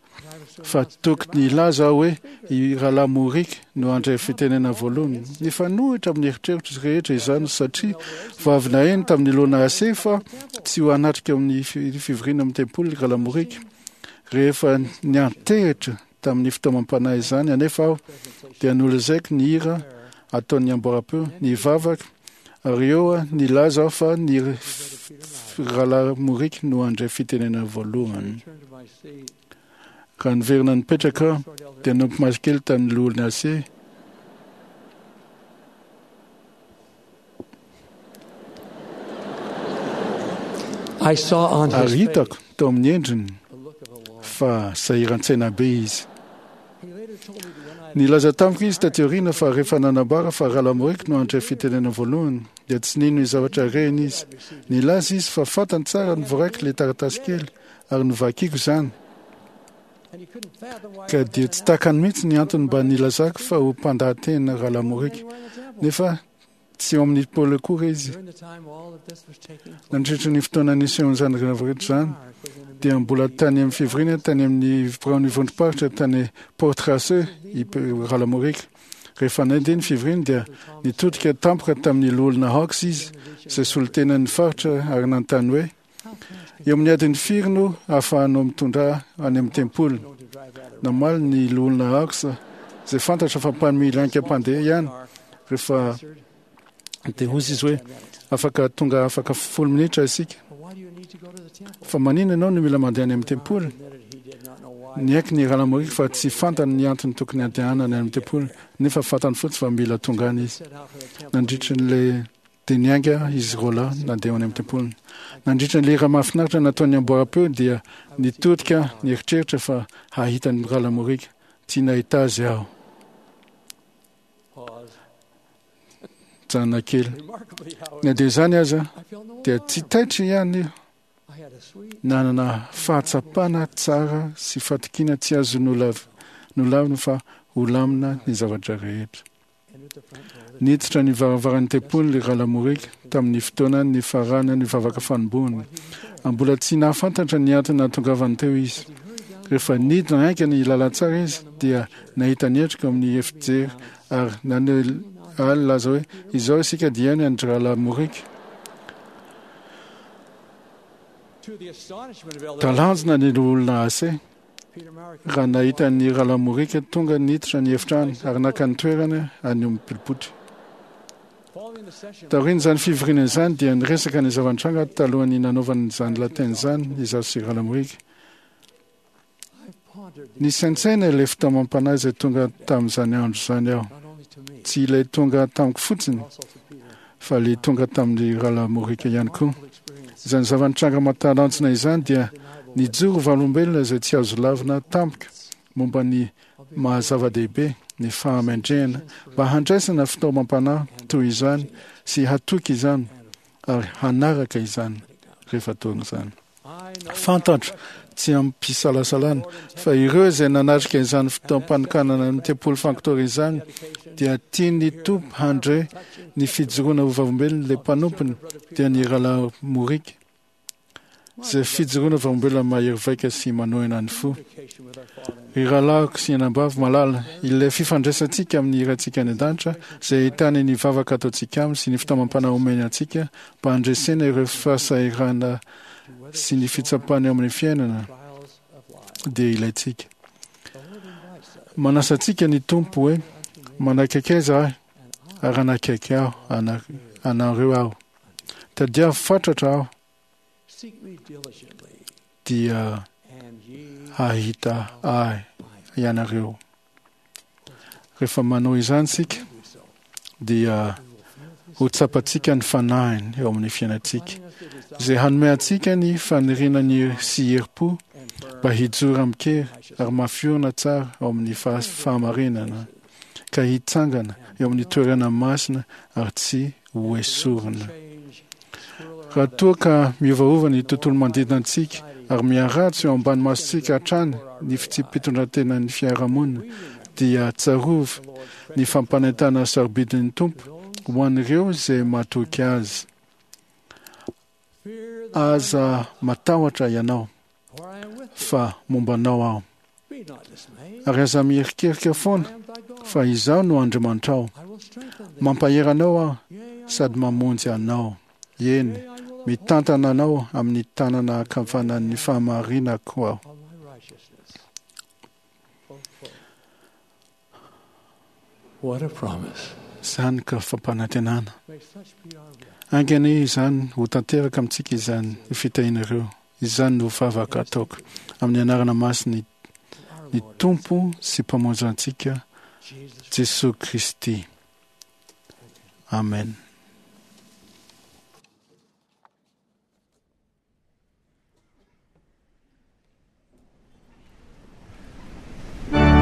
fa tokony hilaza aho hoe i Rahalahy Mourik no handray fitenenana voalohany. Nifanohitra amin'ny eritreritro rehetra izany satria vao avy naheno tamin'ny Lona Ase fa tsy ho hanatrika amin'ny fivoriana amin'ny tempoly Rahalahy Mourik. Rehefa niantehitra tamin'ny fitaomam-panahy izany anefa aho dia nolazaiko ny hira ataon'ny amboaram-peo, ny vavaka, ary eo nilaza aho fa ny Rahalahy Mourik no handray fitenenana voalohany. Raha niverina nipetraka aho, dia nampimaso kely tamin'ny loholon'ny AC. Ary hitako tao amin'ny endriny fa sahiran-tsaina be izy. Nilaza tamiko izy taty aoriana fa rehefa nanambara fa Rahalahy Mourik no handray fitenenana voalohany, dia tsy nino ny zavatra reny izy. Nilaza izy fa fantany tsara ny voaraiko ilay taratasy kely, ary novakiko izany, ka dia tsy takany mihitsy ny antony mba nilazako fa ho mpandahateny Rahalahy Mourik, nefa tsy eo amin'ny Paoly akory izy. Nandritra ny fotoana nisehoan'izany rehetra izany, dia mbola tany amin'ny fivoriana tany amin'ny biraon'ny vondrom-paritra tany Port Raceux i Rahalahy Mourik. Rehefa nandeha ny fivoriana dia nitodika tampoka tamin'ny loholona Hawks izy, izay solontenan'ny faritra, ary nanontany hoe, Eo amin'ny adiny firy no ahafahanao mitondra ahy any amin'ny tempoly? Namaly ny loholona Hawks, izay fantatra fa mpanome haingam-pandeha ihany, rehefa dia hoy izy hoe, Afaka tonga afaka 10 minitra isika. Fa maninona ianao no mila mandeha any amin'ny tempoly? Niaiky ny Rahalahy Mourik fa tsy fantany ny antony tokony handehanany any amin'ny tempoly, nefa fantany fotsiny fa mila tonga any izy. Nandritra ilay dia niainga izy roalahy nandeha any amin'ny tempoliny. Nandritra ny lera mahafinaritra nataon'ny amboaram-peo dia nitodika nieritreritra fa hahita ny Rahalahy Mourik. Tsy nahita azy aho. Mijanona kely. Na dia izany aza dia tsy taitra ihany aho. Nanana fahatsapana tsara sy fatokiana tsy azo nolavina fa ho lamina ny zavatra rehetra. Niditra ny varavaran'ny tempoly Rahalahy Mourik tamin'ny fotoana nifaranan'ny vavaka fanombohana. Mbola tsy nahafantatra ny antony nahatongavany teo izy. Rehefa nidina haingana ny lalantsara izy dia nahita ny endriko amin'ny efijery ary naneho ahy nilaza hoe, Izao isika dia ny an-dRahalahy Mourik. Talanjona ny loholona Ase. raha nahita ny Rahalahy Mourik tonga niditra ny efitrano ary naka ny toerany any amin'ny pilipitra. Taorian'izany fivoriana izany dia niresaka ny zava-nitranga talohan'ny nanaovany izany lahateny izany izaho sy Rahalahy Mourik. Nisaintsaina ilay fitaomam-panahy izay tonga tamin'izany andro izany aho. Tsy ilay tonga tamiko fotsiny, fa ilay tonga tamin'ny Rahalahy Mourik ihany koa. Izany zava-nitranga mahatalanjona izany dia nijoro vavolombelona izay tsy azo lavina tampoka momba ny maha-zava-dehibe ny fahamendrehana mba handraisana fitaomam-panahy toy izany sy hatoky izany ary hanaraka izany rehefa tonga izany. Fantatro tsy amim-pisalasalana fa ireo izay nanatrika izany fotoam-panokanana ny tempoly Sanctory izany dia tian'ny Tompo handre ny fijoroana ho vavolombelona ilay mpanompony dia ny Rahalahy Mourik, izay fijoroana vavolombelona mahery vaika sy manohina ny fo. Ry rahalahiko sy anabavy malala, ilay fifandraisantsika amin'ny Raintsika any an-danitra, izay ahitana ny vavaka ataontsika aminy sy ny fitaomam-panahy omeny antsika mba handresena ireo fahasahiranana sy ny fitsapana eo amin'ny fiainana, dia ilaintsika. Manasa antsika ny Tompo hoe, Manakaikaiza ahy, ary hanakaiky aho anareo aho. Tadiavo fatratra aho, dia hahita ahy ianareo. Rehefa manao izany isika, dia ho tsapantsika ny fanahiny eo amin'ny fiainantsika, izay hanome antsika ny faniriana ny sy herim-po mba hijoro amin-kery ary mafiorina tsara ao amin'ny fahamarinana, ka hitsangana eo amin'ny toerana masina ary tsy ho esorina. Raha toa ka miovaova ny tontolo manodidina antsika ary miharatsy eo ambany masontsika hatrany ny fitsipi-pitondrantenan'ny fiarahamonina, dia tsarovy ny fampanentana sarobidin'ny Tompo ho an'ireo izay matoky Azy. Aza matahotra ianao, fa momba anao Aho. Ary aza miherikerika foana, fa Izaho no Andriamanitrao. Mampahery anao Aho sady mamonjy anao. Eny, mitantana anao amin'ny tanana ankavanan'ny fahamarinako Aho. Izany ka fampanantenana! Ainga anie izany ho tanteraka amintsika izany fitahiana ireo. Izany no vavaka ataoko amin'ny anarana masiny ny Tompo sy Mpamonjy antsika Jesoa Kristy. Amen. I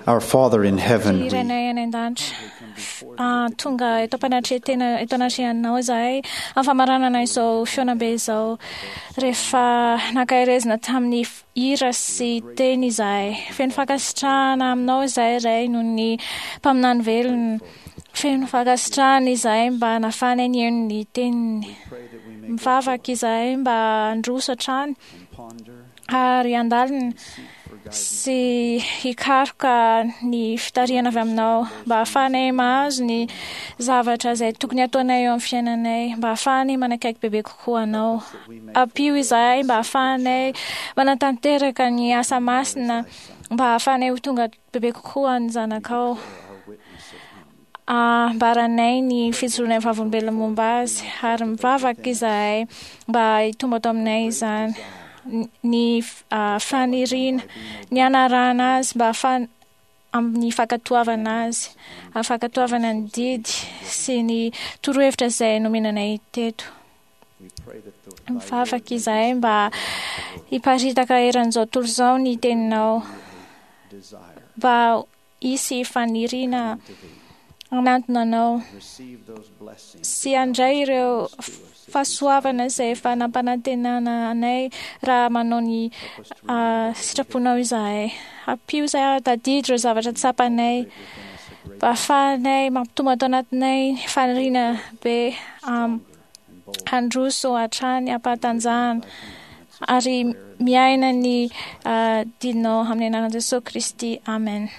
Our Father in heaven, Ry we Rainay any an-danitra, tonga eto am-panatrehan-tena eto anatrehanao izahay amin'ny famaranana izao fihaonambe izao rehefa nankaherezina tamin'ny hira sy teny izahay. Feno fankasitrahana aminao izahay Ray noho ny mpaminany velona. Feno fankasitrahana izahay mba nahafahanay nihaino ny teniny. Mivavaka izahay mba handroso hatrany ary handalina sy hikaroka ny fitarihana avy aminao mba hahafahanay mahazo ny zavatra izay tokony hataonay eo amin'ny fiainanay, mba hahafahanay manakaiky bebe kokoa anao. Ampio izahay mba hahafahanay manatanteraka ny asa masina, mba hahafahanay ho tonga bebe kokoa ny zanakao. Ambaranay ny fijoroanay vavolombelona momba azy ary mivavaka izahay mba hitombo ato aminay izany. Ny faniriana ny hanarahana azy mba hahafahana amin'ny fankatoavana azy, amin'ny fankatoavana ny didy sy ny torohevitra izay nomena anay teto. Mivavaka izahay mba hiparitaka eran'izao tontolo izao ny teninao, mba hisy faniriana hanantona anao sy handray ireo fahasoavana izay efa nampanantenana anay raha manao ny sitraponao izahay. Ampio izahay hahatadidy ireo zavatra tsapanay mba hahafahanay mampitombo ato anatinay ny faniriana be handroso hatrany am-pahatanjahana ary miaina ny didinao amin'ny anaran'i Jesoa Kristy. Amen.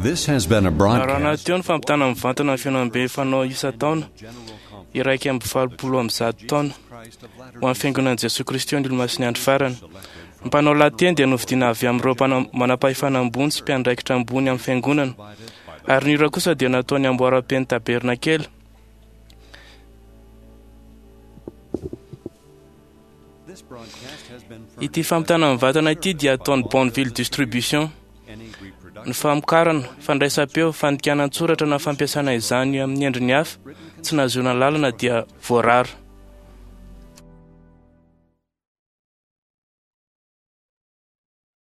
This has been a Raha broadcast. nateo ny fampitana mivantana ny fihaonambe fanao isan-taona 181 taona ho an'ny fiangonan'i Jesoa Kristy ny Olomasin'ny Andro Farany. Ny mpanao lahateny dia novidiana avy amin'ireo manam-pahefana ambony sy mpiandraikitra ambony amin'ny fiangonana, ary ny hira kosa dia nataony amboaram-pen'ny tabernakely. Ity fampitana mivantana ity dia ataon'ny Bonneville Distribution. Ny famokarana, fandraisam-peo, fandikana an-tsoratra na fampiasana izany amin'ny endriny hafa tsy nahazoana lalana dia voarara.